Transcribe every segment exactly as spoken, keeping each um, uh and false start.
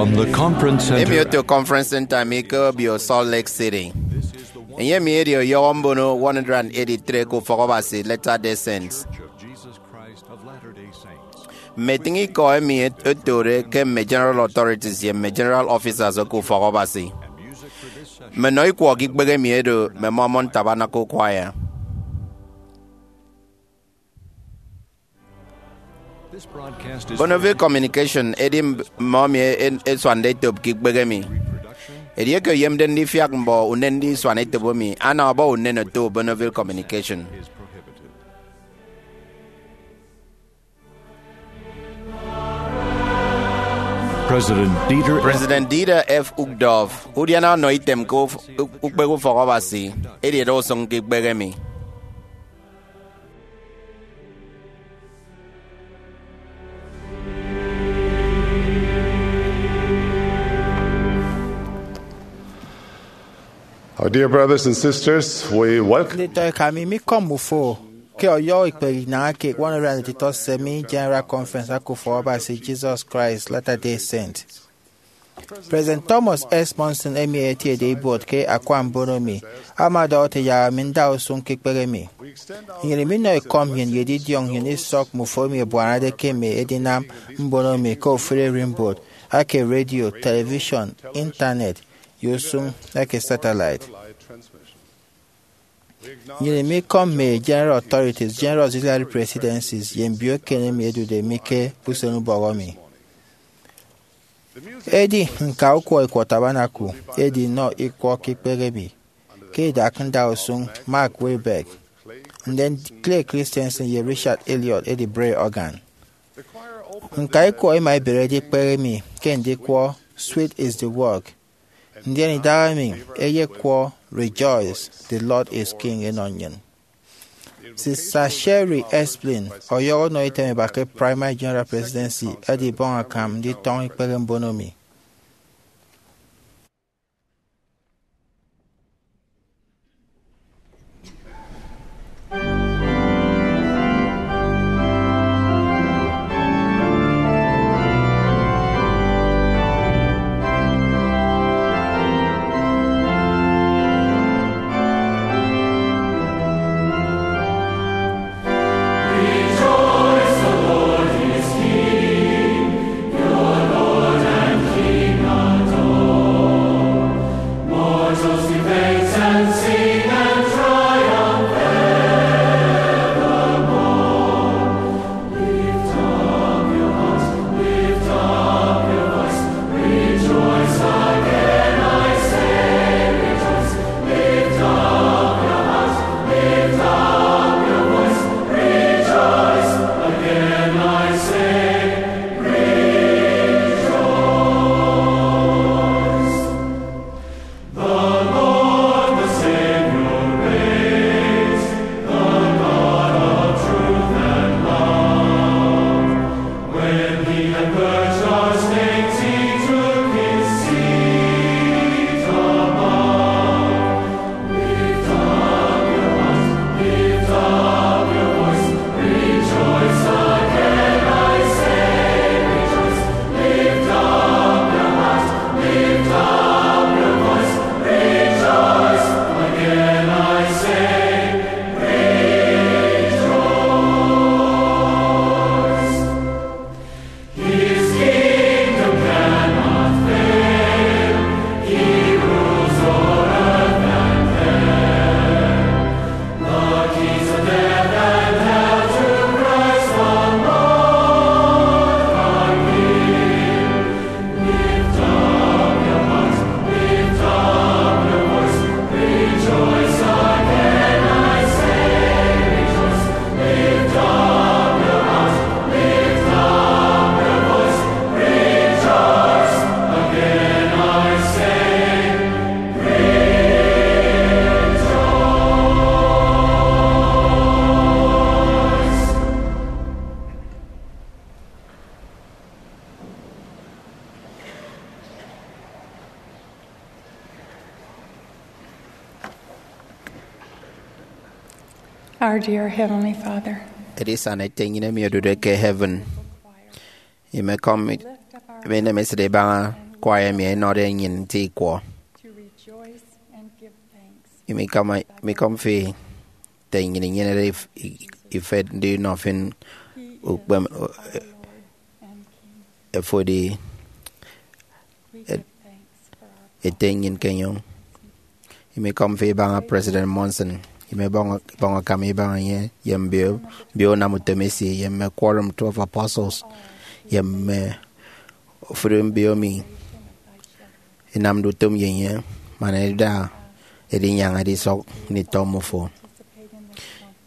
From the conference center. Emi oto Conference Center mi ke obio Salt Lake City. Enye mi edi ọyọhọ mbono one hundred eighty-three ke Ufọk Abasi Latter-day Saints. Mme etịñ ikọ emi et- etode ke mme General Authorities ye mme General Officers eke Ufọk Abasi. Mme nnọ ikwọ ke ikpehe emi edo mme Mormon Tabernacle Choir. Bonneville Communication edi mb- mme ọmi e- e- esuande etop ke ikpehe emi. Edieke oyemde ndifiak mbọ unen ndisuan etop emi, ana ọbọ unen oto Bonneville Communication. President Dieter F. President Dieter F. Uchtdorf, udiana ọnọ item ke uf- u- ukpehe Ufọk Abasi, edi eda usụñ ke ikpehe emi. Our dear brothers and sisters, we welcome. Nditọ eka mi, mi kọm ufo ke ọyọhọ ikpehe inañ eke one hundred and eighty-three Semi General Conference aka Ufọk Abasi Jesus Christ Latter-day Saint. President Thomas S. Monson, emi etiede ibuot ke akwa mbono mi, ama ọdọhọ ete yak ami nda usụñ ke ikpehe mi. Nnyịn iminọ ekọm nnyịn ye edidiọñ nnyịn isọk mme uforo emi ebuanade ke mme edinam mbono mi ke ofụri ererimbot ake radio, television, internet, ye usụñ eke satellite. Nnyịn imikọm mme General Authorities, General Auxiliary Presidencies, ye mbio eken emi ẹdude mi ke usenubọk emi. Edi ñka ukwọ ikwọ Tabernacle edi nnọ ikwọ ke ikpehe emi, ke idak nda usụñ Mark Wilberg, ndien Clay Christensen ye Richard Elliott edi bre organ. Ñka ikwọ ẹma ẹbere edikpehe emi ke ndikwọ Sweet is the Work, ndien idahaemi ẹyekwọ Rejoice, the Lord is King ẹnọ nnyịn. Sister Sherry Esplin, ọyọhọ ọnọ item eba ke Primary General Presidency, edibọñ akam nditọñọ ikpehe mbono mi. Our dear Heavenly Father, Edisana Ete nnyịn emi odude ke heaven, imekọm emi inemesịt ibaña Choir emi ẹnọde nnyịn nte ikwọ. Imikọm, imikọm fi ete nnyịn inyenede if-, i-, ifet ndinọ fi ukpeme, o-, e-, efodi e-, ete nnyịn ke enyọñ. Imikọm fi ibaña President Monson, imebọñ, ibọñ akam ibaña enye, ye mbio, mbio unam utom esi, ye mme Quorum Twelve Apostles, ye mme ofụri mbio emi inamde utom ye enye, man eda edinyaña edisọk nditọ mmọ fo.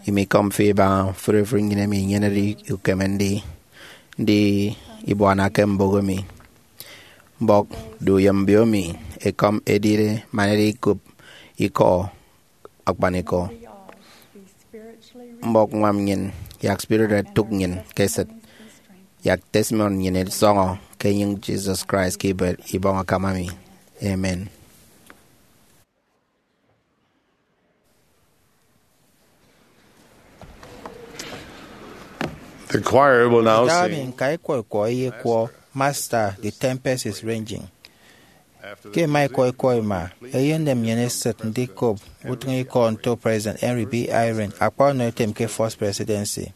Imikọm fi ibaña ofụri ofụri nnyịn emi inyenede ukeme ndi, ndi ibuana ke mbụk emi. Mbọk, du ye mbio emi ekọm edide man edi ikop ikọ akpanikọ. Mbọk ñwam nnyịn, yak spirit etụk nnyịn ke esịt, yak testimony nnyịn esọñọ ke enyịñ Jesus Christ ke ibet ibọñ akam ami. Amen. The choir will now Ita emi sing. Nka ikwọ ikwọ eyekwọ, Master, the Tempest is Raging. Ke ẹma ikwọ ikwọ ima, eyenem nnyịn esịt ndikop utịñikọ nto President Henry B. Eyring, akpa ọnọ etem ke First Presidency.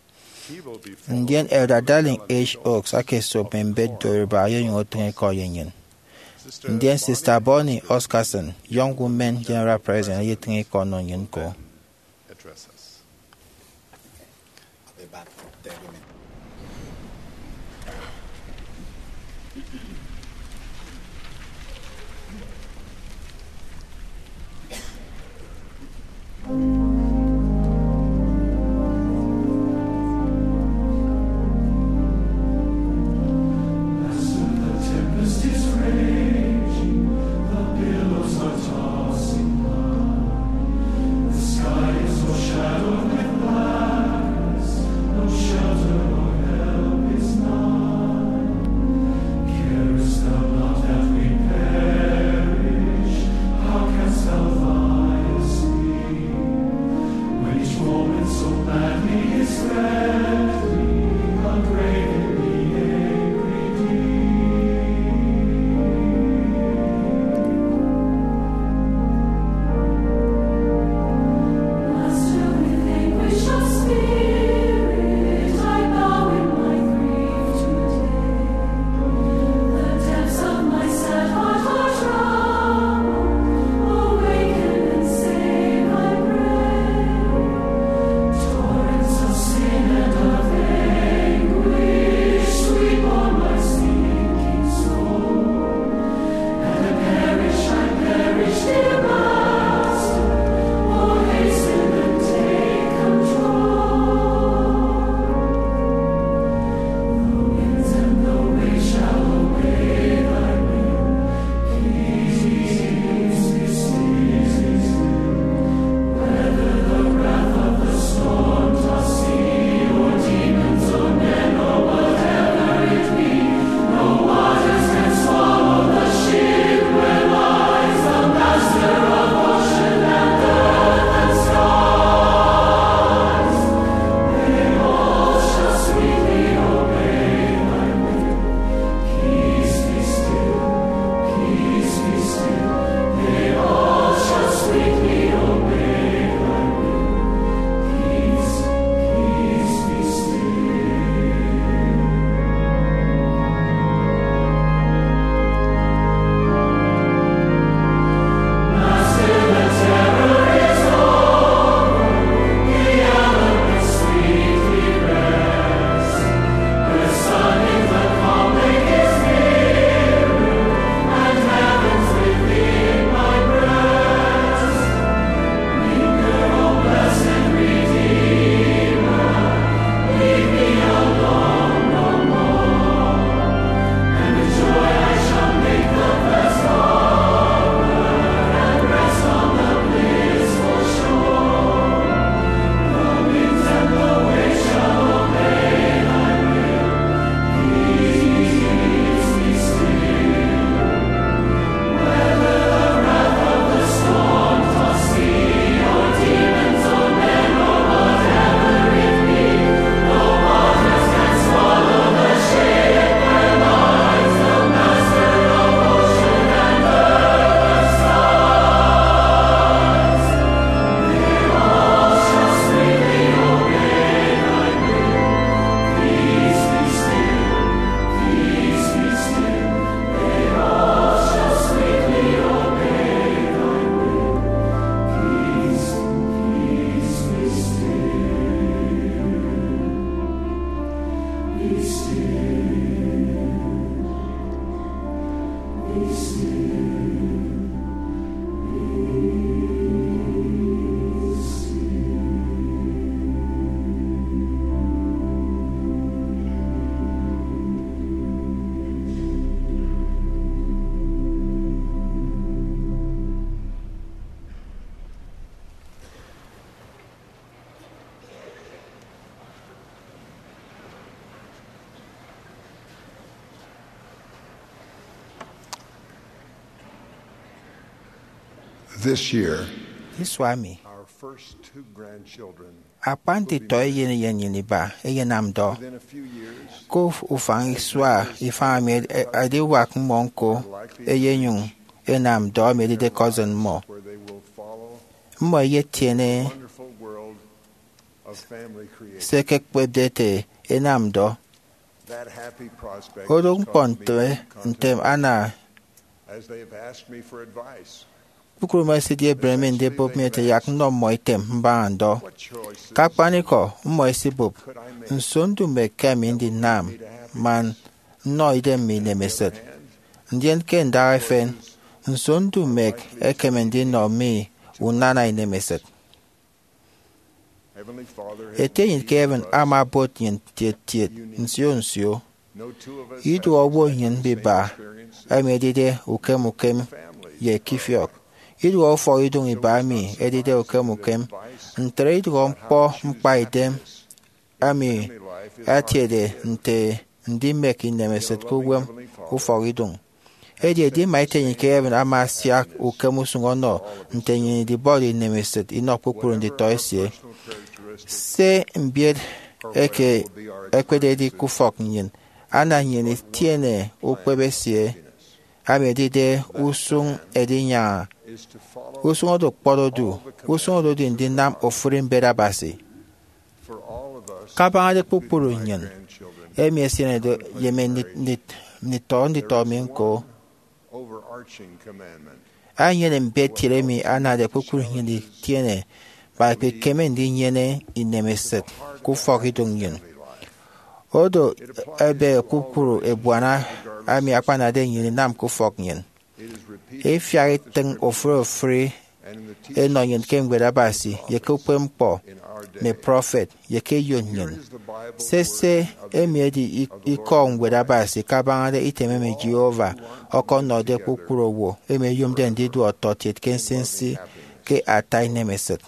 Ndien Elder Dallin H. Oaks aka esop mme mbet Yoruba, eyenyụñ otịñ ikọ ye nnyịn. Ndien Sister Bonnie Oscarson, Young Women General President, eyetịñ ikọ ọnọ nnyịn ñko. This year, isua emi, our first two grandchildren, akpan nditọ eyen eyen nnyịn iba ẹyenam ndọ. Within a few years, ke uf- ufañ isua ifañ emi ed- e- ediwak mmọ ñko, eyenyụñ enam ndọ emi edide cousin mmọ. Where they will follow mmọ eyetiene wonderful world of family creation. Se ẹkekpepde ete enam ndọ. That happy prospect odo has ñkpọ caused me ntem to come ntem ana as they have asked me for advice. Kpukpru mmọ ẹsidi ebre mi ndibụp mi ete yak nnọ mmọ item mbaña ndọ. What choices ke akpanikọ mmọ ẹsibụp could I make nso ndumek ke ami ndinam man nnọ idem mi inemesịt? Ndien ke ndaha efen, nso ndumek ekeme ndinọ mi unana inemesịt? Heavenly Father has ete nnyịn ke heaven ama obot nnyịn tiet tiet nsio nsio. Iduọ owo nnyịn mbiba emi edide ukem ukem ye ekifiọk. Iduọ ufọkidụñ iba emi edide ukem ukem. Ntre iduọ ñkpọ mkpaidem emi atiede nte ndimek inemesịt ke uwem ufọkidụñ. Edi edima ete nnyịn ke heaven ama asiak ukem usụñ ọnọ nte nnyịn idibọde inemesịt inọ kpukpru nditọ esie. Se mbiet eke ekpededi ke ufọk nnyịn anam nnyịn itiene ukpep esie, emi edide usụñ edinyaña, usụñ odu kpọt odu, usụñ odu edi ndinam ofụri mbet Abasi. Kabañade kpukpru nnyịn emi ẹsienede ye mme nditọ nditọ mi ñko, enyene mbet kiet emi anade kpukpru nnyịn itiene man ẹkpekeme ndinyene inemesịt ke ufọkidụñ nnyịn. Odo ebe kpukpru ebuana emi akpanade nnyịn inam ke ufọk nnyịn. Ifiak itịñ ofụri ofụri enọ nnyịn ke Ñwed Abasi ye ke ukpepñkpọ mme prọfet ye ke eyo nnyịn. Sese emi edi ik- ikọ Ñwed Abasi kabañade item emi Jehovah ọkọnọde kpukpru owo emi ẹyomde ndidu ọtọkiet ke nsinsi ke ata inemesịt.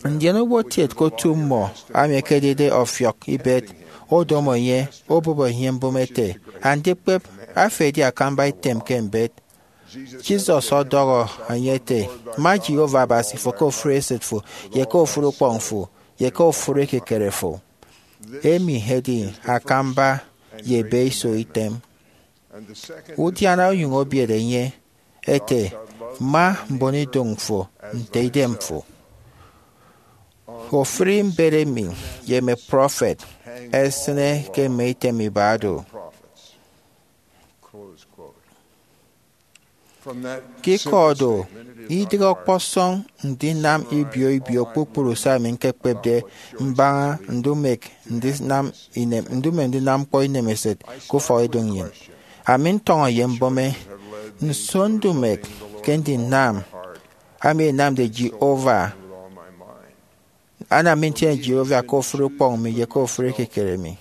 Ndien owo kiet ke otu mmọ, ami ekedide ọfiọk ibet, odomo enye, obụp enye mbụme ete, Andikpep, afo edi akamba item ke mbet. Jesus ọdọhọ enye ete, Ma Jehovah Abasi fo ke ofụri esịt fo, ye ke ofụri ukpọñ fo, ye ke ofụri ekikere fo. Emi edi akamba ye ebeiso item. Udiana onyụñ obiere enye ete, Ma mbonidụñ fo nte idem fo. Ofụri mbet emi ye mme prọfet ẹsịne ke mme item iba do. Ke ikọ do, idịghe ọkpọsọñ ndinam ibio ibio kpukpru se ami ñkekpepde mbaña ndumek ndinam inem- ndumek ndinam ñkpọ inemesịt ke ufọkidụñ nnyịn. Ami ntọñọ ye mbụme, Nso ndumek ke ndinam emi enamde Jehovah anam mi ntiene Jehovah ke ofụri ukpọñ mi ye ke ofụri ekikere mi?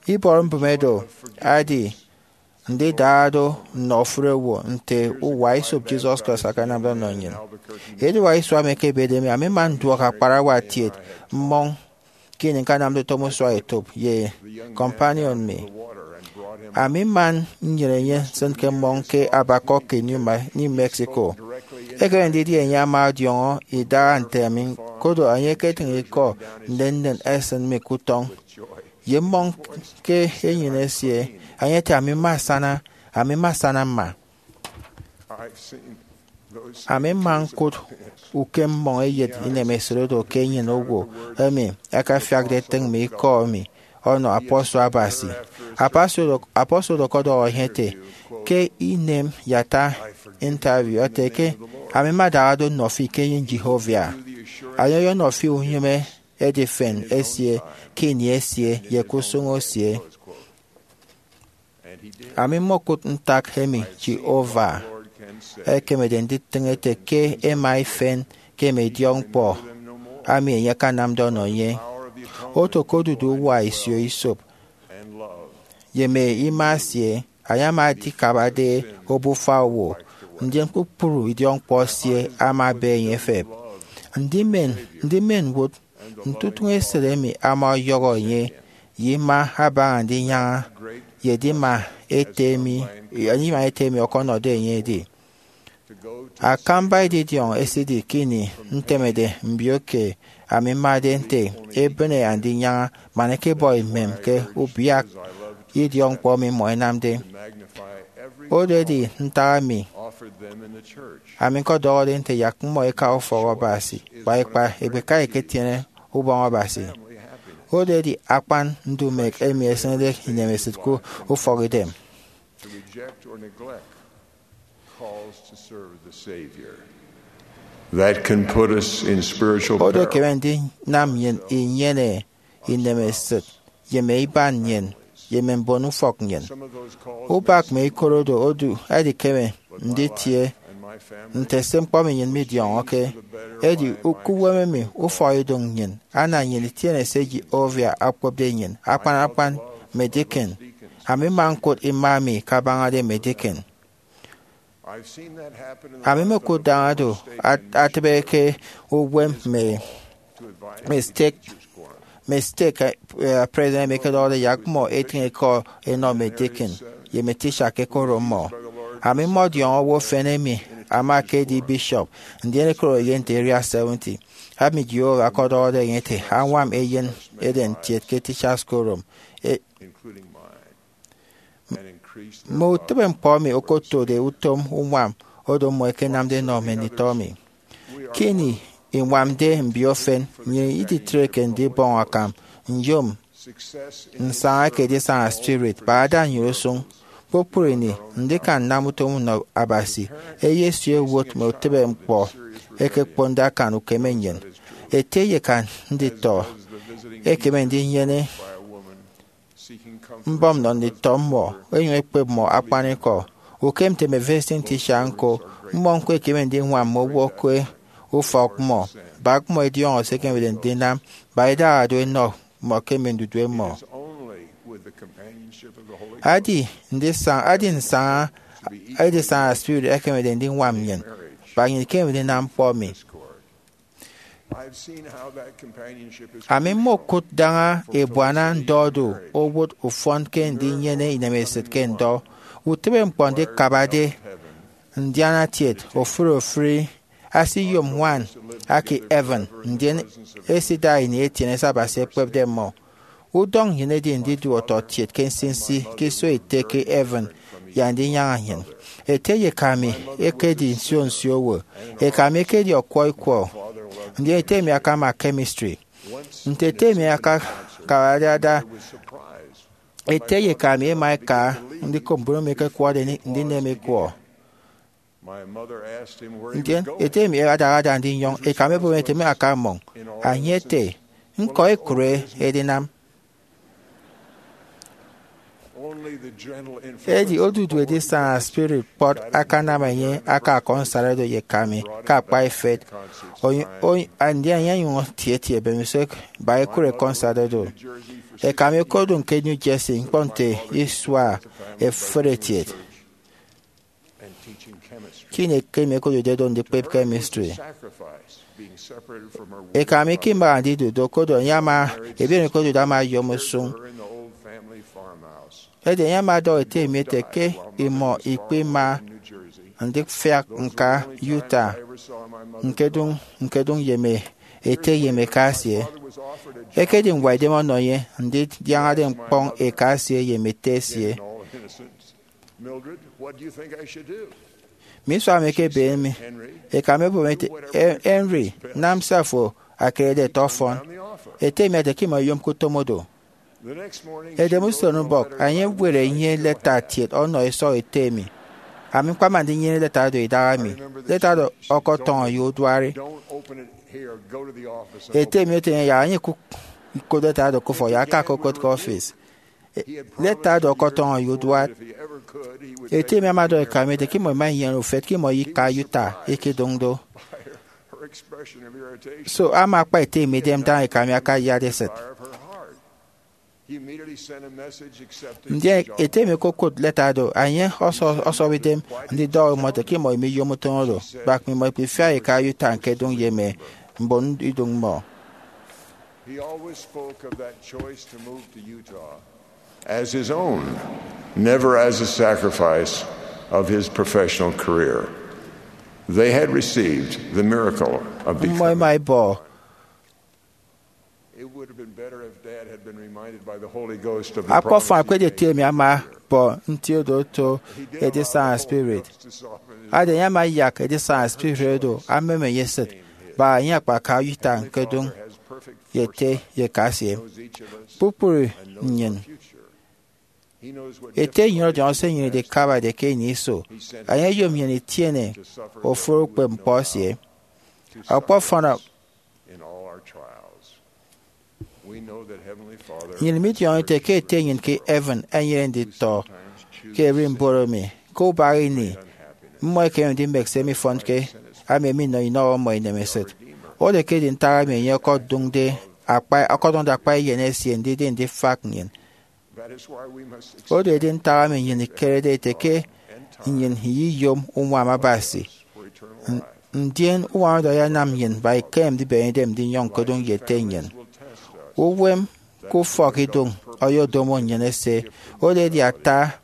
Ibọrọ mbụme do edi ndidara do nnọ ofụri owo nte uwa esop Jesus Christ akanamde ọnọ nnyịn. Ediwak isua emi ekebede mi, ami mma nduọk akparawa kiet mmọñ ke ini ñkanamde utom usua etop ye companion mi. Ami mma nnyene enye nsịn ke mmọñ ke abakọk ke New Ma- New Mexico. Ekeme ndidi enye ama ọdiọñọ idaha nte ami, kodo enye eketịñ ikọ nnennen esịn mi ke utọñ. Ye mmọñ ke enyịn esie, enye ete, Ami mma asana, ami mma asana mma. Ami mma ñkụt ukem mmọñ eyet inemesịt oro ke enyịn owo emi ẹkafiakde ẹtịñ mme ikọ emi ọnọ apostle Abasi. Apostle oro, apostle oro ọkọdọhọ enye ete, Ke inem ye ata interview, ete ke, Ami mma adara do nnọ fi ke enyịñ Jehovah. Enye oyonọ fi unyịme edifen esie ke ini esie ye ke usụñ esie. Ami mmokụt ntak emi Jehovah ekemede nditịñ ete ke ẹma ifen ke mme idiọkñkpọ emi enye akanamde ọnọ enye. Oto ke odudu uwa isio isop ye mme ima esie, enye ama adikabade obufa owo, ndien kpukpru idiọkñkpọ esie ama ebe enye efep. Ndimen, ndimen wụt nte utụñ esịt emi ama ọyọhọ enye ye ima abaña ndinyaña ye edima ete emi, edima ete emi ọkọnọde enye edi. Akamba edidiọñ esidi ke ini ntemede mbio ke ami mmade nte ebịne andinyaña man ẹkebọ imem ke ubiak idiọkñkpọ emi mmọ ẹnamde. Oro edi ntak emi ami ñkọdọhọde nte yak mmọ ẹka ufọk Abasi, kpa ikpa ẹkpeka ẹketiene ubọñ Abasi. Oro edi akpan ndumek emi esịnede inemesịt ke ufọkidem. That can put us in spiritual peril. Oro ekeme ndinam nnyịn inyene inemesịt ye mme iban nnyịn ye mme mbon ufọk nnyịn. Ubak mme ikot oro odu ẹdikeme nditie nte se ñkpọ emi nnyịn midiọñọke. Edi ke uwem emi ufọkidụñ nnyịn ana nnyịn itiene se Jehovah okpepde nnyịn. Akpan akpan mme deacon, ami mma ñkụt ima emi kabañade mme deacon. Ami mmokụt daña do atịbe ke uwem mme mme stake mme stake president emi ẹkedọhọde yak mmọ etịñ ikọ ẹnọ mme deacon ye mme teacher ke koro mmọ. Ami mmọdiọñọ owo efen emi ama ekedi bishop, ndien koro ye nte area seventy. Ami Jehovah ọkọdọhọde enye ete añwam eyen eden kiet ke teachers quorum. Mme utịbe ñkpọ emi okotode utom uñwam oro mmọ ẹkenamde ẹnọ mme nditọ mi. Ke ini iñwamde mbio efen, nnyịn iditreke ndibọñ akam nyom nsaña eke edisana spirit. Bada nnyịn usụñ kpukpru ini ndikan nnam utom nnọ Abasi. Eyesu ewot mme utịbe ñkpọ eke okponde akan ukeme nnyịn. Ete ye eka nditọ ẹkeme ndinyene mbọm nnọ nditọ mmọ ẹnyụñ ẹkpep mmọ akpanikọ. Ukem nte mme visiting teacher ñko, mmọ ñko ẹkeme ndiñwam mme owo ke ufọk mmọ. Bak mmọ ẹdiọñọ se ẹkemede ndinam. Ba idaha do ẹnọ mmọ ke mme ndudue mmọ. Adi ndisaña adi nsaña edisana spirit ẹkemede ndiñwam nnyịn. Ba nnyịn ikemede inam ñkpọ emi. Ami mmokụt daña ebuana ndọ do owụt ufọn ke ndinyene inemesịt ke ndọ. Utịbe ñkpọ ndikabade ndianatiet ofụri ofụri asiyom ñwan ake heaven, ndien esida ini etiene se Abasi ekpepde mmọ. Udọñ nnyịn edi ndidu ọtọkiet ke nsinsi ke iso ete ke heaven ye andinyaña nnyịn. Ete ye eka mi ẹkedi nsio nsio owo. Eka mi ekedi ọkwọ ikwọ, ndien ete mi akama chemistry. Nte ete mi akakabade ada, ete ye eka mi ẹma ẹka ndikop mbon emi ẹkekwọde ndinem ikwọ. Ndien ete mi adaha ada ndinyọñ. Eka mi ebọp ete mi aka mmọñ. Enye ete, ñko ekụre edinam. Edi odudu edisana spirit kpọt akanam enye aka konsarado ye eka mi ke akpa ifet. Ndien enye onyụñ etietie ebemiso ba ekụre konsarado. Eka mi okodụñ ke New Jersey ñkpọ nte isua efụri etiet ke ini eke mi okodude do ndikpep chemistry. Eka mi ke imaha ndidu do, kodo enye ama ebiere kodude ama oyom usụñ. Edi enye ama ọdọhọ ete mi ete ke imọ ikpima ndifiak ñka Utah ñkedụñ ñkedụñ ye mme ete ye mme eka esie. Ekedi ñwaidem ọnọ enye ndidiañade ñkpọñ eka esie ye mme ete esie. Mme isua mi ẹkebem mi, eka mi ebọp ete, Henry, nam se afo akerede ẹte ọfọn. Ete mi ete ke imọ iyomke utom oro. Edem usen ubọk, enye ebuere enye leta kiet ọnọ isọñ ete mi. Ami ñkpama ndinyene leta oro idaha mi. Leta oro ọkọtọñọ ye uduari. Ete mi ete enye yak enye ikụk leta oro ke ufọk ye aka okokot ke ọfis. Leta oro ọkọtọñọ ye uduat. Ete mi ama ọdọhọ eka mi ete ke imọ ima inyene ufet ke imọ ika Utah ikedụñ do. So ama akpa ete mi idem daña eka mi akayat esịt. Ndien ete mi okokot leta do, enye ọsọp idem ndidọhọ imọ ete ke imọ ima iyom utom oro, bak mme imọ ikpifiak ika Utah ñkedụñ ye mme mbon idụñ mmọ. He always spoke of that choice to move to Utah as his own, never as a sacrifice of his professional career. They had received the miracle of becoming. Mmọ ẹma ẹbọ. It would have been better if Dad had been reminded by the Holy Ghost of the akpọfọn promise he akpedi ete made. Emi ama bọ nti odo oto edisaña spirit. Ada enye ama ayak edisaña spirit odo amem enye esịt, bak enye akpaka ita ñkedụñ ye ete ye eka esie. Kpukpru nnyịn, ete nnyịn ọdiọñọ se nnyịn idikabade ke ini iso. Enye oyom nnyịn itiene ofụri ukpepñkpọ esie. Ọkpọfọn nnyịn midiọñọ ete ke ete nnyịn ke heaven enyene nditọ ke ererimbot emi. Ke ubak ini, mmọ ẹkeme ndimek se mifọnke, ami minọ inọ mmọ inemesịt. Oro ekedi ntak emi enye ọkọdụñde akpa, ọkọdụñde akpa eyen esie ndidi ndifak nnyịn. Oro edi ntak emi nnyịn ikerede ete ke nnyịn iyiyom uñwam Abasi. N-, ndien uñwam oro ayanam nnyịn bak ikemede ndibeñe idem ndinyọñ ñkodụñ ye ete nnyịn. Uwem ke ufọkidụñ ọyọdomo nnyịn ese. Oro edi ata,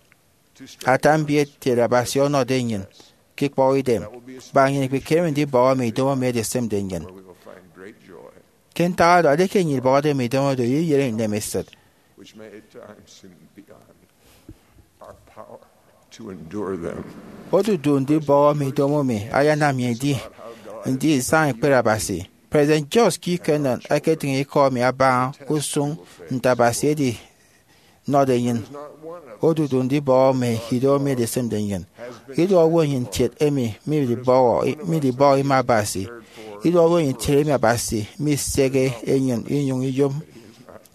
ata mbiet kiet Abasi ọnọde nnyịn ke ikpọhọ idem. Bak nnyịn ikpikeme ndibọhọ mme idomo emi edisịmde nnyịn. Ke ntak oro, edieke nnyịn ibọhọde mme idomo oro, iyeyere inemesịt. Which may at times seem beyond our power to endure them. Odudu ndibọhọ mme idomo emi ayanam nnyịn idi, ndi isañ ekpere Abasi. President George Q. Cannon eketịñ ikọ emi abaña usụñ nte Abasi edi nọde nnyịn. Odudu ndibọhọ mme idomo emi edisịmde nnyịn. Ido owo nnyịn kiet emi midibọhọ, midibọhọ ima Abasi. Ido owo nnyịn kiet emi Abasi misehe enyịn inyụñ iyom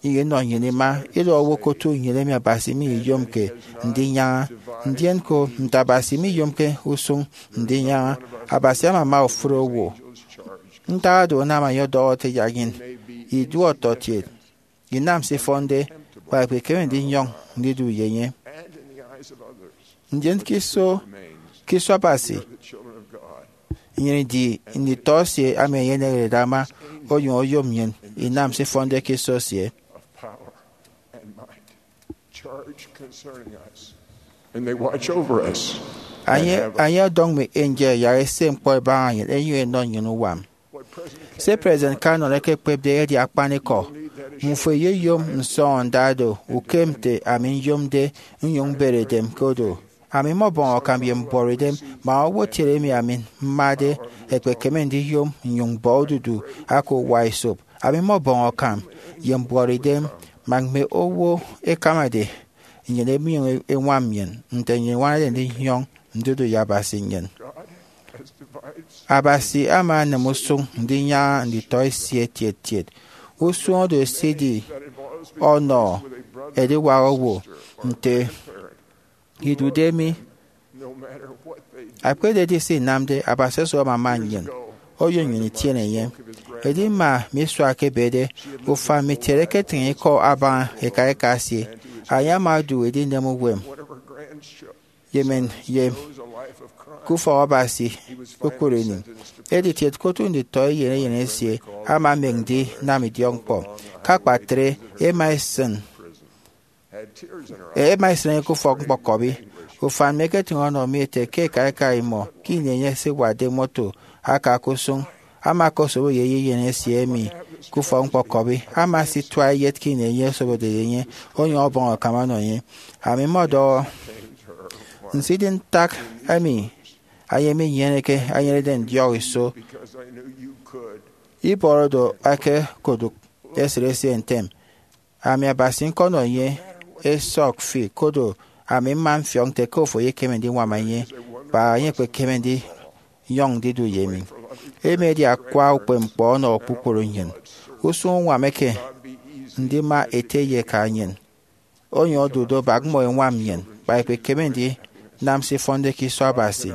inọ nnyịn ima. Ido owo ke otu nnyịn emi Abasi miyiyomke ndinyaña. Ndien ko nte Abasi miyomke usụñ ndinyaña, Abasi ama ama ofụri owo. Ntak oro anam enye ọdọhọ ete yak nnyịn idu ọtọkiet, inam se ifọnde, kpa ikpikeme ndinyọñ ndidu ye enye. Ndien ke iso, ke iso Abasi, nnyịn idi nditọ esie emi enye eneñerede ama, onyụñ oyom nnyịn inam se ifọnde ke iso esie. Charge concerning us. And they watch over us. Enye, enye ọdọñ mme angel yak ese ñkpọ ẹbaña nnyịn, ẹnyụñ ẹnọ nnyịn uñwam. Se President Cannon ekekpepde edi akpanikọ. Mmufo iyeyom nsọñọnda do ukem nte ami nyomde nnyụñ mbere edem ke odo. Ami mmọbọñ akam ye mbuọtidem, man owo kiet emi ami mmade ekpekeme ndiyom nnyụñ mbọ odudu aka uwa esop. Ami mmọbọñ akam ye mbuọtidem, man mme owo ẹkamade nnyịn ẹminyụñ ẹñwam nnyịn nte nnyịn iñwanade ndinyọñ ndidu ye Abasi nnyịn. Abasi ama anam usụñ ndinyaña nditọ esie etiet etiet. Usụñ oro esidi ọnọ ediwak owo nte idude mi. Akpededi se inamde, Abasi oso amama nnyịn, oyom nnyịn itiene enye. Edi mma mi isua ke ebede, ufan mi kiet eketịñ ikọ abaña eka eka esie. Enye ama odu edinem uwem ye men ye ke ufọk Abasi kpukpru ini. Editiet ke otu nditọ eyen eyen esie ama emek ndinam idiọkñkpọ. Ke akpatre, ẹma ẹsịn, ẹma ẹsịn enye ke ufọk ñkpọkọbi. Ufan mi eketịñ ọnọ mi ete ke eka eka imọ ke ini enye esiwatde moto aka ke usụñ, ama ọkosobo ye eyeyen esie emi ke ufọk ñkpọkọbi. Ama asitua eyet ke ini enye osobode ye enye, onyụñ ọbọñ akam ọnọ enye. Ami mmọdọhọ, nso idi ntak emi enye minyeneke enyenede ndiọk iso? Ibọrọ do eke kodụk esịt esie ntem. Ami Abasi ñkọnọ enye esọk fi, kodo ami mma mfiọk nte ke ofo eyekeme ndiñwam enye, kpa enye ekpekeme ndinyọñ ndidu ye mi. Emi edi akwa ukpepñkpọ ọnọ kpukpru nnyịn. Usụñ uñwam eke ndima ete ye eka nnyịn onyụñ odu do bak mmọ ẹñwam nnyịn, kpa ikpikeme ndinam se ifọnde ke iso Abasi.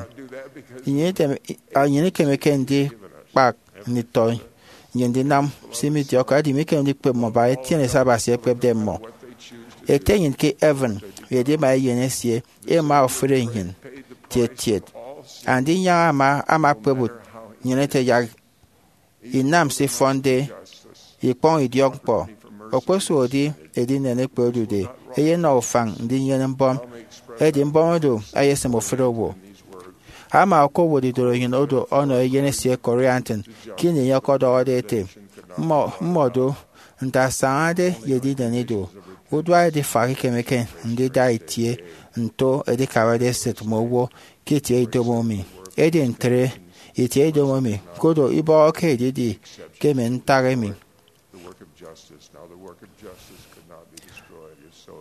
Nnyịn iteme, nnyịn ikemeke ndikpak nditọ nnyịn ndinam se midiọkde, edi mikeme ndikpep mmọ bak itiene se Abasi ekpepde mmọ. Ete nnyịn ke heaven ye edima eyen esie ema ofụri nnyịn tiet tiet. Andinyaña ama, ama kpep nnyịn ete yak inam se ifọnde, ikpọñ idiọkñkpọ. Okposụkedi edinen ekpe odude, eyenọ ufañ ndinyene mbọm, edi mbọm oro eyesịm ofụri owo. ama okowot idorenyin odo ọnọ eyen esie Corianton ke ini enye ọkọdọhọde ete, mmọ mmọdo nte asañade ye ediden ido, udua edifak ikemeke ndida itie nto edikabade esịt mme owo ke itie idomo mi. Edi ntre, itie idomo mi kodo ibọhọke edidi ke mme ntak emi. The work of justice. Now, the work of justice could not be destroyed if so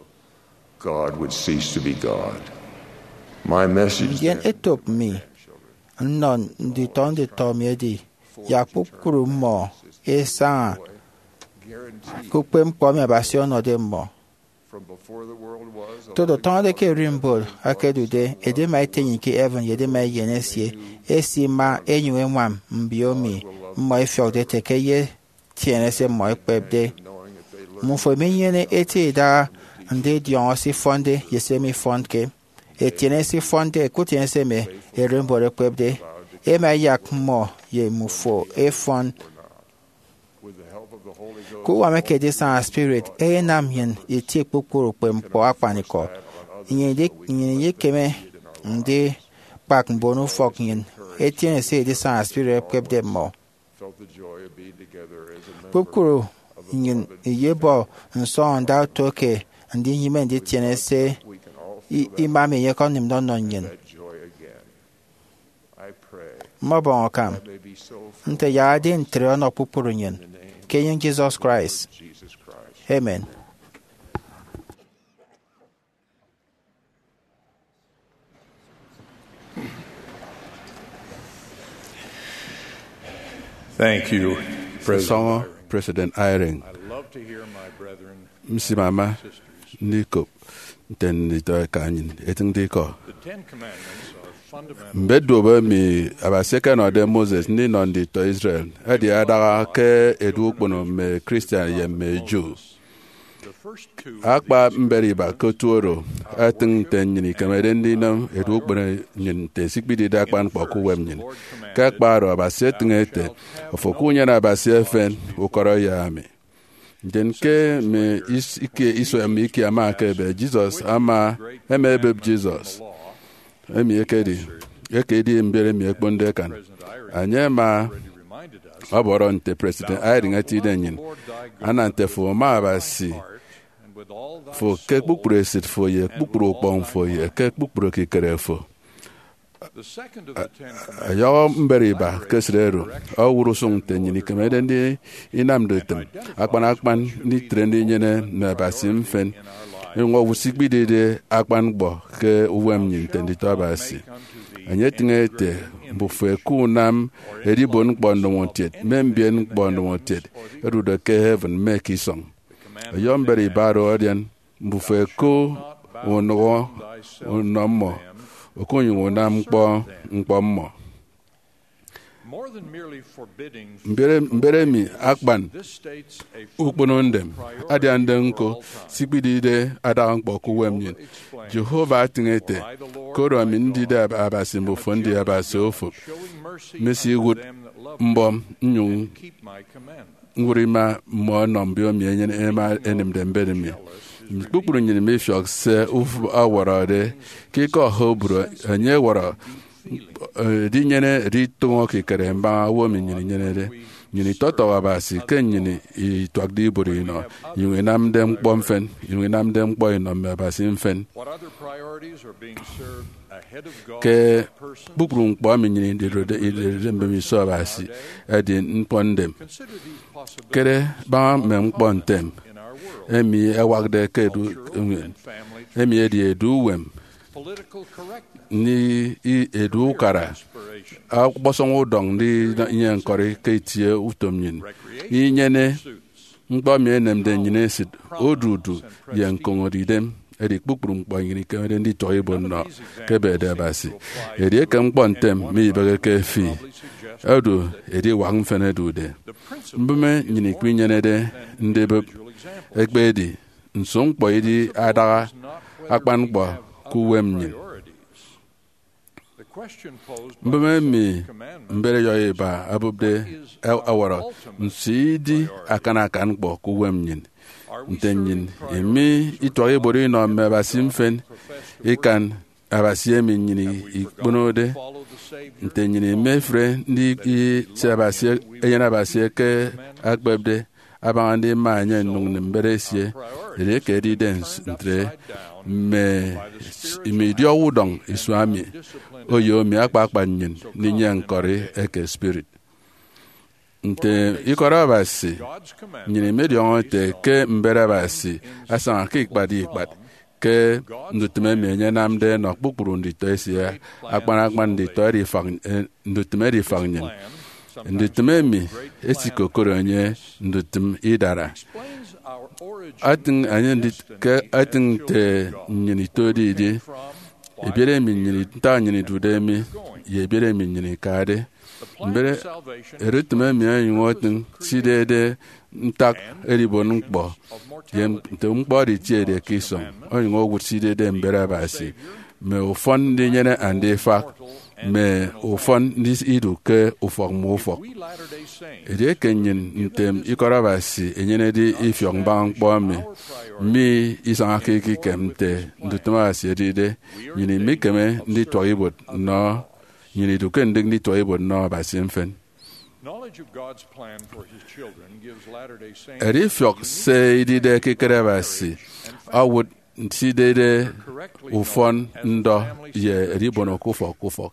God would cease to be God. My message Ndien then etop mi nnọ nditọ nditọ mi edi, yak kpukpru mmọ esaña ke ukpepñkpọ emi Abasi ọnọde mmọ. From before the world was, Todo tọñọde ke ererimbot akedude, edima ete enyin ke heaven ye edima eyen esie esima enyuñ eñwam mbio emi mmọ efiọkde ete ke ye etiene se mmọ ekpepde. Mmufo minyene eti idaha ndidiọñọ se ifọnde ye se mifọnke. Etiene se ifọnde, kutiene se mme ererimbot ekpepde, ema eyak mmọ ye mmufo efọn. Ke uwam eke edisana spirit, enyenam nnyịn itie kpukpru ukpepñkpọ akpanikọ. Nnyịn idi- nnyịn idikeme ndikpak mbon ufọk nnyịn etiene se edisana spirit ekpepde mmọ. Kpukpru nnyịn iyebọ nsọñọnda oto ke ndinyịme nditiene se i- ima mi enye ọkọnịmde ọnọ nnyịn. Mmọbọñ akam nte yak edi ntre ọnọ kpukpru nnyịn, ke enyịñ Jesus Christ. Amen. Thank you, President Sọñọ Eyring. President Eyring. I love to hear my brethren Msimama ndikop nte nditọ eka nnyịn etịñde ikọ. The Ten Commandments are fundamental. Mbet duop emi Abasi ekenọde Moses ndinọ nditọ Israel edi adaha ke edu ukpono mme Christian ye mme Jew. Akpa mbet iba ke otu oro etịñ nte nnyịn ikemede ndinam edu ukpono nnyịn nte sikpidide akpan ñkpọ ke uwem nnyịn. Ke akpa oro, Abasi etịñ ete, "Ofo ke unyene abasi efen ukọrọ ye ami." Ndien ke mme is- ikie isua mme ikie ama ekebe, Jesus ama, ema ebep Jesus, emi ekedi eke edi mbiet emi ekponde akan. Enye ama ọbọrọ nte President Eyring etide nnyịn, "Ana nte fo uma Abasi fo ke kpukpru esịt fo ye kpukpru ukpọñ fo ye ke kpukpru ekikere fo." Ọyọhọ mbet iba ke esịt oro owụt usụñ nte nnyịn ikemede ndinamde utịm akpan akpan nditre ndinyene mme abasi mfịn, inyụñ owụt sikpidide akpan ñkpọ ke uwem nnyịn nte nditọ Abasi. Enye etịñ ete, "Mbufo eke unam edibot ñkpọ ndomokiet mme mbien ñkpọ ndomokiet ẹdude ke heaven mme ke isọñ." Ọyọhọ mbet iba oro adian, "Mbufo eke unụhọ unọ mmọ, okunyụñ unam ñkpọ ñkpọ mmọ." Mbere, mbere emi akpan ukpono ndem adiande ñko sikpidide adaha ñkpọ ke uwem nnyịn. Jehovah atịñ ete, "Koro ami ndide Ab- Abasi, mbufo ndi abasi ofụp. Mesiwụt mbọm nnyụñ ñwụt ima mmọ ọnọ mbio emi enyene ema enịmde mbet mi." Kpukpru nnyịn mifiọk se ufụp ọwọrọde. Ke ikọ Hebrew, enye ọwọrọ edinyene editụñọ ekikere mbaña owo emi nnyịn inyenede. Nnyịn itọtọhọ Abasi ke nnyịn ituakde ibuot inọ, inyụñ inamde ñkpọ mfịn, inyụñ inamde ñkpọ inọ mme abasi mfịn. Ke kpukpru ñkpọ emi nnyịn idude, idude mbemiso Abasi edi ñkpọ ndem. Kere baña mme ñkpọ ntem emi ẹwakde ke edu nnyịn, emi edi edu uwem, ni i- edu ukara, ọkpọsọñ udọñ ndinọ enye ñkọri ke itie utom nnyịn, inyene ñkpọ emi enemde nnyịn esịt, odudu, ye ñkoñode idem. Edi kpukpru ñkpọ nnyịn ikemede ndituak ibuot nnọ ke ebede Abasi. Edieke ñkpọ ntem mibeheke fi, odu ediwak mfịn ẹdude. Mbụme nnyịn ikpinyenede ndibụp ekpedi, nso ñkpọ idi adaha akpan ñkpọ ke uwem nnyịn? Mbụme emi mbet ọyọhọ iba ẹbụpde ẹ- ẹwọrọ, nso idi akan akan ñkpọ ke uwem nnyịn? Nte nnyịn emi ituak ibuot inọ mme abasi mfịn ikan Abasi emi nnyịn ikponode, nte nnyịn imefre nditi se Abasi, Eyen Abasi eke akpepde abaña ndima enye nnyụñ nnịm mbet esie, edieke edide ntre, mme, mme idiọk udọñ isua mi oyomi akpakpa nnyịn ndinyene ñkọri eke spirit. Nte ikọt Abasi, nnyịn imediọñọ ete ke mbet Abasi asaña ke ikpat ye ikpat, ke ndutịm emi enye anamde ẹnọ kpukpru nditọ esie, akpan akpan nditọ edifak, eh, ndutịm edifak nnyịn. Ndutịm emi esikokoro enye ndutịm idara. Atịñ enye ndit-, ke atịñ nte nnyịn itode idi, ebiet emi nnyịn, ntak nnyịn idude mi, ye ebiet emi nnyịn ikade. Mbere, erutịm emi onyụñ otịñ sidede ntak edibon ñkpọ, ye nte ñkpọ oro itiede ke isọñ, onyụñ owụt sidede mbet Abasi, mme ufọn ndinyene andifak, mme ufọn ndidu ke ufọk mme ufọk. Edieke nnyịn ntem ikọt Abasi enyenede ifiọk mbaña ñkpọ emi, mi isañake ekikem nte ndutịm Abasi edide, nnyịn imikeme ndituak ibuot nnọ, nnyịn idu ke ndịk ndituak ibuot nnọ Abasi mfịn. Edifiọk se idide ekikere Abasi owụt sidede ufọn ndọ ye edibono ke ufọk ke ufọk.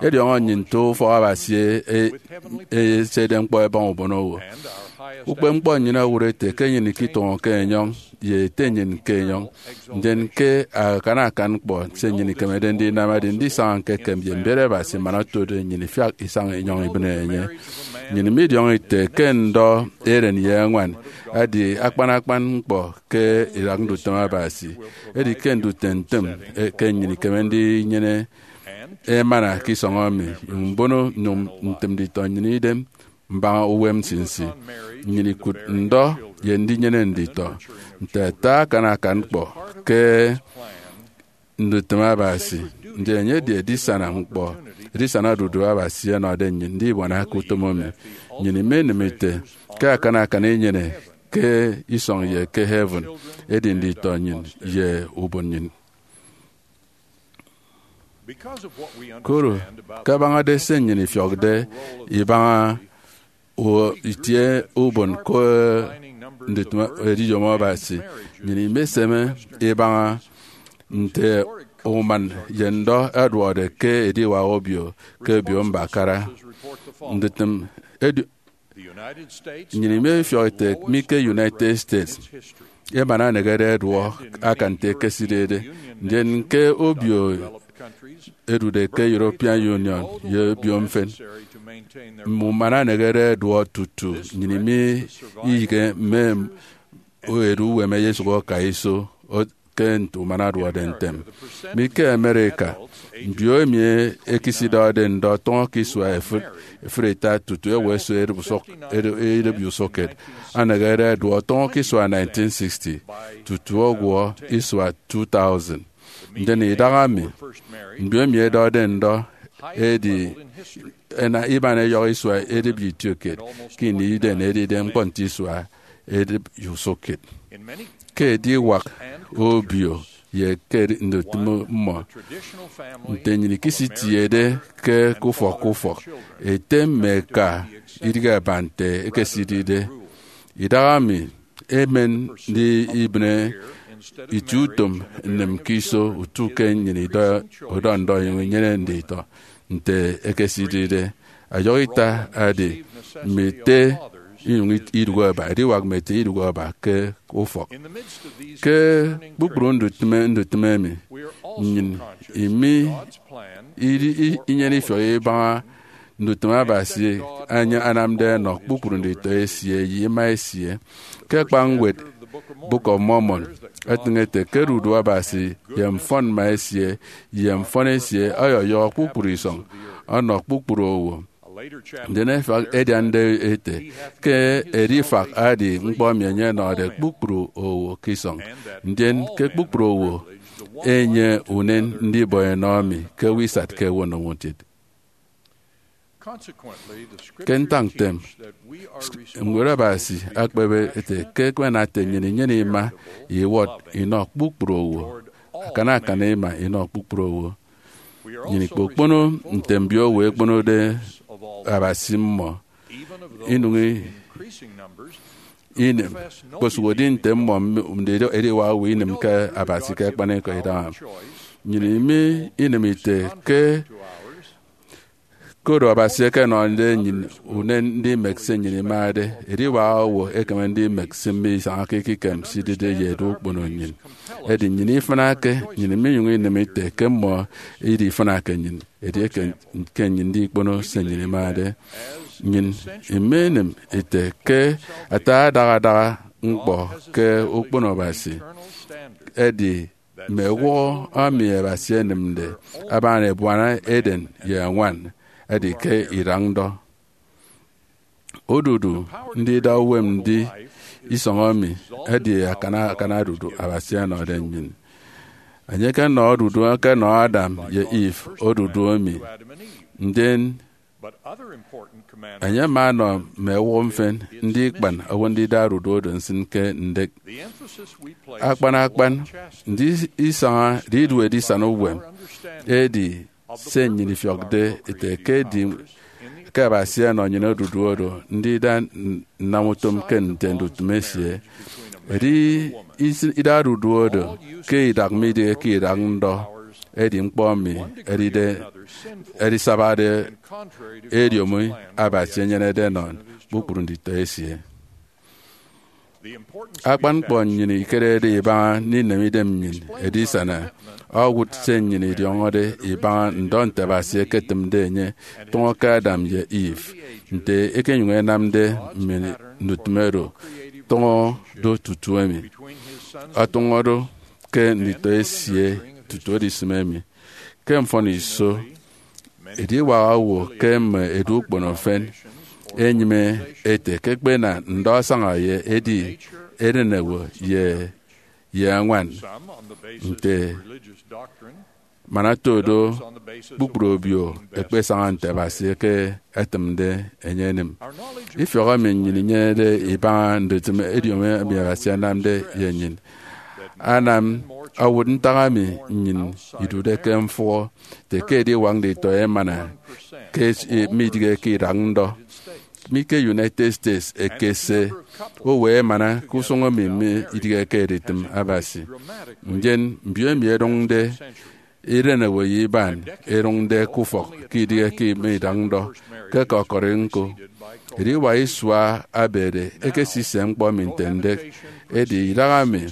Ediọñọ nnyịn nte ufọk Abasi e-, e-, eyesedem ñkpọ ẹbaña ubonowo. Ukpepñkpọ nnyịn owụt ete ke nnyịn ikitụñọke enyọñ ye Ete nnyịn ke enyọñ, ndien ke akan akan ñkpọ se nnyịn ikemede ndinam edi ndisaña ñkekem ye mbet Abasi man otode nnyịn ifiak isaña enyọñ ibịne enye. Nnyịn midiọñọ ite ke ndọ eren ye añwan edi akpan akpan ñkpọ ke idak ndutịm Abasi. Edi ke ndutịm ntịm, eh, ke nnyịn ikeme ndinyene emana ke isọñ emi, nyụñ mbono nyụñ ntịm nditọ nnyịn idem mbaña uwem nsinsi. Nnyịn ikụt ndọ ye ndinyene nditọ nte ata akan akan ñkpọ ke ndutịm Abasi. Ndien enye edi edisana ñkpọ, edisana odudu Abasi ọnọde nnyịn ndibuana ke utom emi. Nnyịn imenịm ite ke akan akan inyene ke isọñ ye ke heaven edi nditọ nnyịn ye ubon nnyịn. Koro, kabañade se nnyịn ifiọkde ibaña u-, itie ubon ke ndutịm ediyom Abasi, nnyịn imeseme ibaña nte uman ye ndọ ẹduọkde ke ediwak obio ke Obio Mbakara. Ndutịm edu-, nnyịn imefiọk ete mi ke United States, emana enegede ẹduọ akan nte ekesidede, ndien ke obio edude ke European Union ye obio mfịn, mme uman ẹnegede ẹduọ tutu nnyịn imiyịghe mme edu uwem ẹyesụk ẹka iso o-, ke nte uman aduọde ntem. Mi ke America, mbio emi ẹkesidọhọde ndọ tọñọ ke isua efịt, efịt ita tutu ewe ẹsu edịp usụk-, edịp, edịp usụkkiet, ẹnegede ẹduọ tọñọ ke isua nineteen sixty tutu ọgwọ isua two thousand. Ndien idaha mi, mbio emi ẹdọhọde ndọ edi ena-, iban ẹyọhọ isua edịp ye itiokiet ke ini iden edide ñkpọ nte isua edịp ye usụkkiet. Ke ediwak obio ye ke ndutịm mmọ, nte nnyịn ikisitiede ke, ke ufọk ke ufọk, ete mme eka idịghe aba nte ekesidide. Idaha mi emen ndi ibịne itie utom nnịm ke iso utu ke nnyịn idọ, udọ ndọ inyụñ inyene nditọ nte ekesidide. Ọyọhọ ita edi mme ete inyụñ it-, idụhe aba, ediwak mme ete idụhe aba ke ufọk. Ke kpukpru ndutịme, ndutịme emi, nnyịn imi idi-, i-, inyene ifiọk ibaña ndutịm Abasi anya anamde ẹnọ kpukpru nditọ esie ye ima esie. Ke akpa ñwed Book of Mormon, etịñ ete ke odudu Abasi ye mfọn mma esie ye mfọn esie ọyọyọhọ kpukpru isọñ ọnọ kpukpru owo. Ndien efak ediande ete ke edifak edi ñkpọ emi enye ọnọde kpukpru owo ke isọñ, ndien ke kpukpru owo enye unen ndibọ enọ mi ke ewe isat ke ewe onomotid. Ke ntak ntem, Ñwed Abasi ekpep ete ke ekpep ete nnyịn inyene ima iwọt inọ kpukpru owo, akan akan ima inọ kpukpru owo. Nnyịn ikpokpono nte mbiowo ẹkponode Abasi mmọ, inụñi inem, kposụkedi nte mmọ mme ediwak owo inem ke Abasi ke akpanikọ idaha. Nnyịn imi inem ite ke koro Abasi ekenọde nnyịn unen ndimek se nnyịn imade, ediwak owo ekeme ndimek se mme isañake ekikem sidide ye edu ukpono nnyịn. Edi nnyịn ifịnake, nnyịn minyụñ inem ite ke mmọ idi ifịnake nnyịn, edieke ke nnyịn ndikpono se nnyịn imade. Nnyịn imenem ite ke ata adaha adaha ñkpọ ke ukpono Abasi edi mme ewụhọ emi Abasi enịmde abaña ebuana Eden ye Ñwan edi ke idak ndọ. Odudu ndida uwem ndi isọñ emi edi akana akana odudu Abasi ọnọde nnyịn. Enye ekenọ odudu eke enọ Adam ye Eve odudu emi, ndien enye ama ọnọ mme ewụhọ mfịn ndi ikpan owo ndida odudu oro nsịn ke ndek. Akpan akpan, ndi isaña, ndi idu edisana uwem edi se nnyịn ifiọkde ete ke edi ke Abasi ọnọ nnyịn odudu oro ndida n- nnam utom ke nte ndutịm esie. Edi is- ida odudu oro ke idak midịghe ke idak ndọ edi ñkpọ emi edide edisabade ediomi Abasi enyenede enọ kpukpru nditọ esie. Akpan ñkpọ nnyịn ikerede ibaña ndinem idem nnyịn edisana owụt se nnyịn idiọñọde ibaña ndọ nte Abasi eketịmde enye tụñọ ke Adam ye Eve, nte ekenyụñ enamde mme ndutịm oro tụñọ do tutu emi, ọtụñọ do ke nditọ esie tutu edisịm emi. Ke mfọn iso, ediwak owo ke mme edu ukpono efen enyịme ete ke ẹkpena ndọ asaña ye edi erenewo ye ye añwan, nte man oto do kpukpru obio ẹkpesaña nte Abasi eke etịmde enye enịm. Ifiọk emi nnyịn inyenede ibaña ndutịm ediomi emi Abasi anamde ye nnyịn anam owụt ntak emi nnyịn idude ke mfụhọ ete ke ediwak nditọ emana ke midịghe ke idak ndọ. Mi ke United States, ekese owo emana ke usụñ emi midịghe ke editịm Abasi. Ndien mbio emi ẹdụñde iren ewe ye iban ẹdụñde ke ufọk ke idịghe ke mme idak ndọ. Ke kọkọri ñko, ediwak isua abede ekesise ñkpọ emi nte ndek. Edi idahaemi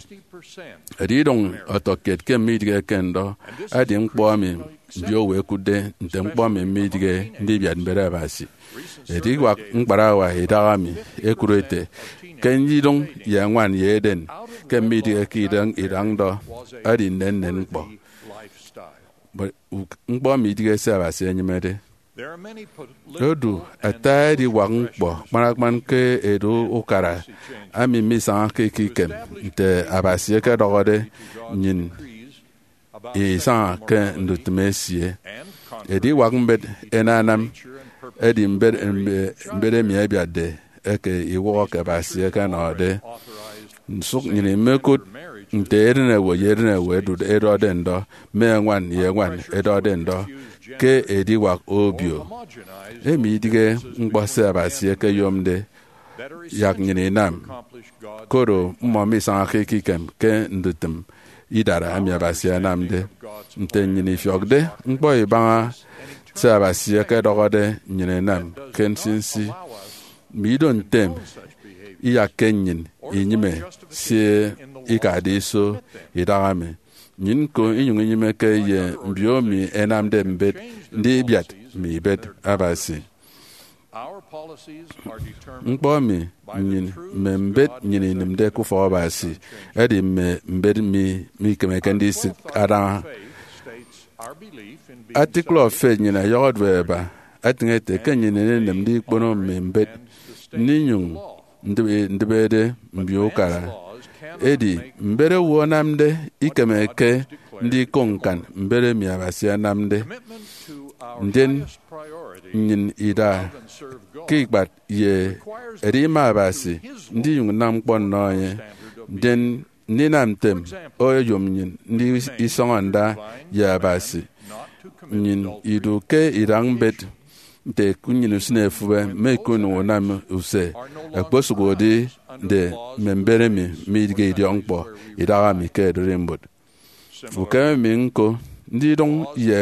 edidụñ ọtọkiet ke mme idịghe ke ndọ. Edi ñkpọ emi mbiowo ẹkụtde nte ñkpọ emi midịghe ndibiat mbet Abasi. Ediwak ñkparawa idahaemi ẹkụt ete ke ndidụñ ye ñwan ye Eden ke mme idịghe ke idañ idañ ndọ edi nnennen ñkpọ, ñkpọ midịghe se Abasi enyịmede. Odu ata ediwak ñkpọ kpanakpan ke edu ukara emi misañake ke ikem nte Abasi ekedọhọde nnyịn isaña ke ndutịm esie. Ediwak mbet enanam edi mbet, mbet emi ẹbiatde eke iwọhọ ke Abasi ẹkenọde. Nsụk nnyịn imekụt nte eren ewe ye eren ewe ẹdọde ndọ, mme ñwan ye ñwan ẹdọde ndọ ke ediwak obio. Emi idịghe ñkpọ se Abasi ekeyomde yak nnyịn inam, koro mmọ misañake ekikem ke ndutịm idara emi Abasi anamde. Nte nnyịn ifiọkde ñkpọ ibaña se Abasi ekedọhọde nnyịn inam ke nsinsi, mme ido ntem iyakke nnyịn inyịme se ikade iso idahaemi. Nnyịn ñko inyụñ inyịmeke ye mbio emi ẹnamde mbet ndibiat mme ibet Abasi. Ñkpọ emi nnyịn mme mbet nnyịn inịmde ke ufọk Abasi edi mme mbet mi mikemeke ndisịk adaña. Article of Faith nnyịn ọyọhọ do ẹba, etịñ ete ke nnyịn inenịm ndikpono mme mbet, ndinyụñ ndịbe- ndịbede mbio ukara. Edi mbet owo anamde ikemeke ndikop ñkan mbet emi Abasi anamde. Ndien nnyịn ida ke ikpat ye edima Abasi ndinyụñ nnam ñkpọ nnọ enye. Ndien ndinam ntem oyom nnyịn ndisọñọ nda ye Abasi. Nnyịn idu ke idak mbet nte ke nnyịn usịne efube mme ikunụñọ unam use ẹkposụkde mme mbet emi midịghe idiọkñkpọ idaha mi ke ererimbot. Ukeme mi ñko, ndidụñ ye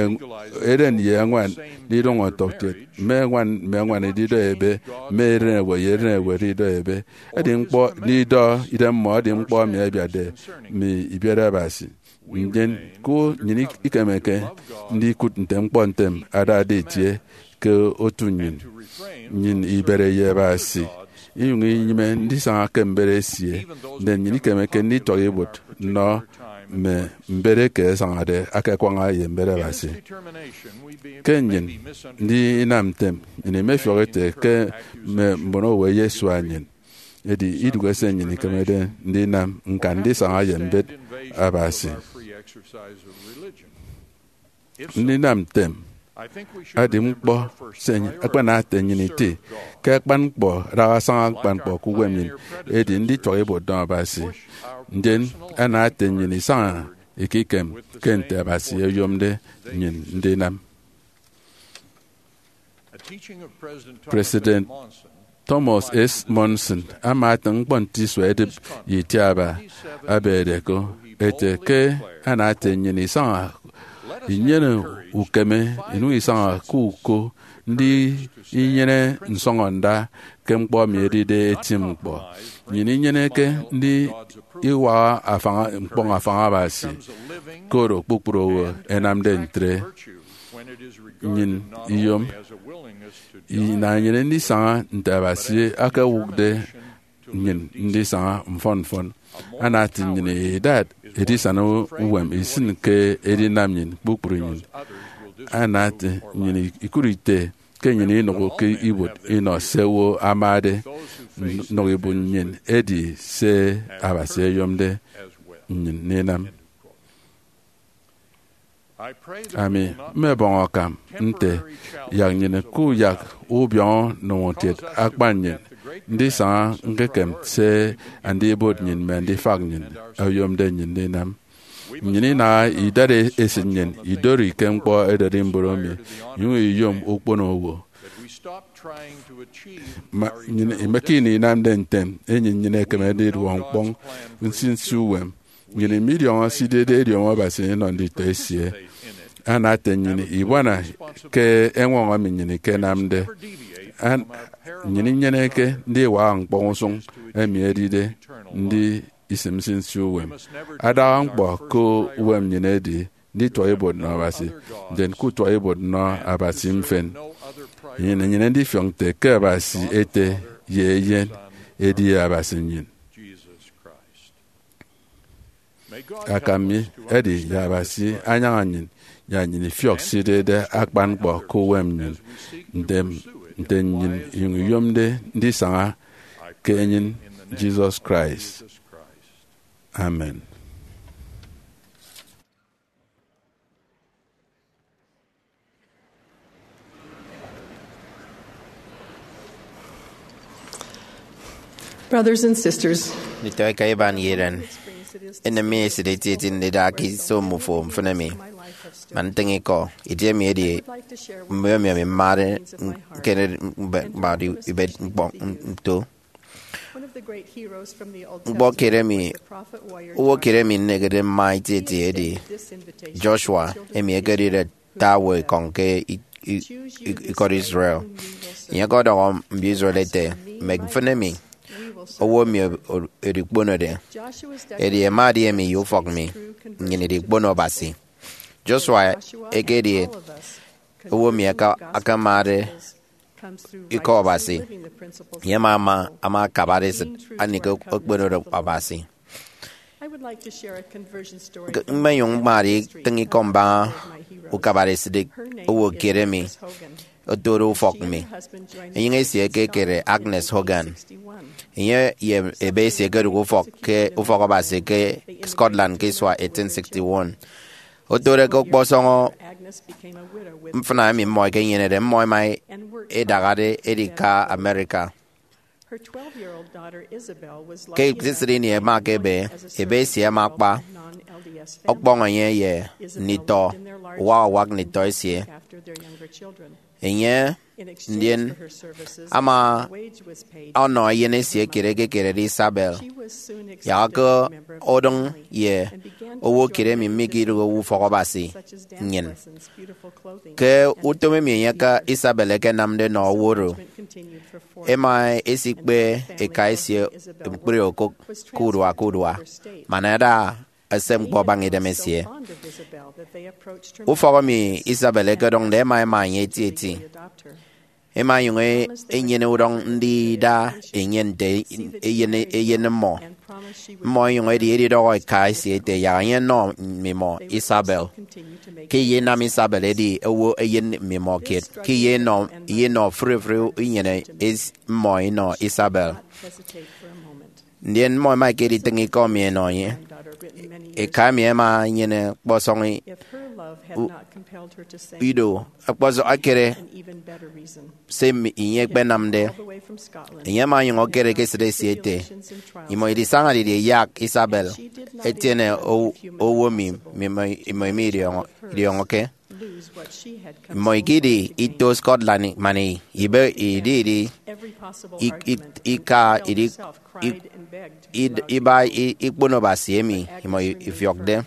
eren ye eñwan ndidụñ ọtọkiet, mme eñwan mme eñwan ididọ ebe, mme eren ewe ye eren ewe ididọ ebe. Edi ñkpọ ndidọ idemmọ edi ñkpọ emi abiatde mme ibet Abasi. Ndien ku nnyịn ikemeke ndikụt nte ñkpọ ntem adade itie ke otu nnyịn. Nnyịn ibere ye Abasi, inyụñ inyịme ndisaña ke mbet esie. Ndien nnyịn ikemeke ndituak ibuot nnọ mme mbet eke ẹsañade aka ẹkwaña ye mbet Abasi. Ke nnyịn ndinam ntem, nnyịn imefiọk ete ke mme mbon owo ẹyesua nnyịn. Edi idụhe se nnyịn ikemede ndinam ñkan ndisaña ye mbet Abasi. Ndinam ntem edi ñkpọ se akpana ete nnyịn iti ke akpan ñkpọ adaha asaña akpan ñkpọ ke uwem nnyịn edi ndituak ibuot nnọ Abasi. Ndien ana ete nnyịn isaña ekikem ke nte Abasi oyomde nnyịn ndinam. President Thomas S. Monson ama atịñ ñkpọ nte isua edịp ye itiaba. Abañade ko, ete ke ana ete nnyịn isaña inyene ukeme, inyụñ isaña ke uko, ndi inyene nsọñọnda ke ñkpọ emi edide eti ñkpọ. Nnyịn inyeneke ndi iwaha afañ, ñkpọñ afañ Abasi, ke oro kpukpru owo ẹnamde ntre. Nnyịn iyom inaenyene ndisaña nte Abasi akewụkde nnyịn ndisaña mfọn mfọn. Ana ete nnyịn idat edisana uwem isịn ke edinam nnyịn kpukpru nnyịn. Ana ete nnyịn ikụt ite ke nnyịn inụhọke ibuot inọ se owo amade. Nnụk ibuot nnyịn edi se Abasi oyomde nnyịn ndinam. Ami mmebọñ akam nte yak nnyịn kuyak ubiọñọ nneñutiet akpan nnyịn ndisaña ñkekem se Andibot nnyịn mme Andifak nnyịn oyomde nnyịn ndinam. Nnyịn inaha idat esịt nnyịn idori ke ñkpọ ererimbot emi, inyụñ iyom ukpono owo. Ma nnyịn imekeme inamde ntem, enyịn nnyịn ekeme ndiduọ ñkpọñ nsinsi uwem. Nnyịn midiọñọ se idide ediomi Abasi inọ nditọ esie. Ana ete nnyịn ibuana ke eñwọñọ emi nnyịn ikenamde. An- nnyịn inyeneke ndiwaha ñkpọñ usụñ emi edide ndi isịm nsinsi uwem. Adaha ñkpọ ke uwem nnyịn edi ndituak ibuot nnọ Abasi, ndien kutuak ibuot nnọ Abasi mfịn. Nnyịn inyene ndifiọk nte ke Abasi Ete ye Eyen edi Abasi nnyịn. Akam mi edi yak Abasi anyaña nnyịn, yak nnyịn ifiọk se idide akpan ñkpọ ke uwem nnyịn, ntem nte nnyịn inyụñ iyomde ndisaña ke enyịn Jesus Christ. Amen. Brothers and sisters, nditọ eka iban ye iren, enem mi esịt etieti ndida ke iso mmufo mfịn emi man ntịñ ikọ. Itie emi edi mbiomi emi mmade ñkere mbe- mba ibet ñkpọ nto. Ñkpọ kiet emi, owo kiet emi nnehede mma etieti edi Joshua, emi ekedide ata owo ekọñ ke i- i- i- ikọt Israel. Enye ọkọdọhọ mbio Israel ete, mek mfịn emi owo emi o- o- edikponode. Edi ẹma ẹdi emi ye ufọk mi, nnyịn idikpono Abasi. Joshua ekedi owo emi aka- akemade ikọ Abasi. Enye ama ama ama akabade esịt anie ke okponode Abasi. Mmenyụñ mmade itịñ ikọ mbaña ukabade esịt owo kiet emi otode ufọk mi. Enyịñ esie ke ekere Agnes Hogan. Enye ye ebe esie ẹkedụk ufọk ke ufọk Abasi ke Scotland ke isua eighteen sixty-one. Otode ke ọkpọsọñọ mfịna emi mmọ ẹkenyenede, mmọ ẹma ẹdahade ẹdika America. Ke esisịt ini ẹma ẹkebe, ebe esie ama akpa ọkpọñ enye ye nditọ uwak uwak nditọ esie. Enye, ndien, ama ọnọ eyen esie kiet eke ekerede Isabel, yak ke udịñ ye owo kiet emi mikidịghe owo ufọk Abasi nnyịn. Ke utom emi enye ke Isabel ẹkenamde nọ owo oro, ẹma ẹsikpe eka esie ñkpri okụk ke urua ke urua, man ada ese ñkpọ abaña idemesie. Ufọk emi Isabel ẹkedụñde ẹma ẹma enye etieti. Ẹma ẹnyụñ ẹnyene udọñ ndida enye nte eyen, eyen mmọ. Mmọ ẹnyụñ ẹdi edidọhọ eka esie ete yak enye enọ mmimọ Isabel, ke iyenam Isabel edi owo eyen mmimọ kiet, ke iyenọ, iyenọ ofụri ofụri inyene es-, mmọ inọ Isabel. Ndien mmọ ẹma ẹkeditịñ ikọ emi ẹnọ enye. Eka emi ẹma ẹnyene ọkpọsọñ i-, u-, ido, ọkpọsọñ ekere se enye ekpenamde. Enye ama onyụñ okere ke esịt esie ete, imọ idisaña didie yak Isabel etiene o-, owo mi, mi, mi, imọ emi idiọñọ-, idiọñọke. Mmọ ikidi ito Scotland man ibe idi, idi, i-, i-, ika idi, i-, id-, iba i-, ikpono Abasi emi imọ ifiọkde.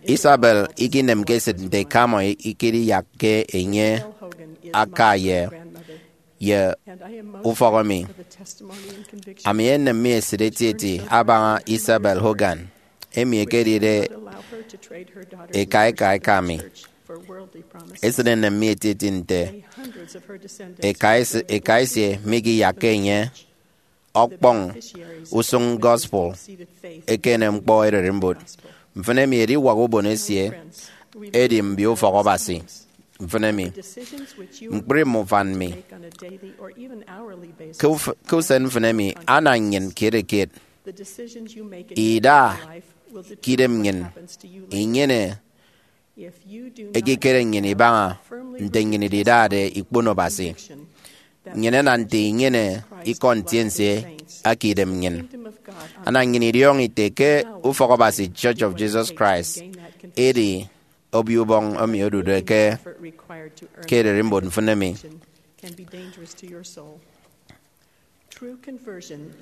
Isabel ikinemke esịt nte eka imọ ikidiyakke enye aka ye, ye ufọk emi. Ami enem mi esịt etieti abaña Isabel Hogan, emi ekedide eka eka eka mi. Esịt enem mi etieti nte eka ese-, eka esie mikiyakke enye ọkpọñ usụñ gospel ekene ñkpọ ererimbot. Mfịn emi ediwak ubon esie edi mbio ufọk Abasi. Mfịn emi, ñkpri mme ufan mi. Ke uf-, ke usen mfịn emi, ana nnyịn kiet kiet ida ke idem nnyịn inyene ekikere nnyịn ibaña nte nnyịn ididade ikpono Abasi. Nnyịn ena nte inyene ikọ ntiense eke idem nnyịn. Ana nnyịn idiọñọ ite ke ufọk Abasi, Church of Jesus Christ, edi obio ubọñ emi odude ke, ke ererimbot mfịn emi.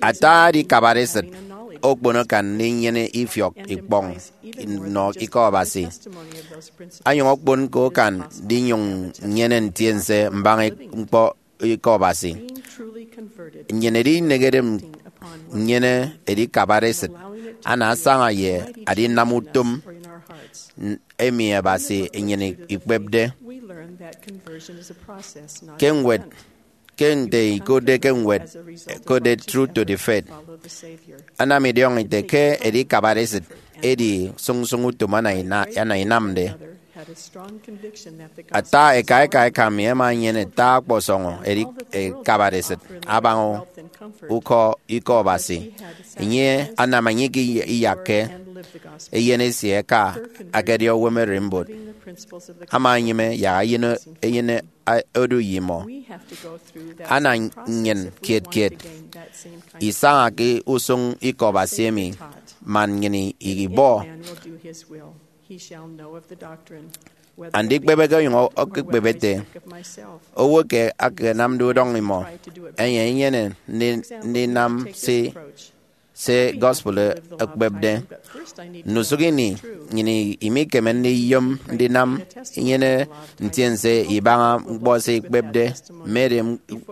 Ata edikabare esịt okpono akan ndinyene ifiọk ikpọñ nnọ ikọ Abasi, onyụñ okpon ke akan ndinyụñ nnyene ntiense mbaña ñkpọ ikọ Abasi. Nnyịn edinehede nnyene edikabare esịt, ana asaña ye adinam utom emi Abasi enyene ikpepde. Ke ñwed, ke nte ikotde ke ñwed, ẹkotde Truth to the Faith, ana mi idiọñọ ite ke edikabare esịt edi sụñsụñ utom ana ina-, ana inamde. Ata eka eka eka mi ẹma ẹnyene ata ọkpọsọñọ edi-, ekabare esịt abaña ukọ ikọ Abasi. Enye anam enye iyakke eyen esie aka akedi owo ererimbot. Ama enyịme yak eyen, eyen a-, odu ye imọ. Ana nnyịn kiet kiet isaña ke usụñ ikọ Abasi emi, man nnyịn ibọ andikpebe ke onyụñ okekpep ete, owo ke akanamde udọñ imọ, enye enyene ndi-, ndinam se, se gospel ekpepde. Ndusụk ini, nnyịn imikeme ndiyom ndinam inyene ntiense ibaña ñkpọ se ikpepde, mme edi-,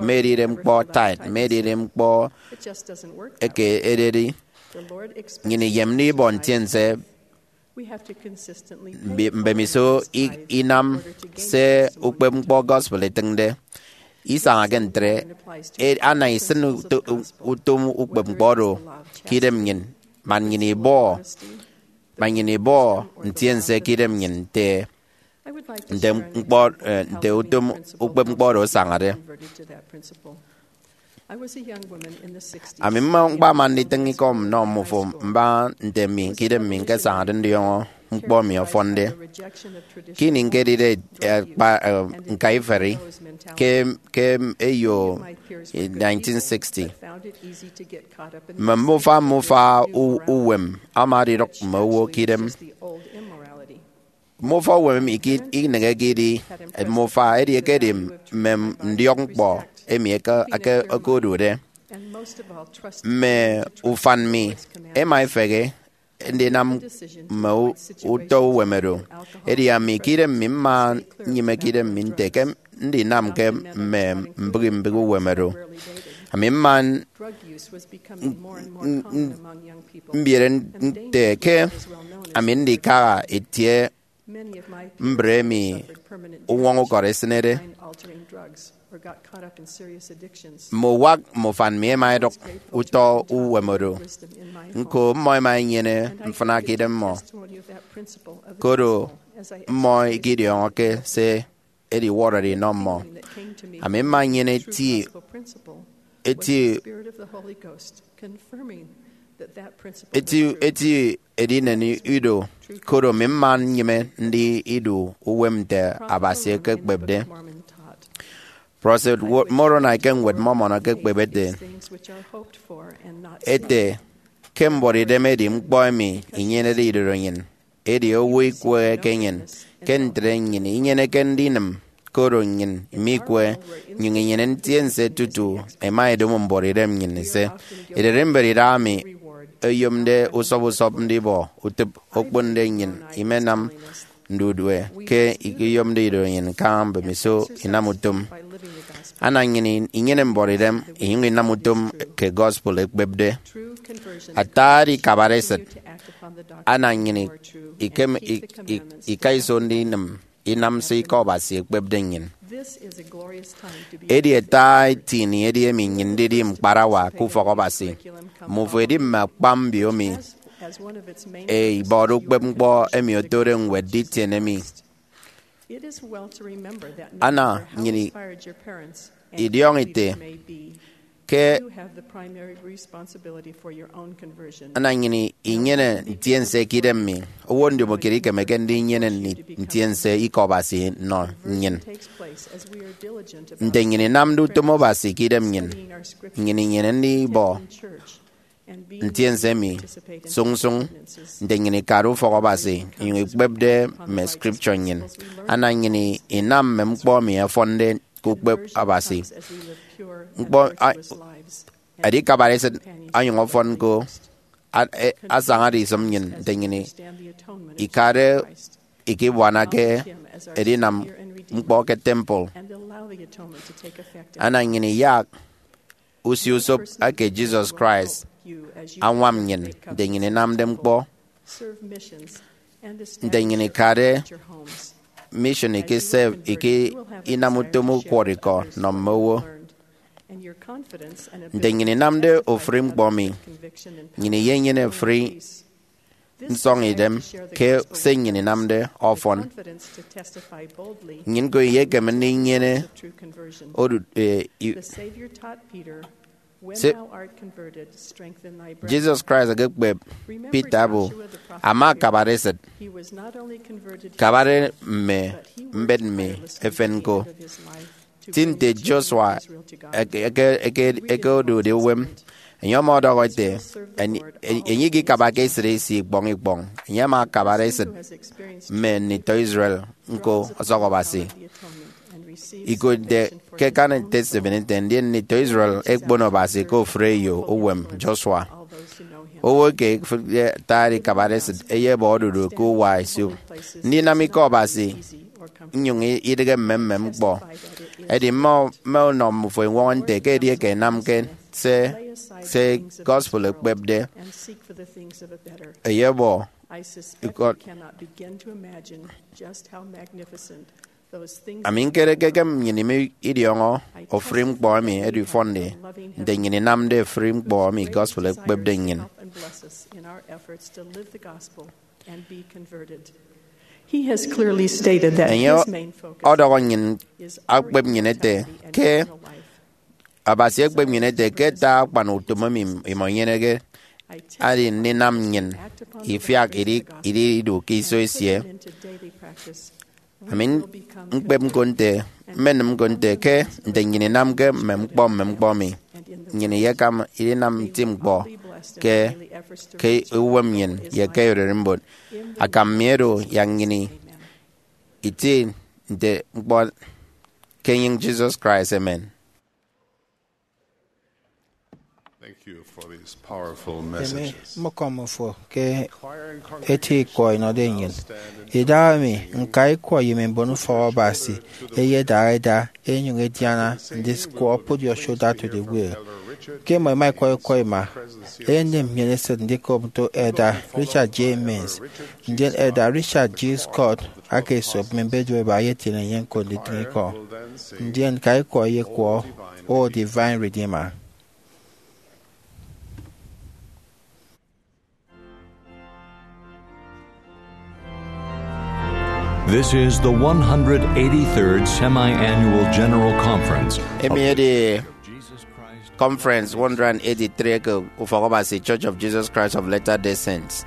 mme edide ñkpọ tithe, mme edide ñkpọ eke ededi. Nnyịn iyemde ibọ ntiense mbi-, mbemiso i-, inam se ukpep ñkpọ gospel etịñde. Isañake ntre, e-, ana isịn uto-, utom ukpep ñkpọ oro ke idem nnyịn, man nnyịn ibọ, man nnyịn ibọ ntiense ke idem nnyịn nte, nte ñkpọ, eh, nte utom ukpep ñkpọ oro asañade. Ami mma ñkpama nditịñ ikọ nnọ mmufo mbaña nte mi ke idem mi ñkesañade ndiọñọ ñkpọ emi ọfọnde. Ke ini ñkedide akpa, eh, ñkaiferi ke, ke eyo nineteen sixty, mme mbufa mbufa u-, uwem ama adidụk mme owo ke idem. Mbufa uwem emi ke ineñeke idi mbufa, edi ekedi mme ndiọk ñkpọ emi eke, eke, eke odude. Mme ufan mi ema efehe ndinam mme u-, utọ uwem oro. Edi ami ke idem mi mma nnyịme ke idem mi nte ke ndinamke mme mbịghi mbịghi uwem oro. Ami mma n-, n-, n-, mbiere nte ke ami ndikaha itie mbre emi uñwọñọ ukọrọ esịnede. Mme uwak mme ufan mi ema edụk utọ uwem oro. Ñko, mmọ ema enyene mfịna ke idem mmọ. Koro mmọ ikidiọñọke se ediwọrọde inọ mmọ. Ami mma nnyene eti, eti, eti, eti edinen ido, koro mi mma nnyịme ndi idu uwem nte Abasi ekekpepde. Prọfet Wo-, Moroni ke Ñwed Mọmọn ekekpep ete, ete, ke mbuọtidem edi ñkpọ emi inyenede idodo nnyịn, edi owo ikwehe ke nnyịn, ke ntre nnyịn inyeneke ndinịm, koro nnyịn mikwe, nyụñ inyene ntiense tutu ẹma ẹdomo mbuọtidem nnyịn ise. Ererimbet idaha mi oyomde usọp usọp ndibọ utịp okponde nnyịn imenam ndudue ke ikiyomde ido nnyịn kaña mbemiso inam utom. Ana nnyịn inyene mbuọtidem inyụñ inam utom ke gospel ekpepde. Ata edikabare esịt ana nnyịn ikem, i-, i-, ika iso ndinịm inam se ikọ Abasi ekpepde nnyịn. Edi ata eti ini edi emi nnyịn ndidi ñkparawa ke ufọk Abasi. Mmufo edi mme akpa mbiomi e, ibọde ukpep ñkpọ emi otode ñwed nditiene mi. Ana nnyịn idiọñọ ite ke ana nnyịn inyene ntiense ke idem mi. Owo ndimokiet ikemeke ndinyene ntiense ikọ Abasi nnọ nnyịn. Nte nnyịn inamde utom Abasi ke idem nnyịn, nnyịn inyene ndibọ ntiense emi sụñsụñ nte nnyịn ikade ufọk Abasi inyụñ ikpepde mme scripture nnyịn. Ana nnyịn inam mme ñkpọ emi ẹfọnde ke ukpep Abasi. Ñkpọ a-, edikabare esịt onyụñ ọfọn ñko a-, e-, asañade isịm nnyịn nte nnyịn ikade ikibuanake edinam ñkpọ ke temple. Ana nnyịn iyak usiusop eke Jesus Christ añwam nnyịn nte nnyịn inamde ñkpọ, nte nnyịn ikade mission, ikisep, iki inam utom ukwọrọ ikọ nọ mme owo. Nte nnyịn inamde ofụri ñkpọ mi, nnyịn iyenyene ofụri nsọñidem ke se nnyịn inamde ọfọn. Nnyịn ñko iyekeme ndinyene odu-, eh, i-, se-, Jesus Christ ekekpep Peter abo ama akabade esịt, kabade mme mbet mi efen ñko. Ti nte Joshua eke, eke, eke, eke odude uwem, enye ọmọdọhọ ete, enye, enye ikikabake esịt esi ikpọñ ikpọñ. Enye ama akabade esịt mme nditọ Israel ñko ọsọk Abasi. Ikotde ke akani Testament ete, ndien nditọ Israel ekpono Abasi ke ofụri eyo uwem Joshua. Owo eke efịkde ata edikabare esịt eyebọ odudu ke uwa esop ndinam ikọ Abasi, nnyụñ idịghe mmemmem ñkpọ. Edi mme, mme ọnọ mmufo eñwọñọ nte ke edieke ẹnamke se, se gospel ekpepde, eyebọ ikọ. Ami ñkere ke ekem nnyịn ima idiọñọ ofụri ñkpọ emi edifọnde nte nnyịn inamde ofụri ñkpọ emi gospel ekpepde nnyịn. He has clearly stated that Enye his main focus ọdọhọ nnyịn, akpep nnyịn ete ke Abasi ekpep nnyịn ete ke ata akpan utom emi imọ inyeneke, edi ndinam nnyịn ifiak idi, idi idu ke iso esie. Ami ñkpep ñko nte, mmenịm ñko nte ke nte nnyịn inamke mme ñkpọ mme ñkpọ emi, nnyịn iyekam idinam nti ñkpọ ke, ke uwem nnyịn ye ke ererimbot. Akam mi edo yak nnyịn itie nte ñkpọ ke enyịñ Jesus Christ. Amen. Thank you for these powerful Emi messages. Mmọkọm fo ke eti ikwọ inọde nnyịn. Idahaemi, ñka ikwọ ye mme mbon ufọk Abasi ẹyedaha ẹda ẹnyụñ ẹdiana ndisụk ukpụhọde Shout to the World. Ke mmọ ẹma ẹkwọ ikwọ ima, eyenem nnyịn esịt ndikop nto Elder Richard J. Mills, ndien Elder Richard G. Scott aka esop mme mbedua iba ẹyetiene enye ñko nditịñ ikọ. Ndien ñka ikwọ eyekwọ, O Divine Redeemer. This is the one hundred eighty-third Semi-Annual General Conference. Emi edi Conference one hundred eighty-three ke Ufọk Abasi Church of Jesus Christ of Latter-day Saints.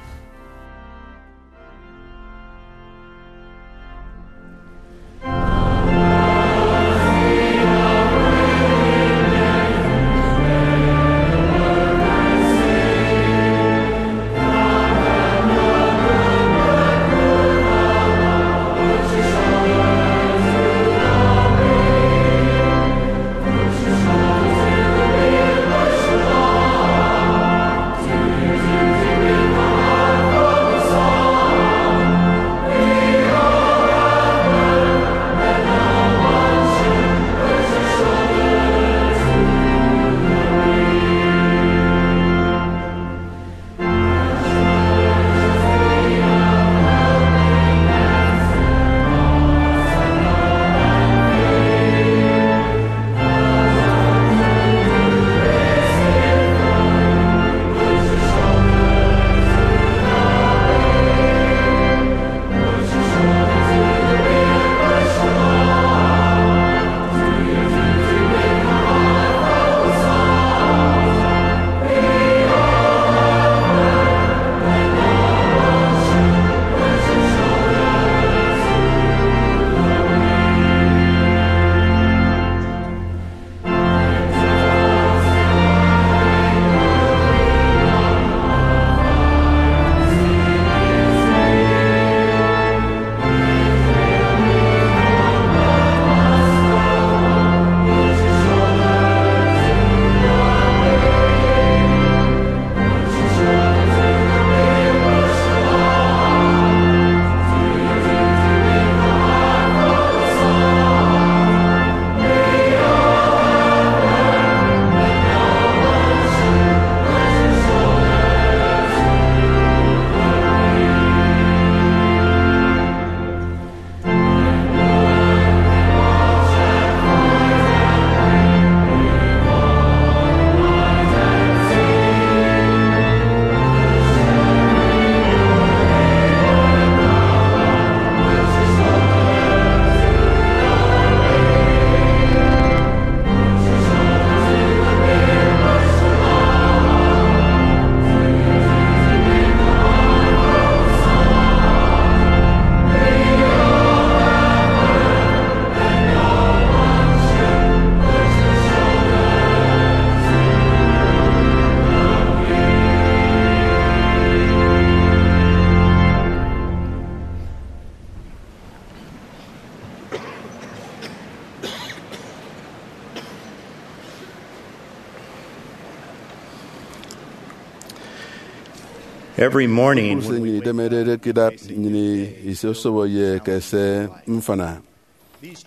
Every morning, Kpukpru se nnyịn idemedede ke idat, nnyịn isosobo ye ekese mfịna.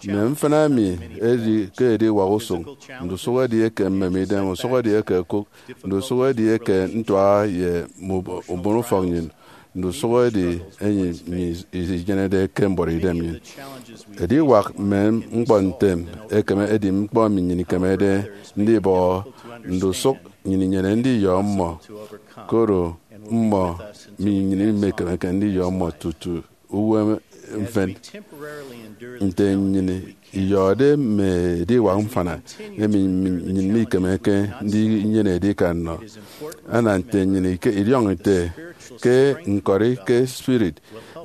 Mme mfịna emi edi ke ediwak usụñ, ndusụk edieke mmemidem, usụk edieke okụk, ndusụk edieke ntuaha ye mme ubo-, mbon ufọk nnyịn, ndusụk edi emi nnyịn isinyenede ke mbuọtidem nnyịn. Ediwak mme ñkpọ ntem ekeme edi ñkpọ emi nnyịn ikemede ndibọhọ, ndusụk nnyịn inyene ndiyọ mmọ, koro mmọ, nnyịn imekemeke ndiyọ mmọ tutu uwem mfen. Nte nnyịn iyọhọde mme ediwak mfịna emi nnyịn mikemeke ndinyene edikan nnọ, ana nte nnyịn ike idiọñọ ite ke ñkọri ke spirit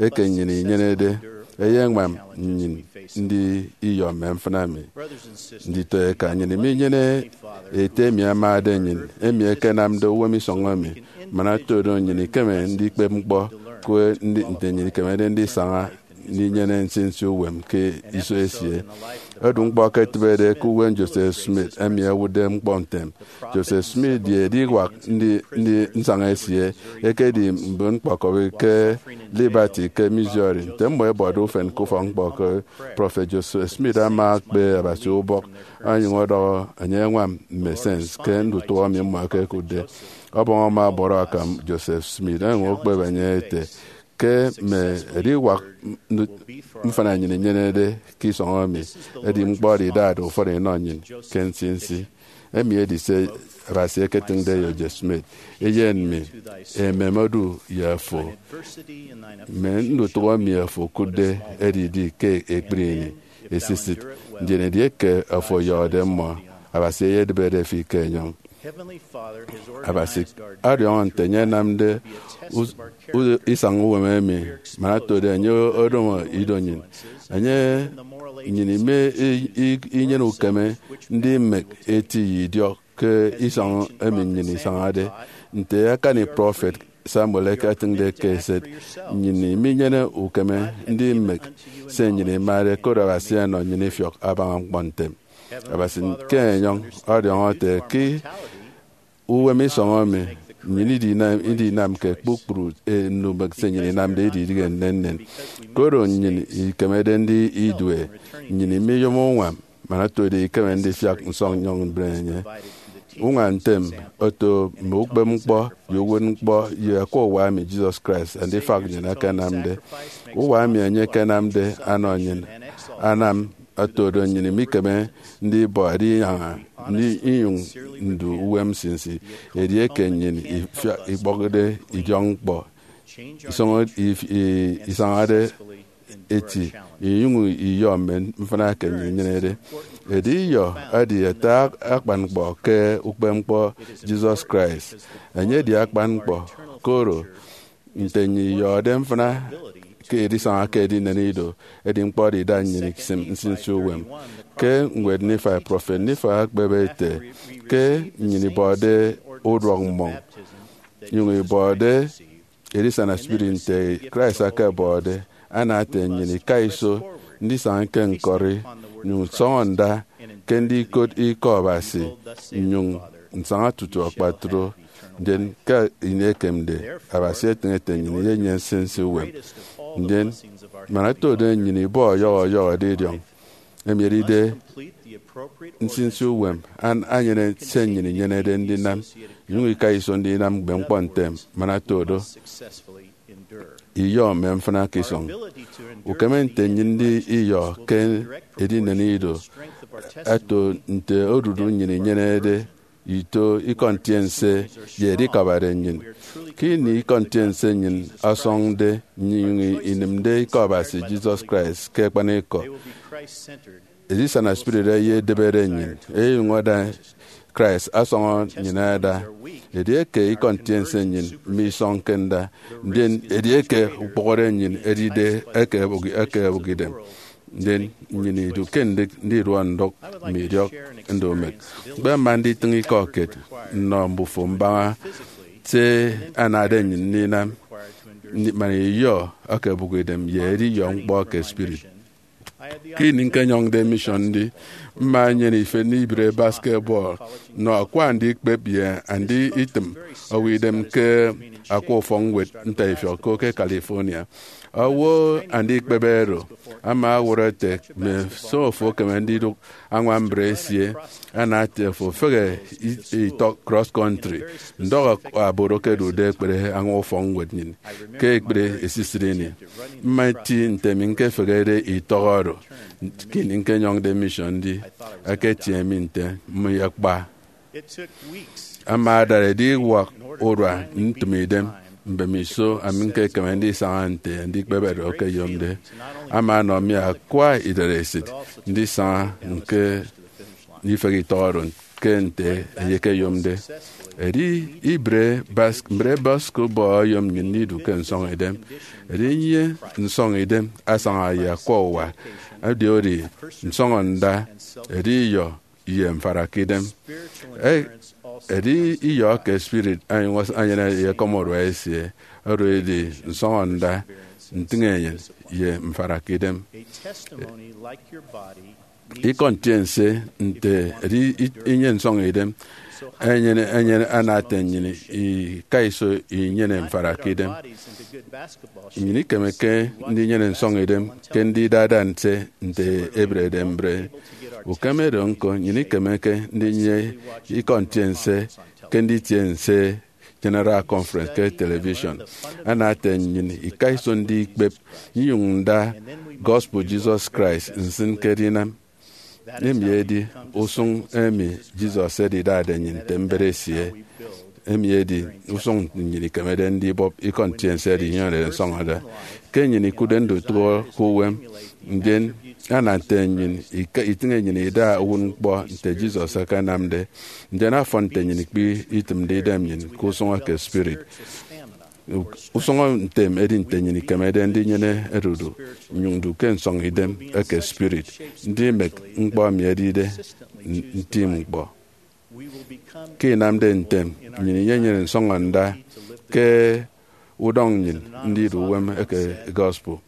eke nnyịn inyenede eyeñwam nnyịn ndi iyọ mme mfịna emi. Nditọeka, nnyịn minyene Ete emi amade nnyịn, emi ekenamde uwem isọñ emi, man oto do nnyịn ikeme ndikpep ñkpọ ke nte nnyịn ikemede ndisaña ndinyene nsinsi uwem ke iso esie. Odu ñkpọ ke etịbede ke uwem Joseph Smith emi ewụtde ñkpọ ntem. Joseph Smith ye ediwak ndi, ndi nsaña esie ekedi mbon ñkpọkọbi ke Liberty ke Missouri. Nte mmọ ẹbọde ufen ke ufọk-ñkpọ ke Prọfet Joseph Smith ama ekpe Abasi ubọk, onyụñ ọdọhọ enye ẹñwam mme sense ke ndutụhọ emi mmọ ẹkekụtde. Ọbọñ ama ọbọrọ akam Joseph Smith, onyụñ okpep enye ete ke mme ediwak mfịna nnyịn inyenede ke isọñ emi, edi ñkpọ oro idade ufọn inọ nnyịn ke nsinsi. Emi edi se Abasi eketịñde ye Joseph Smith: Eyen mi, emem odu ye fo. Mme ndutụhọ emi fo okụtde ẹdidi ke ekpri ini esisịt, ndien edieke afo ọyọhọde mmọ, Abasi eyedịbede fi ke enyọñ. Abasi ọdiọñọ nte enye anamde us- u- isañ uwem emi, man oto do enye odomo ido nnyịn. Enye nnyịn ime i- i- inyene ukeme ndimek eti ye idiọk ke isọñ emi nnyịn isañade. Nte akani prọfet Samuel eketịñde ke eset, nnyịn minyene ukeme ndimek se nnyịn imade, koro Abasi ọnọ nnyịn ifiọk abaña ñkpọ ntem. Abasi ke enyọñ ọdiọñọ ete ke uwem isọñ emi nnyịn idinam, idinamke kpukpru nnumek se nnyịn inamde ididịghe nnennen. Koro nnyịn ikemede ndi idue, nnyịn imiyom uñwam, man oto do ikeme ndifiak nsọñinyọñ mbre enye. Uñwam ntem oto mme ukpep-ñkpọ ye uwụtñkpọ ye akwa uwa emi Jesus Christ Andifak nnyịn akanamde. Uwa emi enye akanamde ọnọ nnyịn anam oto do nnyịn mikeme ndibọ edinyaña, ndi inyụñ ndu uwem nsinsi, edieke nnyịn ifia- ikpọkde idiọkñkpọ, isọñ- if- i- isañade eti, inyụñ iyọ mme mfịna eke nnyịn inyenede. Edi iyọ edi ata akpan ñkpọ ke ukpep-ñkpọ Jesus Christ. Enye edi akpan ñkpọ, koro nte nnyịn iyọhọde mfịna ke edisaña ke edinen ido, edi ñkpọ oro ida nnyịn isim nsinsi uwem. Ke ñwed Nifai, prọfet Nifai ekpep ete ke nnyịn ibọde uduak mmọñ, nyụñ ibọde edisana spirit nte Christ akabọde, ana ete nnyịn ika iso ndisaña ke ñkọri, nyụñ nsọñọ nda ke ndikot ikọ Abasi, nnyụñ nsaña tutu akpatre. Ndien ke ini ekemde, Abasi etịñ ete nnyịn iyenyene nsinsi uwem. Ndien, man oto do nnyịn ibọ ọyọhọ ọyọhọ edidiọñ, emi edide nsinsi uwem, an- anyene se nnyịn inyenede ndinam, inyụñ ika iso ndinam ñkpep-ñkpọ ntem, man oto do iyọ mme mfịna ke isọñ. Ukeme nte nnyịn ndi iyọ ke edinen ido, ato nte odudu nnyịn inyenede ito ikọ ntiense ye edikabade nnyịn. Ke ini ikọ ntiense nnyịn ọsọñde, nnyịn inyụñ inịmde ikọ Abasi Jesus Christ ke akpanikọ, edisana spirit eyedịbede nnyịn, enyụñ ada Christ ọsọñọ nnyịn ada. Edieke ikọ ntiense nnyịn misọñke nda, ndien edieke ukpọhọde nnyịn edide eke ebụk, eke ebụk idem, ndien nnyịn idu ke ndịk ndiduọ ndụk mme idiọk ndumek. Ñkpema nditịñ ikọ kiet nnọ mbufo mbaña se anade nnyịn ndinam, ndi- man iyọ eke ebụk idem ye ediyọ ñkpọ ke spirit. Ke ini ñkenyọñde mission ndi, mma nnyene ifen ibịre basketball nnọ akwa andikpep ye anditịm owo idem ke akwa ufọkñwed ntaifiọk ko ke California. Owo andikpep oro ama ọwọrọ ete, mme se ofo ekeme ndidụk añwam mbre esie, ana ete ofo fehe i- itọk cross country, ndọk aboro ke ẹdude ẹkpere añwa ufọkñwed nnyịn ke ekpri esisịt ini. Mma eti nte mi ñkefehede itọk oro. Ke ini ñkenyọñde mission ndi, ẹketie mi nte mmịyekpa. Ama adara ediwak urua ntịm idem. mbemiso ami ñkekeme ndisaña nte andikpep oro ẹkeyomde. Ama ọnọ mi akwa idaresit ndisaña ñke ifehe itọk oro ke nte eyekeyomde. Edi ibre bas-, mbre basketball oyom nnyịn ndidu ke nsọñidem. Edi nnyịn nsọñidem asaña ye akwa uwa, edi oro nsọñọ nda, edi iyọ ye mfarakidem. E-, edi iyọ ke spirit onyụñ enyene ye ekọm urua esie, oro edi nsọñọ nda, ntịñenyịn, ye mfarakidem. Ikọ ntiense nte edi i-, inyene nsọñidem enyene, enyene ana ete nnyịn ika iso inyene mfarakidem. Nnyịn ikemeke ndinyene nsọñidem ke ndida-da nse nte ebrede mbre. Ukeme do ñko, nnyịn ikemeke ndinyene ikọ ntiense ke nditie nse General Conference ke television. Ana ete nnyịn ika iso ndikpep inyụñ nda gospel Jesus Christ nsịn ke edinam. Emi edi usụñ emi Jesus edidade nnyịn nte mbet esie. Emi edi usụñ nnyịn ikemede ndibọp ikọ ntiense oro inyụñ nsọñọde. Ke nnyịn ikụtde ndutụhọ ke uwem, ndien ana nte nnyịn ika-, itịñe nnyịn ida uwụtñkpọ nte Jesus akanamde, ndien afọn nte nnyịn ikpe itịmde idem nnyịn ke usụñ eke spirit. Usụñ ntem edi nte nnyịn ikemede ndinyene odudu, nnyụñ ndu ke nsọñidem eke spirit, ndimek ñkpọ emi edide n-, ntim ñkpọ. Ke inamde ntem, nnyịn inyenyene nsọñọ nda ke udọñ nnyịn ndidu uwem eke gospel.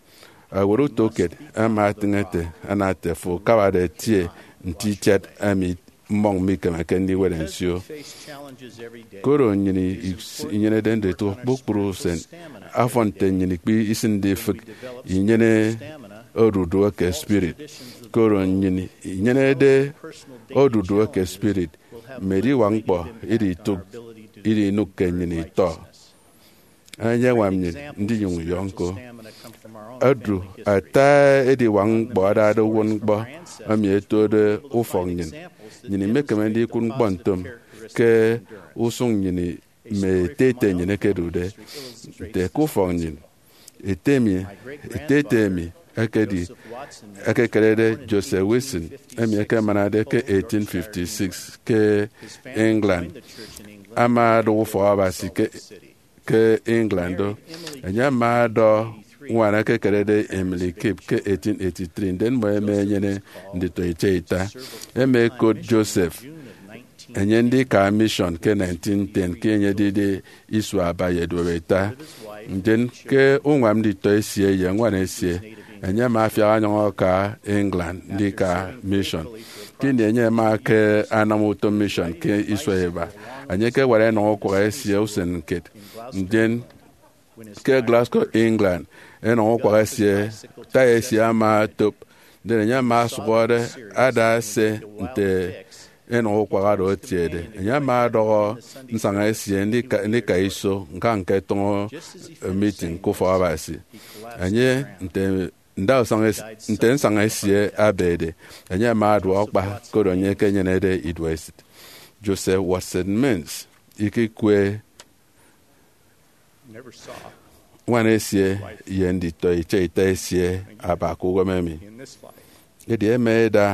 Ewet utokiet ama atịñ ete, ana ete, fo akabade etie nte itiat emi mmọñ mikemeke ndiwet nsio. Koro nnyịn i-, inyenede nditụk kpukpru usen, afọn nte nnyịn ikpe isịnde ifịk inyene odudu eke spirit. Koro nnyịn inyenede odudu eke spirit, mme ediwak ñkpọ iditụk, idinụk ke nnyịn itọ. Enye añwam nnyịn ndinyụñ iyọ ñko. Odu ata ediwak ñkpọ adade uwụtñkpọ emi ẹtude ufọk nnyịn. Nnyịn imekeme ndikụt ñkpọ ntom ke usụñ nnyịn mme ete ete nnyịn ẹkedude. Nte ke ufọk nnyịn, ete mi, ete ete emi ekedi, ekekerede Joseph Wilson, emi ẹkemanade ke eighteen fifty-six ke England, ama ada ufọk Abasi ke ke England do. Enye ama ọdọ ñwan ekekerede Emily Kipp ke eighteen eighty-three, ndien mmọ ẹma ẹnyene nditọ ita ita. Ẹma ẹkot Joseph enye ndika mission ke nineteen ten, ke enye edide isua aba ye eduep ita. Ndien ke uñwam nditọ esie ye ñwan esie, enye ama afiak ọnyọñ aka England ndika mission. Ke ini enye ama ke anam utom mission ke isua iba, enye ekewara enọñ ukwak esie usen kiet. Ndien ke Glasgow, England, enọñ ukwak esie, taya esie ama otop. Ndien enye ama ọsụhọde ada ese nte enọñ ukwak oro etiede. Enye ama ọdọhọ nsaña esie ndika, ndika iso ñka ñketụñọ meeting ke ufọk Abasi. Enye, nte ndausañ es-, nte nsaña esie abede, enye ama adua ukpa, koro enye ekenyenede iduesit. Joseph Watson Mills ikikwe ñwan esie ye nditọ ita ita esie aba ke uwem emi. Edi ẹma ẹda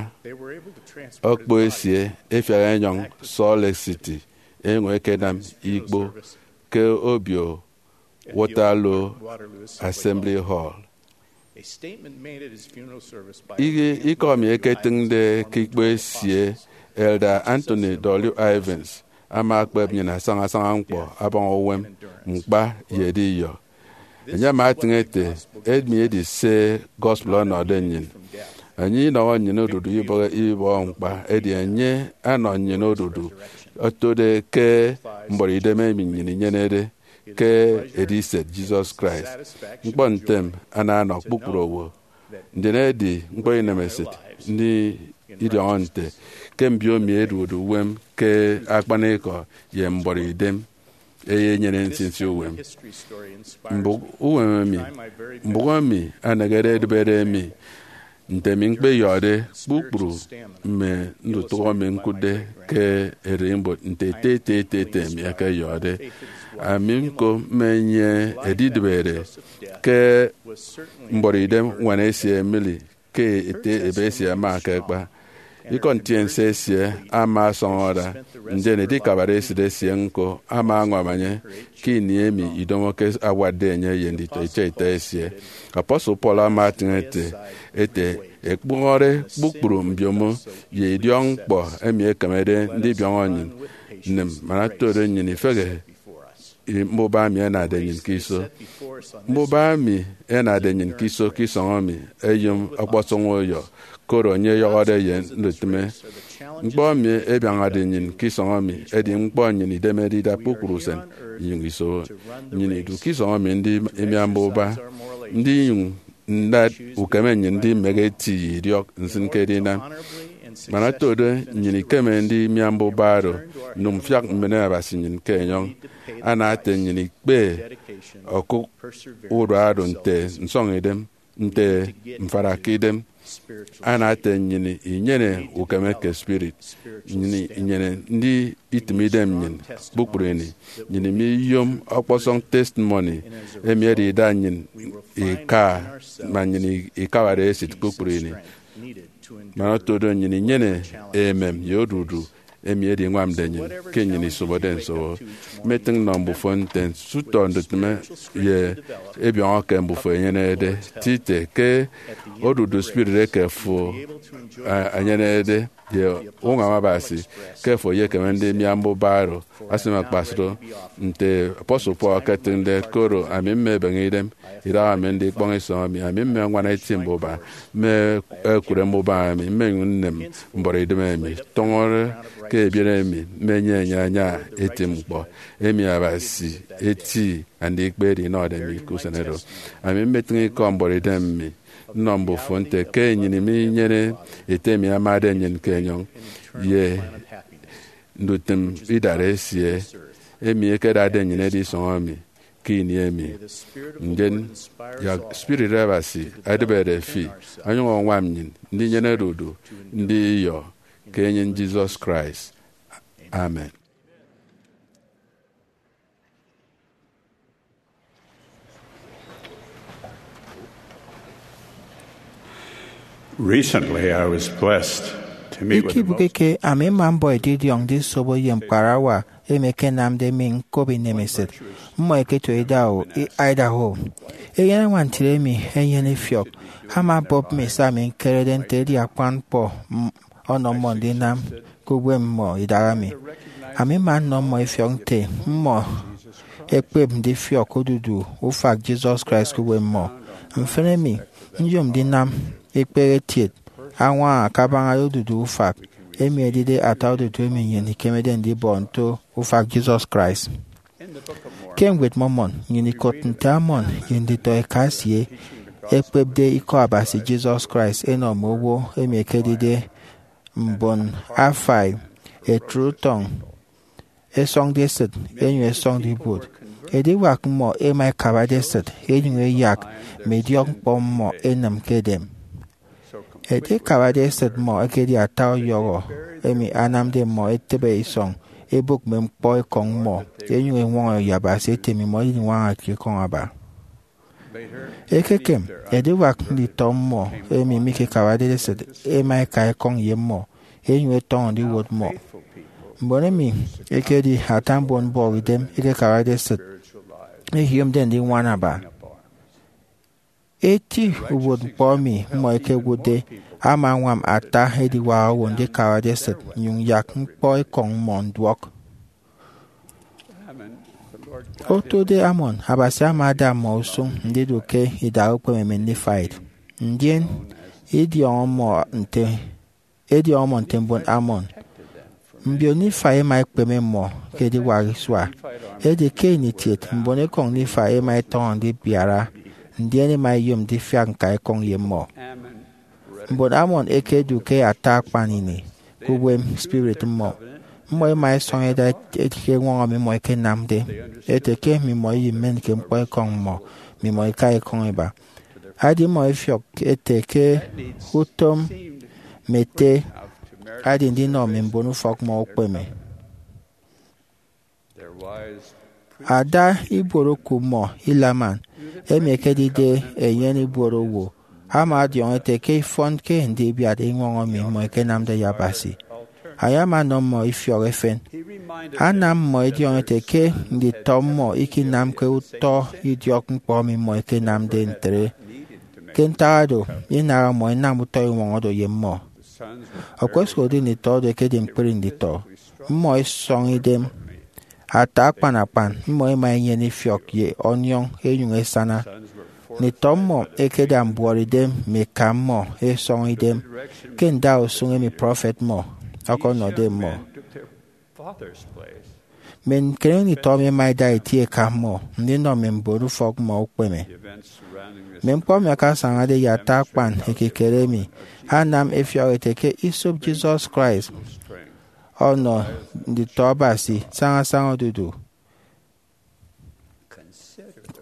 okpo esie ẹfiak ẹnyọñ Salt Lake City, enyụñ ẹkenam ikpo ke obio Waterloo Assembly Hall. Ikọ mi eketịñde ke ikpo esie, Elder Anthony W. Ivins ama akpep nnyịn asaña asaña ñkpọ abaña uwem, ñkpa, ye ediyọ. Enye ama atịñ ete, emi edi se gospel ọnọde nnyịn. Enye inọhọ nnyịn odudu ibọhọ, ibọhọ ñkpa, edi enye anọ nnyịn odudu otode ke mbuọtidem emi nnyịn inyenede ke ediset Jesus Christ. Ñkpọ ntem ana ọnọ kpukpru owo. Ndien edi ñkpọ inemesịt ndidiọñọ nte ke mbiomi ẹdude uwem ke akpanikọ ye mbuọtidem, ẹyenyene nsinsi uwem. Mbụk uwem emi, mbụk emi anehede edịbede mi, nte mi ñkpeyọde kpukpru mme ndutụhọ mi ñkụtde ke ererimbot nte ete ete ete ete mi ẹkeyọde. Ami ñko mme enye edidịbede ke mbuọtidem ñwan esie Emily ke ete ebe esie ama akakpa. Ikọ ntiense esie ama asọñọ ada, ndien edikabare esịt esie ñko ama añwam enye ke ini emi idomoke awatde enye ye nditọ itiaita esie. Apostle Paul ama atịñ ete, ete, Ekpụhọre kpukpru mbiomo ye idiọkñkpọ emi ẹkemede ndibiọñọ nnyịn, nịm man otodo nnyịn ifehe mbuba emi ẹnade nnyịn ke iso. Mbuba emi ẹnade nnyịn ke iso ke isọñ emi ẹyom ọkpọsọñ uyọ, koro enye ọyọhọde ye ndutịme. Ñkpọ emi ẹbiañade nnyịn ke isọñ emi edi ñkpọ nnyịn idemede ida kpukpru usen inyụñ isobo. Nnyịn idu ke isọñ emi ndi imia mbuba, ndinyụñ ndat ukeme nnyịn ndimehe eti ye idiọk nsịn ke edinam. Man otodo nnyịn ikeme ndimia mbuba oro, nnyụñ mfiak mmen Abasi nnyịn ke enyọñ, ana ete nnyịn ikpe okụk urua oro nte nsọñidem, nte mfarakidem, ana ete nnyịn inyene ukeme ke spirit, nnyịn inyene ndi itịm idem nnyịn kpukpru ini, nnyịn miyom ọkpọsọñ testimony emi edida nnyịn ika, man nnyịn ikabade esịt kpukpru ini. Man otodo nnyịn inyene emem ye odudu emi ediñwamde nnyịn ke nnyịn isobode nsobo. Mmetịñ nnọ mbufo nte nso utọ ndutịme ye ebiọñọ ke mbufo enyenede, tite ke odudu spirit eke fo, a, enyenede, ye uñwam Abasi, ke fo eyekeme ndimia mbuba oro. Asịm akpasụk nte apostle Paul eketịñde, koro ami mmebeñe idem idaha mi ndikpọñ isọñ emi, ami mme ñwan eti mbuba, mme ekure mbuba emi, mmenyụñ nnem mbuọtidem emi, tọñọde ke ebiet emi, mme enye enye anya eti ñkpọ emi Abasi eti andikpe edi inọde mi ke usen oro. Ami mmetịñ ikọ mbuọtidem mi nnọ mbufo nte ke nnyịn minyene Ete emi amade nnyịn ke enyọñ ye ndutịm idara esie emi ekedade nnyịn edi isọñ emi ke ini emi. Ndien yak spirit Abasi edịbede fi onyụñ añwam nnyịn ndinyene odudu ndiyọ ke enyịn Jesus Christ. Amen. Recently, I was blessed to meet with a Ikibuke most ke ami mma mbọ edidiọñ ndisobo ye ñkparawa emi ẹkenamde mi ñkop inemesịt. Mmọ ẹketo idaho, i-, Idaho. Eyen añwantịre emi enyene ifiọk ama obụp mi se ami ñkerede nte edi akpan ñkpọ m-, ọnọ mmọ ndinam ke uwem mmọ idaha mi. Ami mma nnọ mmọ ifiọk nte mmọ ẹkpep ndifiọk odudu ufak Jesus Christ ke uwem mmọ. Mfịn emi, nyom ndinam ekpehe etiet añwaña kabaña odudu ufak emi edide ata odudu emi nnyịn ikemede ndibọ nto ufak Jesus Christ. Ke Ñwed Mormon, nnyịn ikot nte Ammon ye nditọ eka esie ẹkpepde Ikọ Abasi Jesus Christ ẹnọ mme owo emi ẹkedide mbon afai ẹtre utọñ, ẹsọñde esịt, ẹnyụñ ẹsọñde ibuot. Ediwak mmọ ẹma ẹkabade esịt, ẹnyụñ ẹyak mme idiọkñkpọ mmọ ẹnịm ke edem. Edikabade esịt mmọ ekedi ata ọyọhọ emi anamde mmọ ẹtịbe isọñ ẹbụk mme ñkpọ ekọñ mmọ, ẹnyụñ ẹñwọñọ ye Abasi ete mmimọ idiñwañake ekọñ aba. Ekekem, ediwak nditọ mmọ emi mikekabade esịt ẹma ẹka ekọñ ye mmọ, ẹnyụñ ẹtọñọ ndiwot mmọ. Mbon emi ẹkedi ata mbon mbọhọidem ẹkekabade esịt ẹyomde ndiñwana aba. Eti uwụtñkpọ emi mmọ ẹkewụtde ama añwam ata ediwak owo ndikabade esịt nnyụñ yak ñkpọ ekọñ mmọ nduọk. Otode Ammon, Abasi ama ada mmọ usụñ ndidu ke idaha ukpeme mme Nephiite. Ndien idiọñọ mmọ nte, idiọñọ mmọ nte mbon Ammon. Mbio Nephi ẹma ẹkpeme mmọ ke ediwak isua. Edi ke ini kiet, mbon ekọñ Nephi ẹma ẹtọñọ ndibiara, ndien ẹma ẹyom ndifiak ñka ekọñ ye mmọ. Mbon Ammon ẹkedu ke ata akpan ini ke uwem spirit mmọ. Mmọ ẹma ẹsọñ ẹda eti ke eñwọñọ mmimọ ẹkenamde, ẹte ke mmimọ imen ke ñkpọ ekọñ mmọ, mmimọ ika ekọñ iba. Adi mmọ ifiọk ẹte ke utom mme ete adi ndinọ mme mbon ufọk mmọ ukpeme. Ada ibuot oku mmọ, Helaman, emi ekedide eyen ibuot owo, ama ọdiọñ ete ke ifọn ke ndibiat iñwọñọ emi mmọ ekenamde ye Abasi. Enye ama ọnọ mmọ ifiọk efen. Anam mmọ ẹdiọñọ ete ke nditọ mmọ ikinamke utọ idiọk ñkpọ emi mmọ ekenamde ntre. Ke ntak oro, inaha mmọ ẹnam utọ iñwọñọ do ye mmọ. Okposụkedi nditọ odu ẹkedi ñkpri nditọ, mmọ ẹsọñ idem. Ata akpan akpan, mmọ ẹma ẹnyene ifiọk ye ọniọñ ẹnyụñ ẹsana. Nditọ mmọ ẹkeda mbuọtidem mme eka mmọ ẹsọñ idem ke ndausụñ emi prọfet mmọ ọkọnọde mmọ. Mme ñkere nditọ emi ẹma ẹda eti eka mmọ ndinọ mme mbon ufọk mmọ ukpeme. Mme ñkpọ emi akasañade ye ata akpan ekikere emi anam ẹfiọk ẹte ke isop Jesus Christ ọnọ nditọ Abasi sañasaña odudu.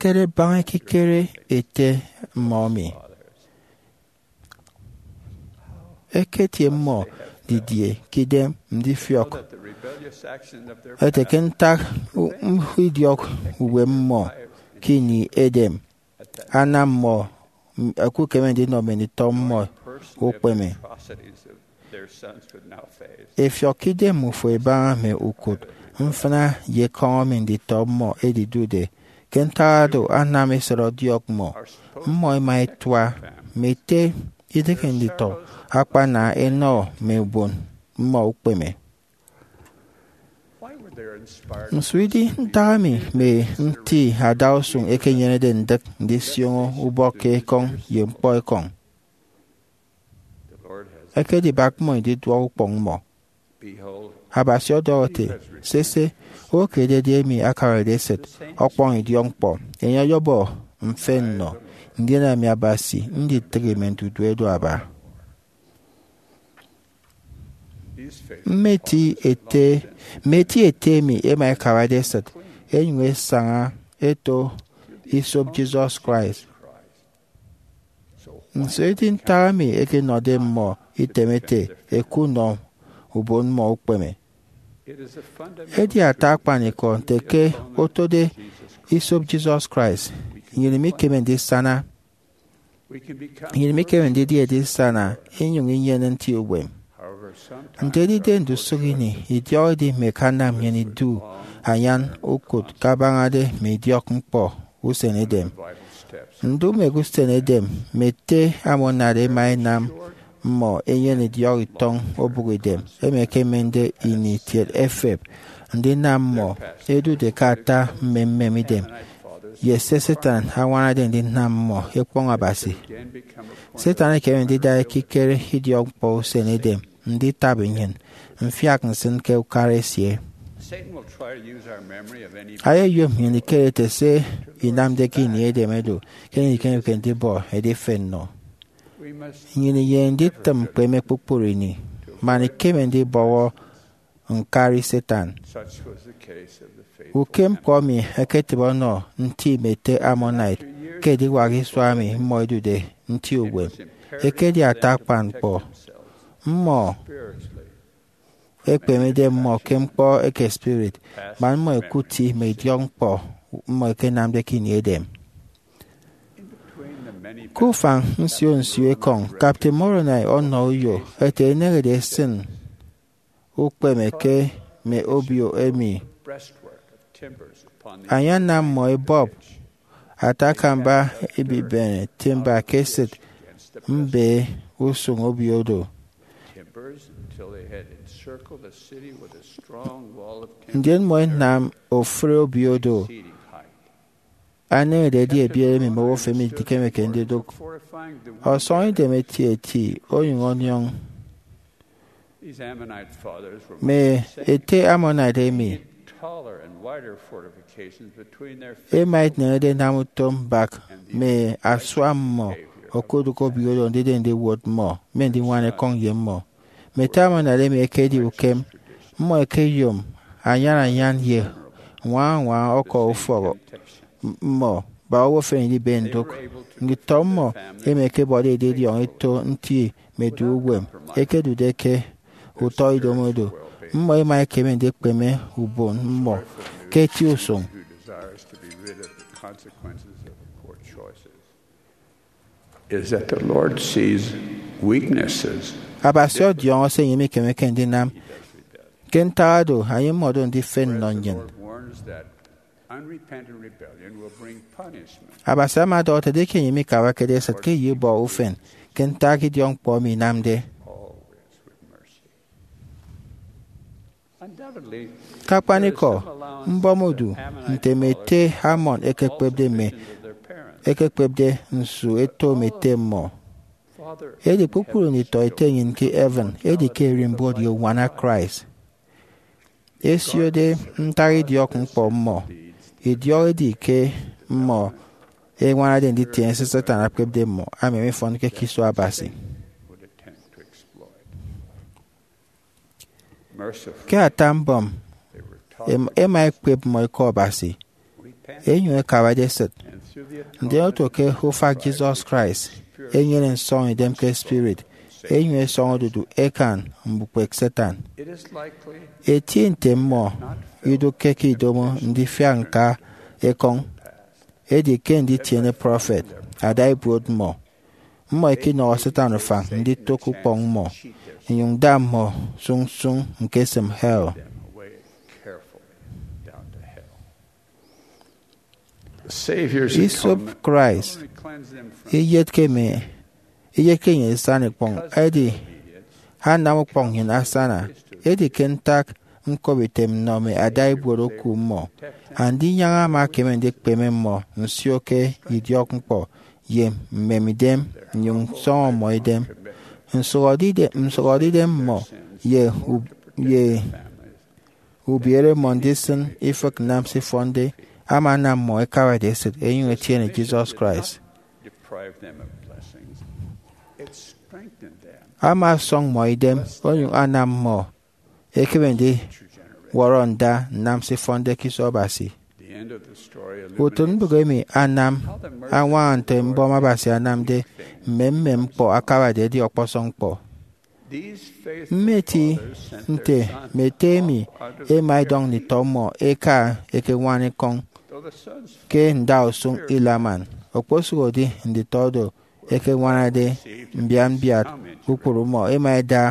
Kere baña ekikere ete mmọ emi. Eketie mmọ didie ke idem ndifiọk ete ke ntak u- idiọk uwem mmọ ke ini edem anam mmọ m- ẹkukeme ndinọ mme nditọ mmọ ukpeme? Efiọk ke idem ufo ibaña mme ukụt mfịna ye ekọñ emi nditọ mmọ ẹdidude. Ke ntak oro, anam esịt ọdiọk mmọ. Mmọ ẹma ẹtua mme ete idịghe nditọ akpana ẹnọ mme ubon mmọ ukpeme. Nso idi ntak emi mme nti adausụñ ẹkenyenede ndịk ndisioño ubọk ke ekọñ ye ñkpọ ekọñ? Ẹkedibak mmọ ididuọk ukpọñ mmọ. Abasi ọdọhọ ete, sese, owo ke ededi emi akabarede esịt ọkpọñ idiọkñkpọ, enye ọyọbọ mfịn nnọ, ndien ami Abasi nditịghi mme ndudue do aba. Mme eti ete mme eti ete emi ẹma ẹkabarede esịt ẹnyụñ ẹsaña ẹto isop Jesus Christ. Nso edi ntak emi ẹkenọde mmọ item ete ẹkunọ ubon mmọ ukpeme? Edi ata akpanikọ nte ke otode isop Jesus Christ, nnyịn imikeme ndisana. Nnyịn imikeme ndidi edisana inyụñ inyene nti uwem. Nte edide ndusụk ini, idiọk edimek anam nnyịn idu anyan ukụt kabañade mme idiọk ñkpọ usen edem. Ndu mme usen edem mme ete Ammonite ẹma ẹnam mmọ ẹnyene idiọk itọñ obụk idem emi ẹkemende ini kiet ẹfep, ndinam mmọ ẹdude ke ata mmemmem idem ye se Satan añwanade ndinam mmọ ẹkpọñ Abasi. Satan ekeme ndida ekikere idiọkñkpọ usen edem nditaba nnyịn mfiak nsịn ke ukara esie. Ayeyom nnyịn ikere ete se inamde ke ini edem edu ke nnyịn ikemeke ndibọ edifen nnọ. Nnyịn inyene nditịm ñkpeme kpukpru ini man ikeme ndibọhọ ñkari Satan. Ukem ñkpọ emi eketịbe ọnọ nti mme ete Ammonite ke ediwak isua emi mmọ ẹdude nti uwem. Ekedi ata akpan ñkpọ. Mmọ ekpemede mmọ ke ñkpọ eke spirit, man mmọ ẹkụt mme idiọkñkpọ mmọ ẹkenamde ke ini edem. Ke ufañ nsio nsio ekọñ, Captain Moroni ọnọ uyo ete eneñede esịn ukpeme ke mme obio emi. Anyanam mmọ ẹbọp ata akamba ibibene timber ke esịt mbe usụñ obio do. Ndien mmọ ẹnam ofụri obio do. Eneñede edi ebiet emi mme owo femi idikemeke ndidụk. Ọsọñidem etieti onyụñ ọniọñ. Mme ete Ammonite emi ẹma ẹneñede ẹnam utom mbak mme asua mmọ okudụk obio do ndide ndiwot mmọ mme ndiñwana ekọñ ye mmọ. Mme ete Ammonite emi ẹkedi ukem. Mmọ ẹkeyom anyan anyan ye ñwaña ñwaña ọkọ ufọk mmọ bak owo femi idibe ndụk. Nditọ mmọ emi ẹkebọde edidiọñ eto nti mme edu uwem ẹkedude ke utọ idomo do, mmọ ẹma ẹkeme ndikpeme ubon mmọ ke eti usụñ. consequences of poor choices is that the Lord sees weaknesses. Abasi ọdiọñọ se enye mikemeke ndinam. Ke ntak oro, anye mmọdo ndifen nnọ nnyịn. Abasi ama ọdọhọ ete, edieke enye mikawakede esịt ke ye ubọhọ ufen, ke ntak idiọkñkpọ emi inamde? Ke akpanikọ, mbọm odu nte mme ete Ammon ẹkekpepde mme ẹkekpepde nsu eto mme ete mmọ. Edi kpukpru nditọete enyịn ke heaven edi ke ererimbot ye uñwana Christ. Ẹsiode ntak idiọkñkpọ mmọ, idiọk edi ke mmọ ẹñwanade nditiene se Satan ekpepde mmọ, ama mifọnke ke iso Abasi. Ke ata mbọm, em- ẹma ẹkpep mmọ ikọ Abasi, ẹnyụñ ẹkawade esịt. Ndien oto ke ufak Jesus Christ, ẹnyene nsọñidem ke spirit, ẹnyụñ ẹsọñọ odudu ẹkan mbukpek Satan. Etie nte mmọ idụkke ke idomo ndifiak ñka ekọñ, edi ke nditiene prọfet ada ibuot mmọ. Mmọ ikinọhọ Satan ufañ nditok ukpọñ mmọ, inyụñ da mmọ sụñsụñ ñkesịm hell. Isop Christ iyetke mme iyetke nnyịn isana ikpọñ, edi anam ukpọñ nnyịn asana. Edi ke ntak ñkop item nnọ mme ada ibuot oku mmọ, Andinyaña ama ekeme ndikpeme mmọ nsio ke idiọkñkpọ ye mmemidem, nnyụñ nsọñọ mmọ idem. Nsụhọde idem, nsụhọde idem mmọ ye u- ye ubiere mmọ ndisịn ifịk nnam se ifọnde ama anam mmọ ẹkawade esịt ẹnyụñ ẹtiene Jesus Christ. Ama ọsọñ mmọ idem, onyụñ anam mmọ ẹkeme ndiwọrọ nda nnam se ifọnde ke iso Abasi. Utịtmbụk emi anam añwaña nte mbọm Abasi anamde mmemmem ñkpọ akabade edi ọkpọsọñ ñkpọ. Mmeti nte mme ete emi ẹma ẹdọñ nditọ mmọ ẹka ẹkeñwana ekọñ ke ndausụñ Helaman, okposụkedi nditọ oro ẹkeñwanade mbiat mbiat kpukpru mmọ ẹma ẹda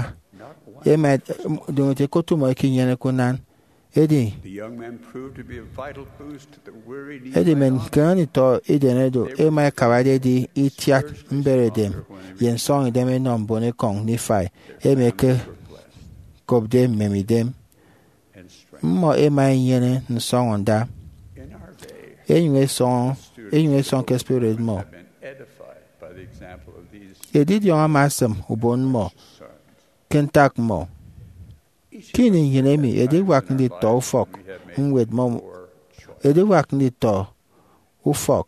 ẹma ẹd- ndụñọde ẹkotụmọ ẹkinyeneke unan. Edi edi mme ñkeñi nditọ Eden oro ẹma ẹkabade ẹdi itiat mberedem ye nsọñidem ẹnọ mbonekọñ Nifai emi ẹkekopde mmemidem. Mmọ ẹma ẹnyene nsọñọnda, ẹnyụñ ẹsọñọ ẹnyụñ ẹsọñ ke spirit mmọ. Edidiọñ ama asịm ubon mmọ ke ntak mmọ. Ke ini nnyịn emi ediwak nditọ ufọk ñwed mmọ, ediwak nditọ ufọk,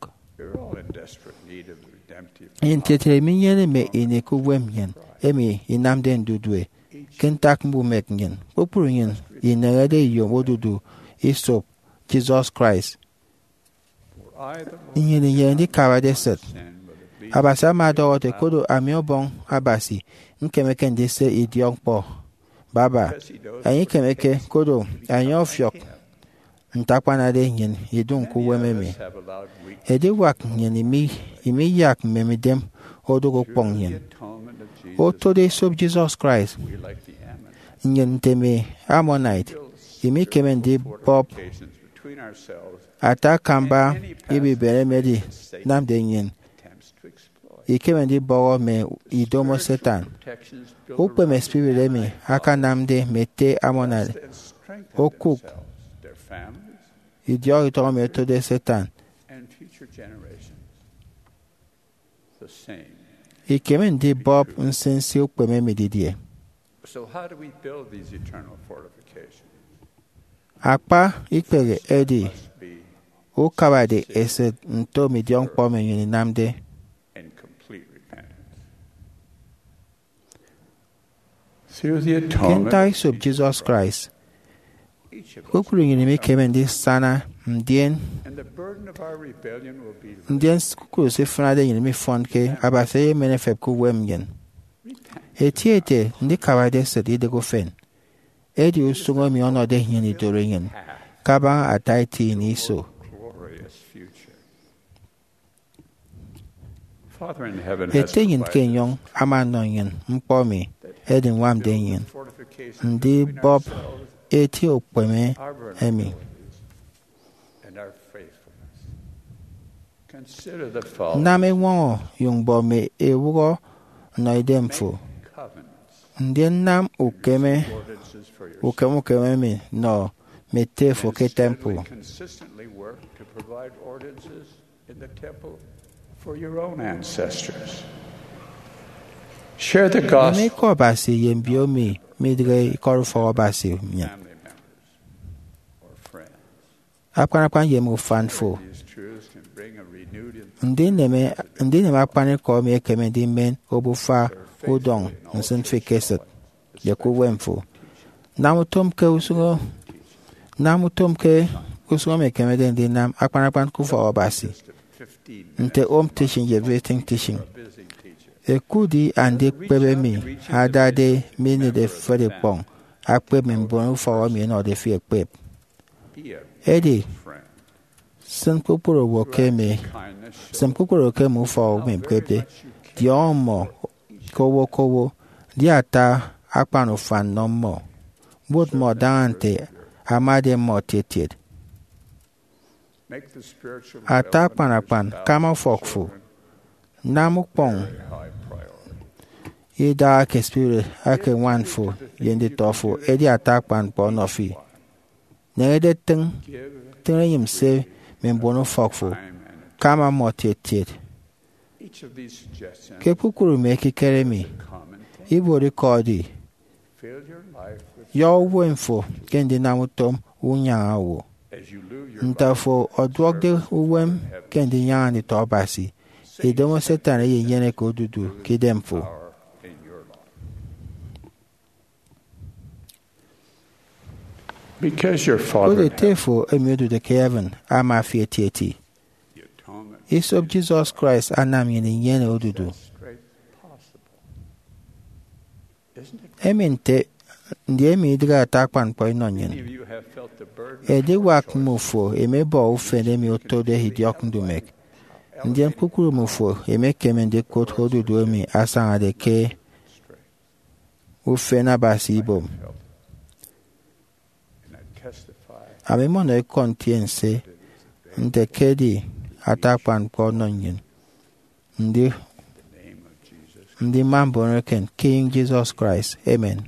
ntre ntre minyene mme ini ke uwem nnyịn emi inamde ndudue ke ntak mbumek nnyịn. Kpukpru nnyịn ineñede iyom odudu isop Jesus Christ. Nnyịn inyene ndikabade esịt. Abasi ama ọdọhọ ete, kodo ami Ọbọñ Abasi, ñkemeke ndise idiọkñkpọ baba. Enye ikemeke, kodo enye ọfiọk nte akpanade nnyịn idụñ ke uwem emi. Ediwak nnyịn imi- imiyak mmemidem odụk ukpọñ nnyịn. Otode esop Jesus Christ, nnyịn nte mme Ammonite imikeme ndibọp ata akamba ibibene emi edinamde nnyịn ikeme ndibọhọ mme idomo Satan. Ukpeme spirit emi akanamde mme ete Ammonite okụk idiọk itọñ emi otode Satan ikeme ndibọp nsinsi ukpeme emi didie? Akpa ikpehe edi ukabade esịt nto mme idiọkñkpọ emi nnyịn inamde. Ke ntak isop Jesus Christ, kpukpru nnyịn imikeme ndisana, ndien ndien kpukpru se ifịnade nnyịn mifọnke, Abasi eyemen efep ke uwem nnyịn. Etieti ndikabade esịt idịghe ufen edi usụñ emi ọnọde nnyịn idoro nnyịn kabaña ata eti ini iso. Ete nnyịn ke enyọñ ama ọnọ nnyịn ñkpọ emi ẹdiñwamde nnyịn ndibọp eti ukpeme emi. Nam eñwọñọ ye mbọm ewụhọ nnọ idemfo, ndien nam ukeme ukem ukem emi nọ mme ete fo ke temple. Neme ikọ Abasi ye mbiomi midịghe ikọt ufọk Abasi nnyịn. Akpan akpan ye mme ufan fo. Ndineme akpanikọ emi ekeme ndimen obufa udọñ nsịn fi ke esịt ye ke uwem fo. Nam utom ke usụñ nam utom ke usụñ emi ekemede ndinam akpan akpan ke ufọk Abasi, nte home teaching ye visiting teaching. Ekudi andikpep emi adade minịt efet ikpọñ akpep mme mbon ufọk emi ẹnọde fi ẹkpep. Edi, sịn kpukpru owo ke mme sịn kpukpru owo ke mme ufọk emi ẹkpepde, diọñọ mmọ ke owo ke owo, di ata akpan ufan nọ mmọ. Bot mmọ daña nte amade mmọ etietiet. Ata akpan akpan, kama ufọk fo. Nam ukpọñ idaha ke spirit eke ñwan fo ye nditọ fo edi ata akpan ñkpọ ọnọ fi. Neñede tịñ, tịñ enyịn se mme mbon ufọk fo, kama mmọ etietiet. Ke kpukpru mme ekikere emi, ibuot ikọ edi, yọ uwem fo ke ndinam utom unyaña owo. Nte afo ọduọkde uwem ke ndinyaña nditọ Abasi, idomo Satan eyenyeneke odudu ke idemfo. Koro ete fo emi odude ke heaven ama fi etieti. Isop Jesus Christ anam nnyịn inyene odudu. Emi nte, ndi emi idịghe ata akpan ñkpọ inọ nnyịn? Ediwak mmufo ẹmebọ ufen emi otode idiọk ndumek, ndien kpukpru mmufo ẹmekeme ndikụt odudu emi asañade ke ufen Abasi ibom. Ami mmọnọ ikọ ntiense nte ke edi ata akpan ñkpọ ọnọ nnyịn ndi, ndi mma mbon eken ke enyịñ Jesus Christ. Amen.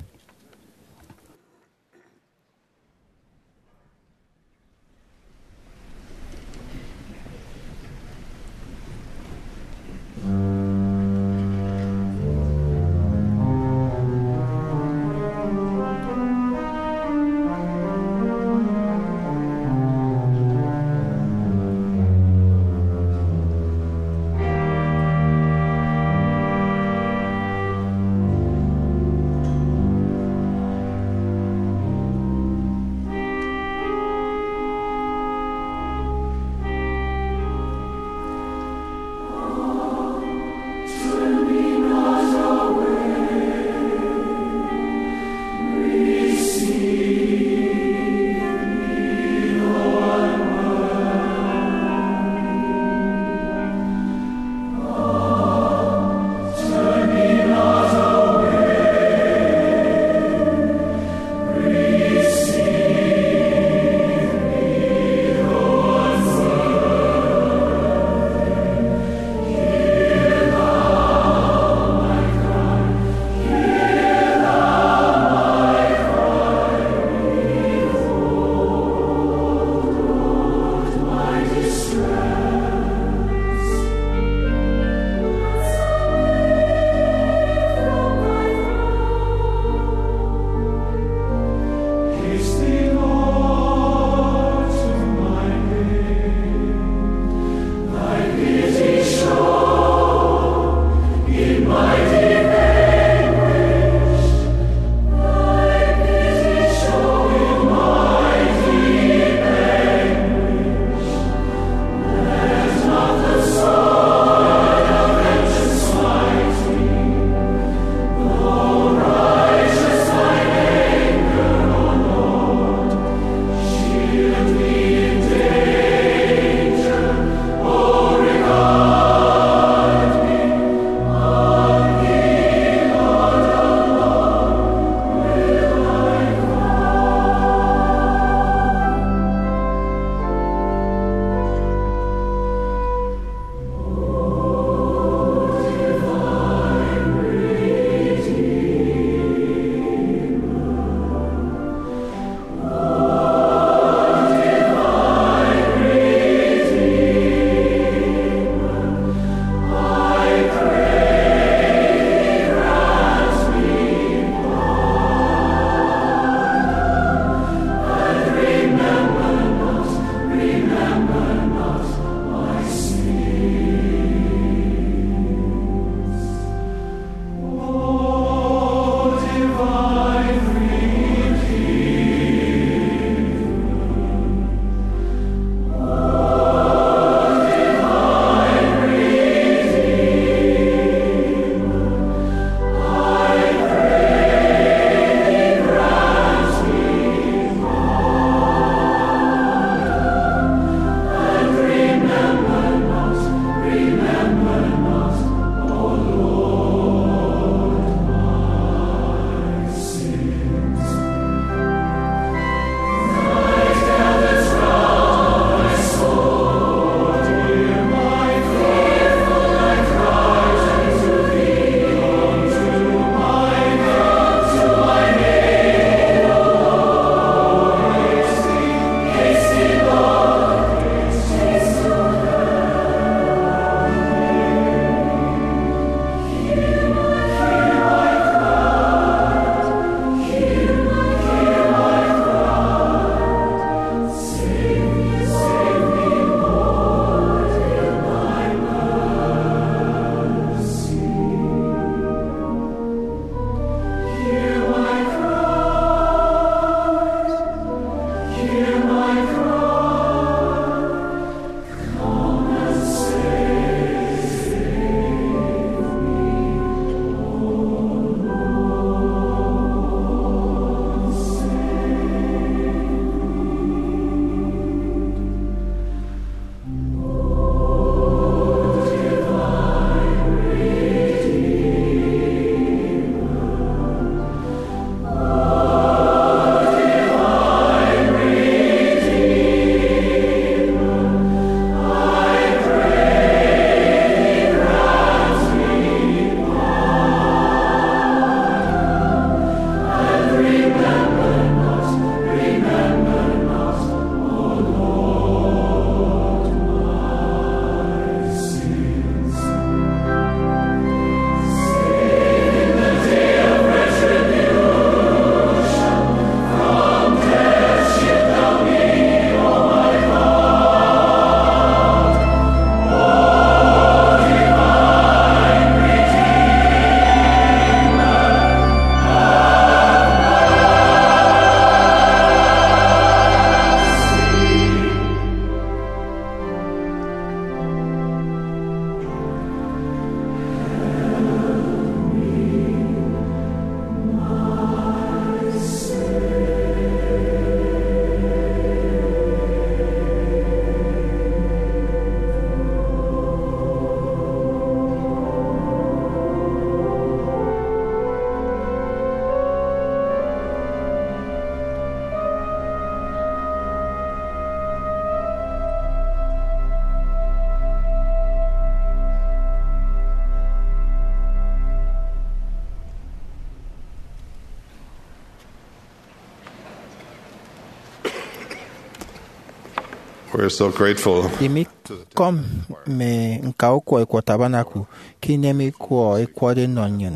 We're so grateful. Imikọm mme ñka ukwọ ikwọ Tabernacle ke inem ikwọ ikwọde nnọ nnyịn.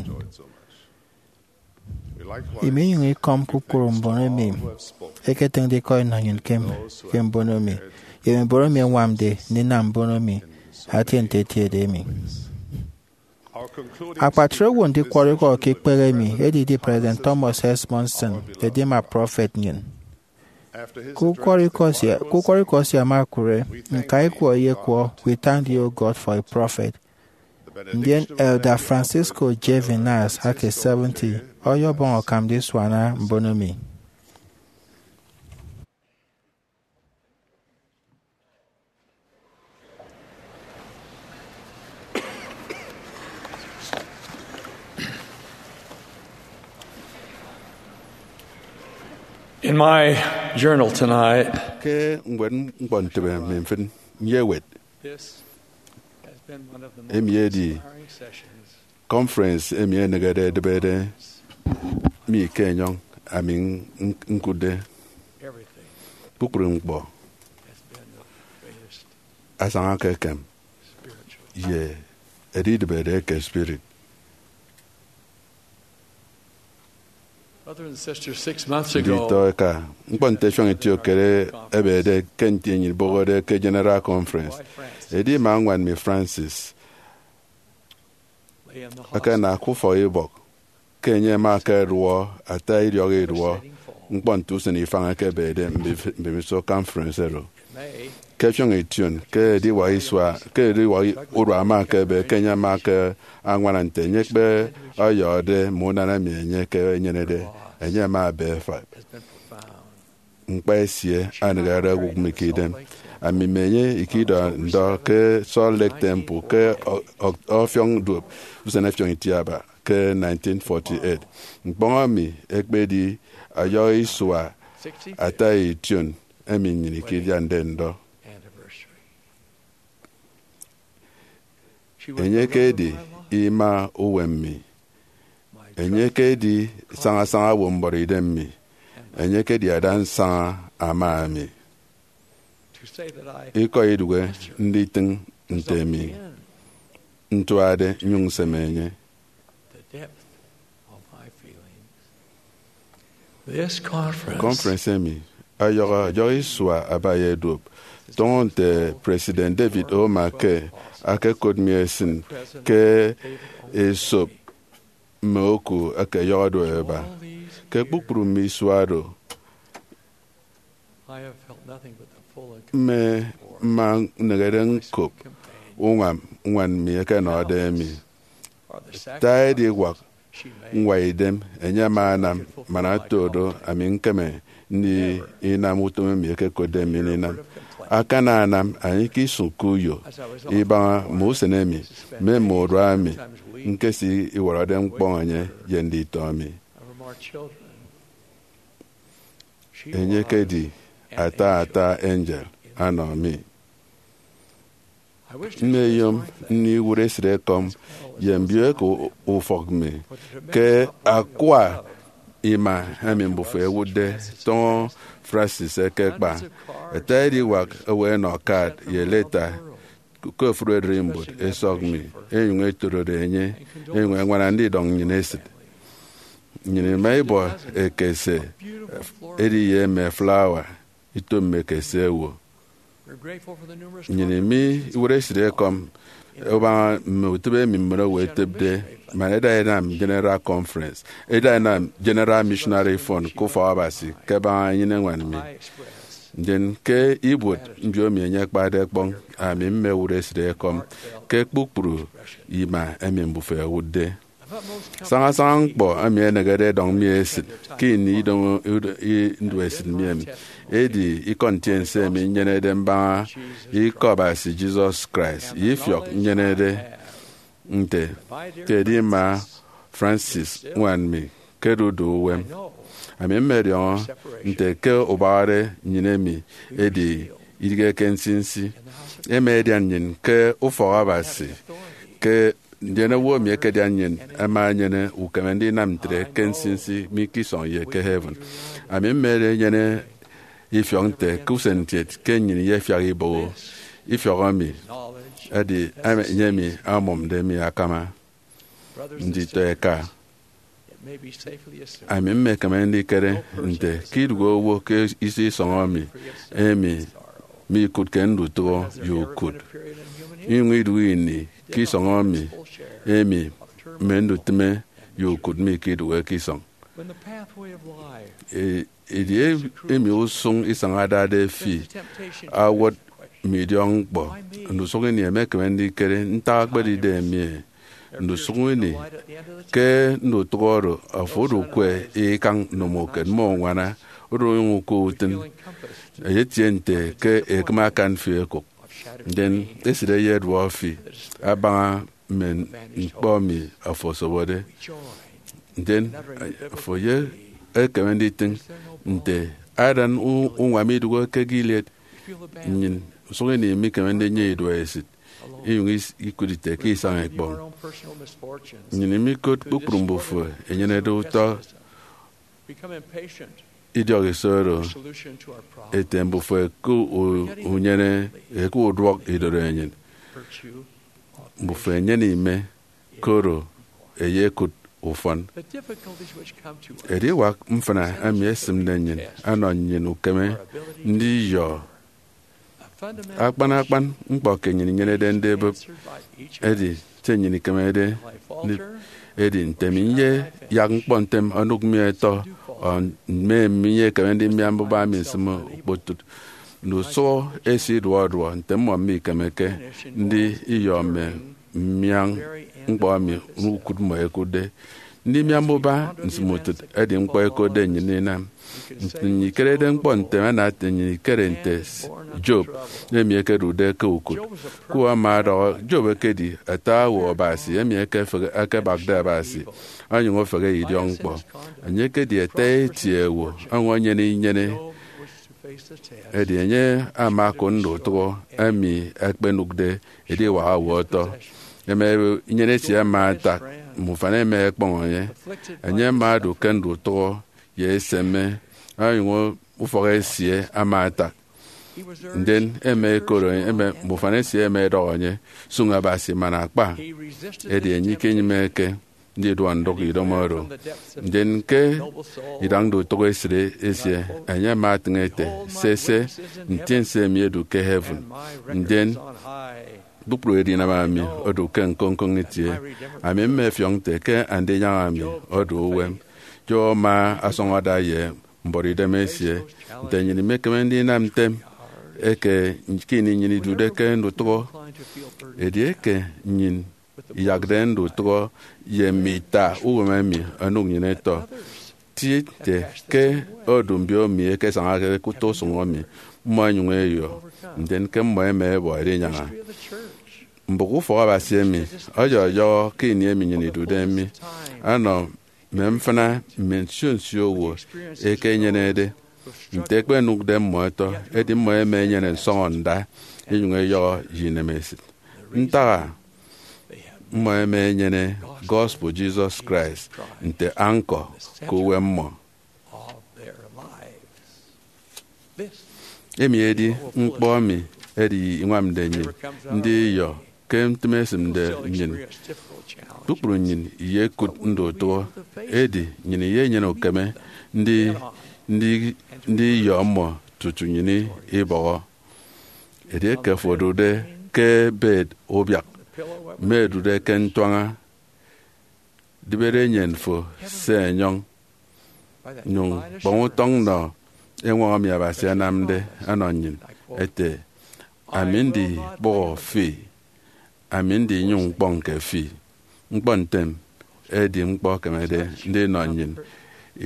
Iminyụñ ikọm kpukpru mbon emi ẹketịñde ikọ ẹnọ nnyịn ke, ke mbono emi, ye mme mbon emi ẹñwamde ndinam mbono emi atie nte etiede emi. Akpatre owo ndikwọrọ ikọ ke ikpehe emi edidi President Thomas S. Monson, edima prọfet nnyịn. Ke ukwọrọ ikọ sia, ke ukwọrọ ikọ sia ama okụre, ñka ikwọ eyekwọ, "We thank thee, O God, for a prophet." Ndien Elder Francisco J. Viñas, aka seventy, ọyọbọñ akam ndisuana mbono emi. In my journal tonight, ke ñwed ñkpọntịbe mi mfịn, nyewet, this has been one of the most emi edi inspiring sessions conference emi enịghede edịbede mi ke enyọñ ami n-, n-, ñkụtde. Everything kpukpru ñkpọ has been the greatest asaña ke ekem spiritual ye edidịbede eke spirit. Brothers and sisters, six months ago, nditọ eka, ñkpọ nte fiọñ itiokere ebede ke nti enyịn ibọhọde ke General Conference, edi ima ñwan mi Francis lay in the hospital. Akana ke ufọk ibọk ke enye ama akaduọ ata idiọk iduọ ñkpọ nte usen ifañ eke ebede mbif-, mbemiso conference oro. Ke fiọñ ition, ke ediwak isua, ke ediwak urua ama akebe ke enye ama ke añwana nte enye ekpe ọyọhọde mme unana emi enye ke enyenede, enye ama ebe efak. Ñkpa esie anịgare owụk mi ke idem. Ami mme enye ikidọ ndọ ke Salt Lake Temple ke ọ-, ọ-, ọfiọñ duop usen efiọñ itiaba ke nineteen forty-eight. Ñkpọñ emi ekpedi ọyọhọ isua ata ition emi nnyịn ikidiande ndọ. Enye ekedi ima uwem mi. Enye ekedi sañasaña owo mbọrọ idem mi. Enye ekedi ada nsaña ama mi. Ikọ idụhe nditịñ nte mi ntuade nnyụñ nseme enye. This conference, conference emi ọyọhọ ọyọhọ isua aba ye duop, tọñọ nte President David O. McKay akekot mi esịn ke esop mme oku eke ọyọhọ do eba. Ke kpukpru mme isua do, I have felt nothing but the full and mme mma nneghere ñkop uñwam ñwan mi eke ẹnọde mi. Ta ediwak ñwa idem enye ama anam man oto do ami ñkeme ndinam utom emi ekekotde mi ndinam. Akana anam, anie ke isụñke uyo ibaña mme usen emi, mme mme urua emi ñkesi iwọrọde ñkpọñ enye ye nditọ mi. Enye ekedi ata ata angel anọ mi. Mmeyom ndiwụt esịt ekọm ye mbioeko ufọk mi ke akwa ima emi mbufo ẹwụtde tọñọ Francis eke kpa. Ata ediwak owo ẹnọ card ye leta ke ofụri ererimbot esọk mi, enyụñ etorode enye, enyụñ ẹñwana ndidọñ nnyịn esịt. Nnyịn ima ibọ ekese edi ye mme flawa, ito mme ekese owo. Nnyịn ima iwụt esịt ekọm ẹbaña mme utịp emi mbon owo ẹtịpde, man ẹda ẹnam General Conference, ẹda ẹnam General Missionary Fund ke ufọk Abasi, ke ẹbaña enyịn eñwan mi. Ndien ke ibuot mbiomi enye akpade ẹkpọñ, ami mmewụt esịt ekọm ke kpukpru ima emi mbufo ẹwụtde. Sañasaña ñkpọ emi ẹnịghede ẹdọñ mi esịt ke ini idomo nduesit mi emi edi ikọ ntiense emi nyenede mbaña Ikọ Abasi Jesus Christ, ye ifiọk nyenede nte ke edi ima Francis ñwan mi ke dudu uwem. Ami mmediọñọ nte ke ubahare nnyịn emi edi idighe ke nsinsi. Ema edian nnyịn ke ufọk Abasi, ke ndien owo emi ekedian nnyịn ama enyene ukeme ndinam ntre ke nsinsi mi ke isọñ ye ke heaven. Ami mmedi enyene ifiọk nte ke usen kiet ke nnyịn iyefiak iboho ifiọk emi, edi enye emi amụmde mi akama. Nditọ eka, ami mmekeme ndikere nte ke iduhe owo ke iso isọñ emi, emi mikụtke ndutụhọ ye ukụt, inyụñ iduhe ini ke isọñ emi, emi mme ndutịme ye ukụt mikidụhe ke isọñ. E- edi emi usụñ isañ adade fi awot mme idiọkñkpọ. Ndusụk ini emekeme ndikere ntak ekpedide emi. Ndusụk ini ke ndutụk oro, afo odu ukwe ikañ, nụm ukot, mme uñwana, odu onyụñ ukwe utịn. Eyetie nte ke ekịm akan fi ekụk, ndien esịt eyeduọ fi abaña mme ñkpọ emi afo osobode. Ndien afo ye ekeme nditịñ nte adan u- uñwam idụhe ke Gilead. Nnyịn usụk ini mikeme ndinyene iduọ esịt, inyụñ is- ikụt ite ke isañ ekpọñ. Nnyịn imikot kpukpru mbufo enyenede utọ idiọk iso oro ete mbufo eke u- unyene, eke uduọk idorenyin. Mbufo enyene ime, koro eyekụt ufọn. Ediwak mfịna emi esịmde nnyịn anọ nnyịn ukeme ndiyọ akpan akpan ñkpọ ke nnyịn inyenede ndibụp. Edi se nnyịn ikemede ndibụp edi nte mi nyeyak ñkpọ ntem onụk mi etọ, ọ mme mi nyekeme ndimia mbuba mi nsịm okpotụt. Ndusụhọ esie iduọ iduọ nte mmọ mikemeke ndiyọ mme mmia ñkpọ emi ukụt mmọ ekụtde. Ndimia mbuba nsịm utịt edi ñkpọ ẹkotde nnyịn inam. Nnyịn ikerede ñkpọ ntem, ana nnyịn ikere nte Job, emi ekedude ke ukụt. Ku ama ọdọhọ, Job ekedi ata owo Abasi emi ekefehe, ekebakde Abasi, onyụñ ofehe idiọkñkpọ. Enye ekedi ata eti owo, onyụñ enyene inyene. Edi enye ama okụt ndutụhọ emi ekpenụkde ediwak owo ọtọ. Ema inyene esie ama atak, mme ufan ema ekpọñ enye. Enye ama odu ke ndutụhọ ye eseme, onyụñ ufọk esie ama atak. Ndien ema ekot enye, ema, mme ufan esie ema edọhọ enye, Sụñ Abasi man akpa. Edi enye ikenyịmeke ndiduọ ndụk idomo oro. Ndien ke idañ ndutụhọ esịt esie, enye ama atịñ ete, Sese, Ntiense emi edu ke heaven, ndien kpukpru edinam ami odu ke ñkoñkoñ itie. Ami mmefiọk nte ke Andinyaña mi odu uwem. Job ama asọñ ada ye mbuọtidem esie. Nte nnyịn imekeme ndinam ntem eke ke ini nnyịn idude ke ndutụhọ? Edieke nnyịn iyakde ndutụhọ ye mme ita uwem emi onụk nnyịn etọ, ti ete ke odu mbiomi ẹkesañake ke utọ usụñ emi, mmọ ẹnyụñ ẹyọ, ndien ke mmọ ẹma ẹbọ ẹdinyaña. Mbụk ufọk Abasi emi ọyọyọhọ ke ini emi nnyịn idude mi, anọ mme mfịna mme nsio nsio owo ẹkenyenede. Nte ẹkpenụkde mmọ ẹtọ, edi mmọ ẹma ẹnyene nsọñọ nda, inyụñ ẹyọhọ ye inemesịt. Ntak-a? Mmọ ẹma ẹnyene gospel Jesus Christ nte anchor ke uwem mmọ. Emi edi ñkpọ emi edi iñwamde nnyịn ndiyọ ke ntịme esịmde nnyịn. Kpukpru nnyịn iyekụt ndutụhọ, edi nnyịn iyenyene ukeme ndi ndi ndiyọ mmọ tutu nnyịn ibọhọ. Edieke afo odude ke bed ubiak, mme edude ke ntuaña, dibede enyen fo se enyọñ, nyụñ kpọñ utọñ nọ eñwọñ emi Abasi anamde ọnọ nnyịn, ete, Ami ndikpụhọ fi, ami ndinyụñ ñkpọñke fi. Ñkpọ ntem edi ñkpọ ekemede ndinọ nnyịn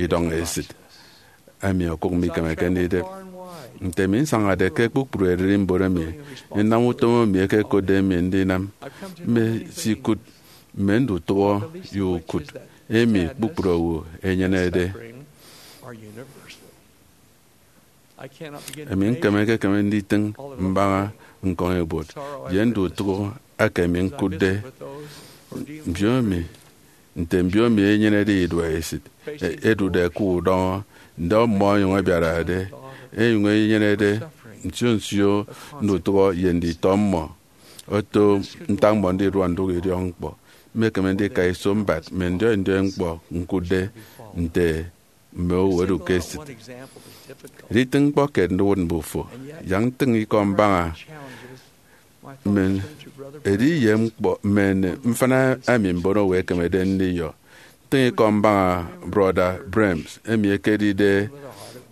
idọñ esịt emi okụk mikemeke ndidep. Nte mi nsañade ke kpukpru ererimbot emi nnam utom emi ẹkekotde mi ndinam, mmesikụt mme ndutụhọ ye ukụt emi kpukpru owo ẹnyenede. Emi ñkemeke-keme nditịñ mbaña ñkọñibuot ye ndutụhọ eke mi ñkụtde. Mbiomi, nte mbiomi ẹnyenede iduọ esịt, e- ẹdude ke udọñọ, ndọ mmọ ẹnyụñ ẹbiarade enyuñ enyenede nsio nsio ndutụhọ ye nditọ mmọ. Oto ntak mmọ ndiduọ ndụk idiọkñkpọ, mmekeme ndika iso mbat mme ndiọi ndiọi ñkpọ ñkụtde nte mme owo ẹdu ke esịt. Editịñ ñkpọ kiet ndiwụt mbufo, yak ntịñ ikọ mbaña mme edi ye ñkpọ mme mfịna emi mbono owo ẹkemede ndiyọ. Ntịñ ikọ mbaña Brọda Brems, emi ekedide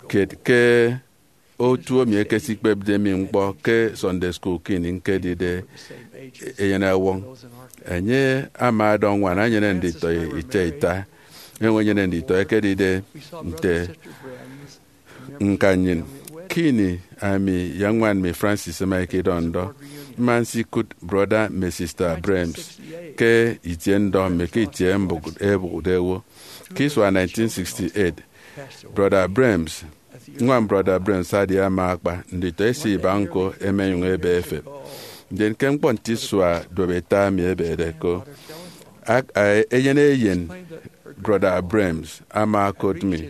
kiet ke otu emi ekesikpepde mi ñkpọ ke Sunday School ke ini ñkedide eyen ọwọñ. Enye ama ọdọ ñwan enyene nditọ ita ita. Enyene nditọ ekedide nte ñka nnyịn. Ke ini ami ye ñwan mi Francis ẹma ikidọ ndọ, mma nsikụt Brọda mme Sista Brems ke itie ndọ mme ke itie mbụk-, ebụkde owo. Ke isua nineteen sixty-eight, Brọda Brems, ñwan Brọda Brems adi ama akpa, nditọ esie iba ñko ẹmenyụñ ẹbe ẹfep. Ndien ke ñkpọ nte isua duop ita emi ẹbede ko, ak-, a-, eyen eyen Brọda Brems ama okot mi.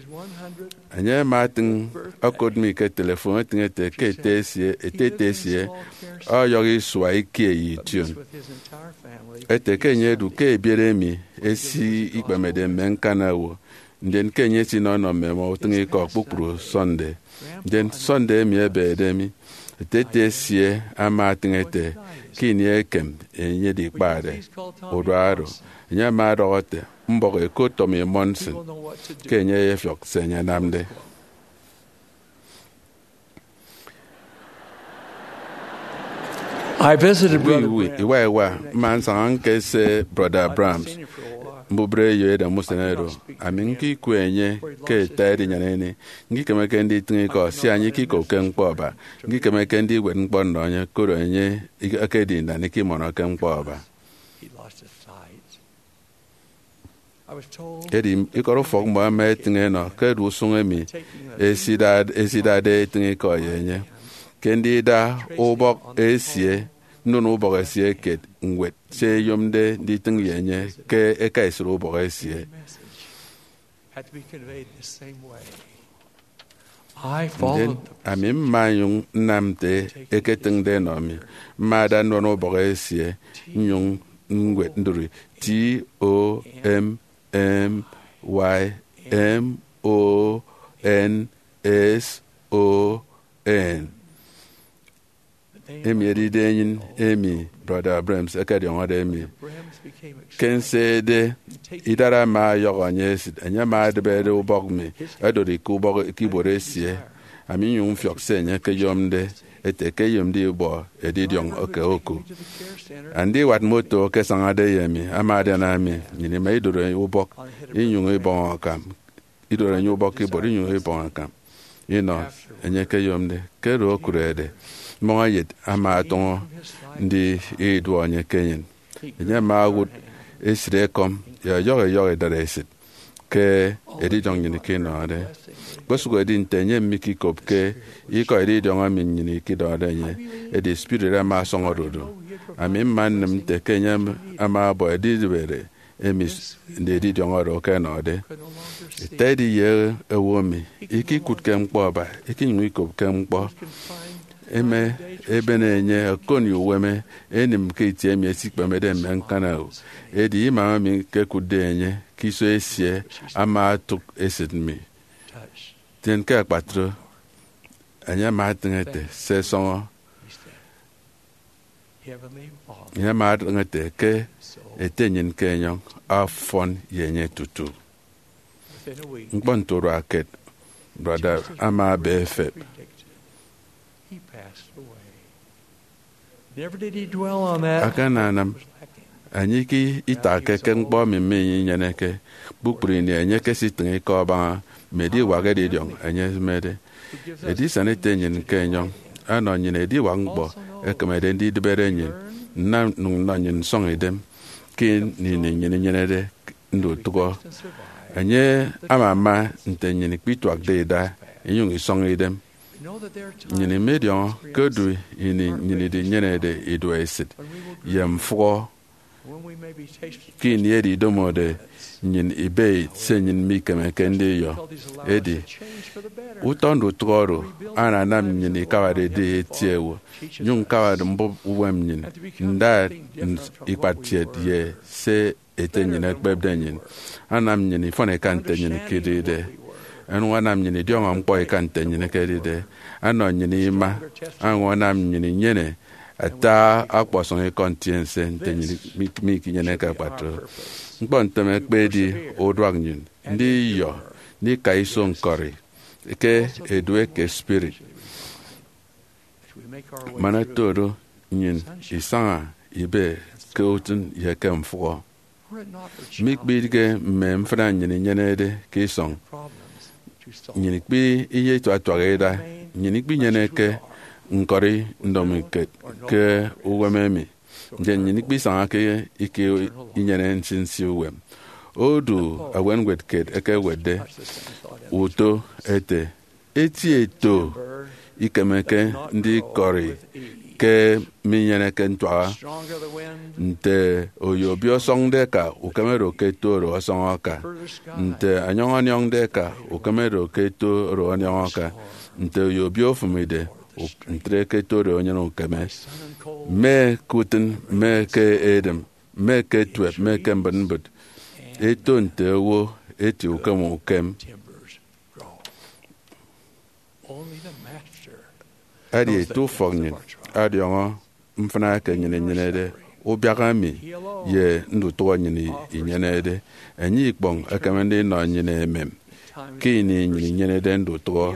Enye ama etịñ okot mi ke telefon, etịñ ete ke ete esie, ete ete esie ọyọhọ isua ikie ye ition. Ete ke enye edu ke ebiet emi esi ikpemede mme ñkana owo, ndien ke enye esinọ enọ mme emọ utịñikọ kpukpru Sunday. Ndien Sunday emi ebede mi, ete ete esie ama etịñ ete ke ini ekem enye edikpade urua oro, enye ama ọdọhọ ete, mbọk ekot Tommy Monson, ke enye eyefiọk se enye anamde. I visited Brother Graham. Iwa iwa, mma nsaña ñkese Brọda Brams mbubreyo edem usen oro. Ami ñkikwe enye ke ita edinyaña ini. Ñkikemeke nditịñ ikọ, sia enye ikikopke ñkpọ aba. Ñkikemeke ndiwet ñkpọ nnọ enye, koro enye ekedi nnanikọ imọnọke ñkpọ aba. Edi ikọt ufọk mmọ ẹma ẹtịñ ẹnọ ke edu usụñ emi esidade, esidade etịñ ikọ ye enye. Ke ndida ubọk esie, nnụnụ ubọk esie kiet, ñwet se eyomde nditịñ ye enye ke eka esịt ubọk esie. Ndien ami mma nyụñ nnam nte eketịñde ẹnọ mi. Mma ada nnụnụ ubọk esie, nnyụñ ñwet ndụri T O M M Y M O N S O N. Emi edide enyịn emi Brọda Brems ekediọñọde mi. Ke nsede, idara ama ọyọhọ enye esịt. Enye ama edịbede ubọk mi, odori ke ubọk ke ibuot esie. Ami nnyụñ mfiọk se enye ekeyomde, ete ke eyomde ibọ edidiọñ ke oku. Andiwat moto eke asañade ye mi ama adiana mi. Nnyịn ima idoro ubọk inyụñ ibọñ akam. Idoro enye ubọk ke ibuot inyụñ ibọñ akam inọ enye ekeyomde. Ke oro okurede, mmọñeyet ama ọtọñọ ndi iduọ enye ke enyịn. Enye ama owụt esịt ekọm ye ọyọhọ ẹyọhọ idaresit ke edidiọñ nnyịn ke inọde. Kpesụk edi nte enye mikikopke ikọ edidiọñ emi nnyịn ikidọhọde enye, edi spirit ama ọsọñọ odudu. Ami mma nnịm nte ke enye ama ọbọ edidịbere emi s-, nde edidiọñ oro ke ẹnọde. Ita edi ye owo emi ikikụtke ñkpọ aba, ikinyụñ ikopke ñkpọ. Eme ebene enye okon ye uwem enịm ke itie emi esikpemede mme ñkana owo. Edi imam emi ñkekụtde enye ke iso esie ama otụk esịt mi. Tien ke akpatre, enye ama etịñ ete, se sọñọ. Enye ama etịñ ete ke ete nnyịn ke enyọñ, ọfọn ye enye tutu. Ñkpọ nte urua kiet, Brọda ama aba efep. Akananam enye itakke ke ñkpọ emi minyeneke. Kpukpru ini enye ekesitịñ ikọ abaña mme ediwak edidiọñ enye esịmede. Edi isana ete nnyịn ke enyọñ ọnọ nnyịn ediwak ñkpọ ekemede ndidịbere nnyịn, nnam nnyụñ nnọ nnyịn nsọñ idem ke ini nnyịn inyenede ndutụhọ. Enye ama ama nte nnyịn ikpituakde ida inyụñ isọñ idem. Nnyịn imediọñọ ke odu ini nnyịn idinyenede iduọ esịt ye mfụhọ Ke ini oro idomode nnyịn ibe se nnyịn mikemeke ndiyọ, edi utọ ndutụk oro ananam nnyịn ikabarede eti ewo, nyụñ ñkabade mbụp uwem nnyịn, nda ikpatkiet ye se ete nnyịn ekpepde nnyịn. Anam nnyịn ifọn eka nte nnyịn ikedide, onyụñ anam nnyịn idiọñọ ñkpọ eka nte nnyịn ikedide, anọ nnyịn ima, onyụñ anam nnyịn inyene ata ọkpọsọñ ikọ ntiense nte nnyịn mi- mikinyeneke kpatu. Ñkpọ ntem ekpedi uduak nnyịn ndiyọ ndika iso ñkọri ke edu eke spirit. Man oto do, nnyịn isaña ibe ke utịn ye ke mfụhọ. Mikpidịghe mme mfịna nnyịn inyenede ke isọñ, nnyịn ikpi iyetituak ida, nnyịn ikpinyeneke ñkọri ndomokiet ke uwem emi, ndien nnyịn ikpisaña ke ike inyene nsinsi uwem. Odu ewen ñwed kiet ekewetde uto ete, eti eto ikemeke ndikọri ke minyeneke ntuaha. Nte oyo obio ọsọñde eka, ukeme do ke eto oro ọsọñ aka. Nte ọniọñ ọniọñde eka, ukeme do ke eto oro ọniọñ aka. Nte oyo obio ofụmide, uk- ntre ke eto oro enyene ukeme. Mme ke utịn, mme ke edịm, mme ke etuep, mme ke mbịtmbịt, eto nte owo eti ukem ukem. Edi ete ufọk nnyịn ọdiọñọ mfịna eke nnyịn inyenede, ubiak emi ye ndutụhọ nnyịn inyenede. Enye ikpọñ ekeme ndinọ nnyịn emem ke ini nnyịn inyenede ndutụhọ.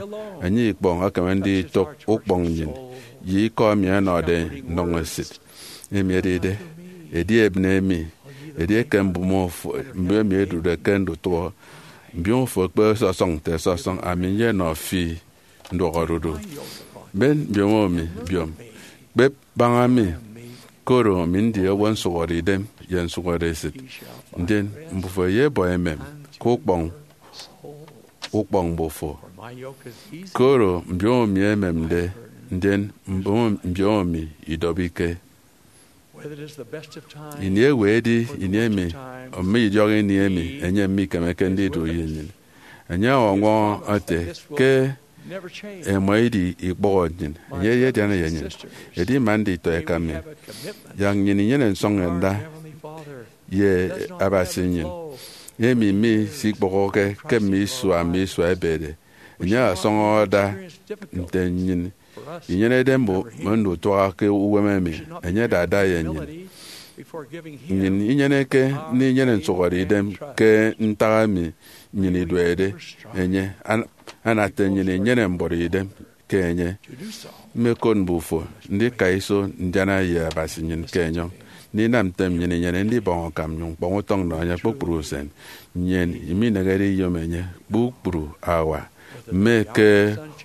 Enye ikpọñ ekeme nditụk ukpọñ nnyịn ye ikọ emi ẹnọde ndọñesịt. Emi edide, edi ebịne emi, edieke mbụme ofo, mbụme emi edude ke ndutụhọ, mbiomo fo ekpe sọsọñ nte sọsọñ, ami nyenọ fi nduọk odudu. Ben mbiomo mi, biom, kpep baña mi, koro ami ndi owo nsụhọde idem ye nsụhọde esịt, ndien mbufo eyebọ emem ke ukpọñ ukpọñ mbufo. Koro mbiomo mi ememde, ndien mbiomo, mbiomo mi idọbike. Ini ewe edi ini emi, mme idiọk ini emi enye mikemeke ndidu ye nnyịn? Enye ọñwọñọ ete ke ẹma idi ikpọhọ nnyịn. Enye eyediana ye nnyịn. Edi ima nditọ eka mi, yak nnyịn inyene nsọñọnda ye Abasi nnyịn, emi misikpọhọke ke mme isua mme isua ẹbede. Enye ọsọñọ ada nte nnyịn inyenede mbo-, mme ndutụaha ke uwem emi enye adade ye nnyịn. Nnyịn inyeneke ndinyene nsụhọde idem ke ntak emi nnyịn iduede enye, an-, anate nnyịn inyene mbuọtidem ke enye. Mmekot mbufo ndika iso ndiana ye Abasi nnyịn ke enyọñ, ndinam ntem nnyịn inyene ndibọñ akam nnyụñ ñkpọñ utọñ nnọ enye kpukpru usen. Nnyịn iminehede iyom enye kpukpru hour, mme ke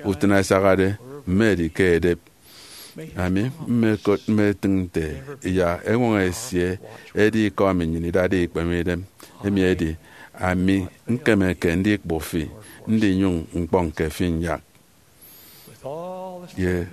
utịn asahade, mme edi ke edep. Ami mmekot mmetịñ nte yak eñwọñọ esie edi ikọ emi nnyịn idade ikpeme idem. Emi edi, ami ñkemeke ndikpu fi, ndinyụñ ñkpọñke fi nyak. Ye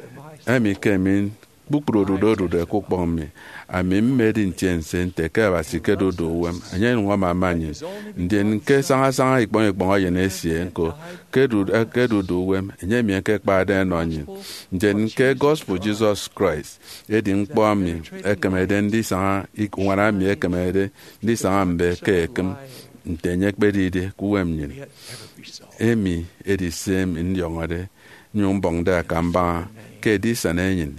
emi ke mi kpukpru odudu odude ke ukpọñ mi, ami mmedi ntiense nte ke Abasi ke odudu uwem, enye onyụñ amama nnyịn. Ndien ke sañasaña ikpọñ ikpọñ eyen esie ñko, ke odu-, ke odudu uwem, enye emi ekekpade enọ nnyịn. Ndien ke gospel Jesus Christ edi ñkpọ emi ekemede ndisaña, ik-, uñwana emi ekemede ndisaña mbe ke ekịm nte enye ekpedide ke uwem nnyịn. Emi edi se emi ndiọñọde, nyụñ mbọñde akam mbaña ke edisana enyịn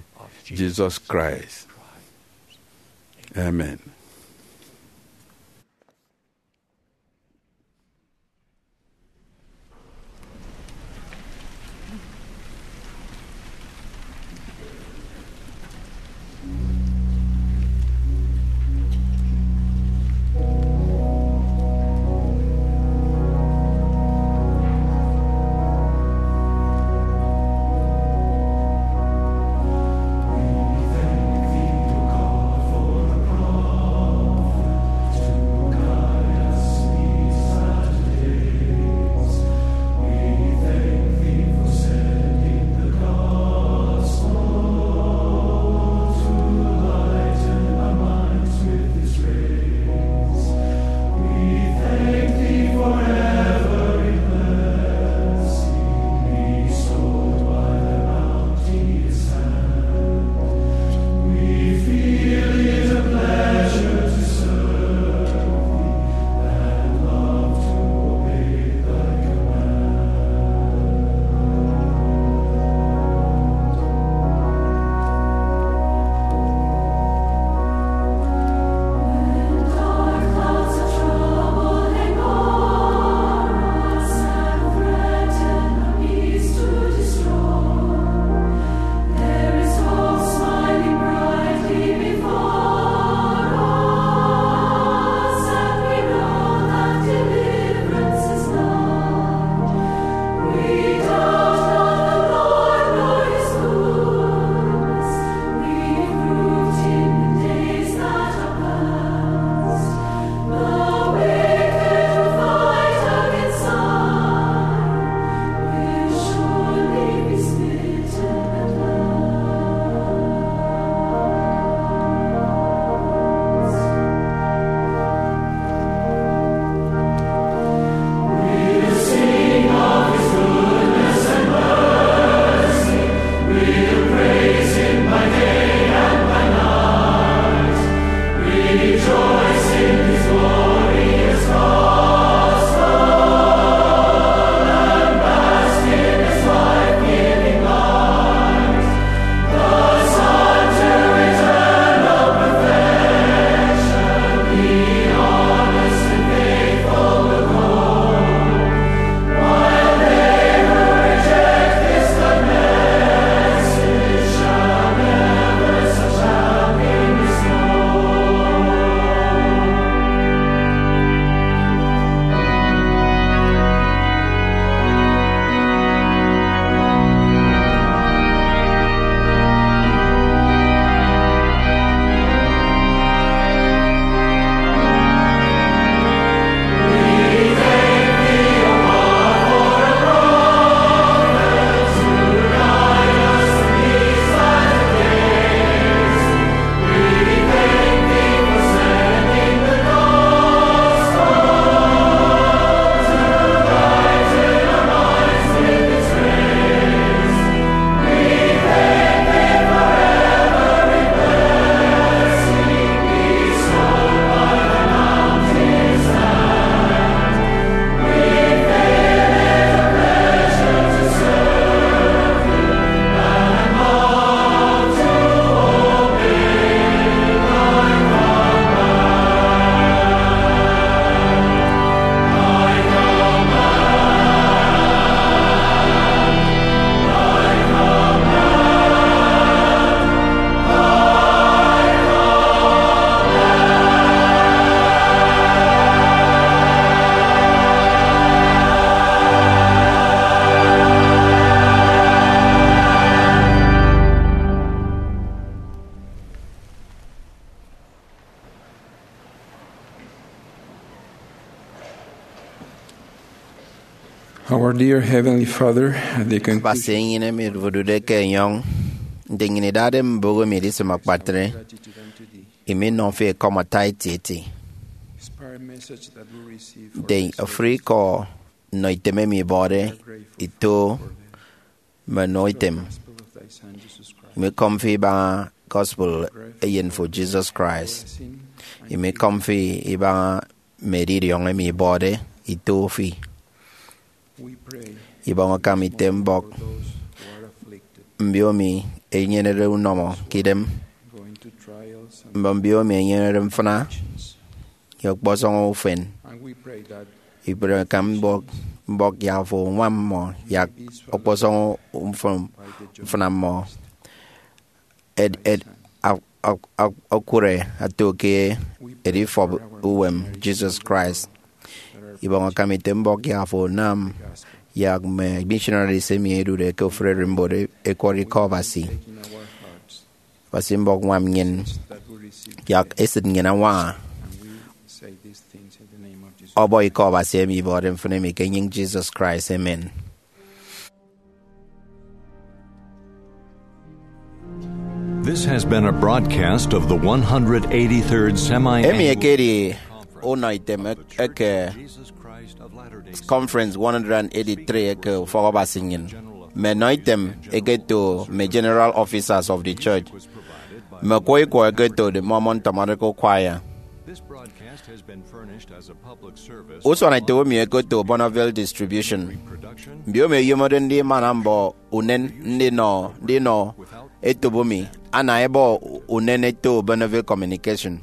Jesus Christ. Amen. Our dear Heavenly Father, at the conclusion Abasi enyịn emi odude ke enyọñ, nte nnyịn idade mbụk emi edisịm akpatre, imi nọ fi ekọm ata etieti. Inspired message that we receive for Nte the ofụri ikọ nnọ item emi ibọde, ito mme nnọ item. Gospel of thy Son, Jesus Christ. Imi kọm fi ibaña gospel eyen fo Jesus Christ. Imi kọm fi ibaña mme edidiọñ emi ibọde, ito fi. We pray Ibọñ akam ite mbọk for those who are afflicted, mbio emi enyenede unọmọ ke idem, going to trials and mme mbio emi enyenede mfịna ye ọkpọsọñ ufen. And we pray that Ibọñ akam mbọk, mbọk yak afo uñwam mmọ yak ọkpọsọñ mfịn-, mfịna mmọ. Ed, ed, ak-, ak-, ak-, akure ato ke edifọp uwem Jesus Christ. Ibọñ akam ite mbọk yak afo unam yak mme missionaries emi ẹdude ke ofụri ererimbot ẹkwọrọ ikọ Abasi. Abasi mbọk ñwam nnyịn yak esịt nnyịn añwaña ọbọ ikọ Abasi emi ibọde mfịn emi ke enyịñ Jesus Christ. Amen. This has been a broadcast of the one hundred eighty-third Semi-Annual Emi ekedi unọ item eke Conference one hundred eighty-three eke Ufọk Abasi nnyịn. Mme nọ item eketo mme General Officers of the Church, mme kwọ ikwọ eketo the Mormon Tabernacle Choir. Usuanetop emi ekoto Bonneville Distribution. Mbio emi ẹyomode ndimana mbọ unen ndinọ, ndinọ etop emi, ana ẹbọ unen eto Bonneville Communication.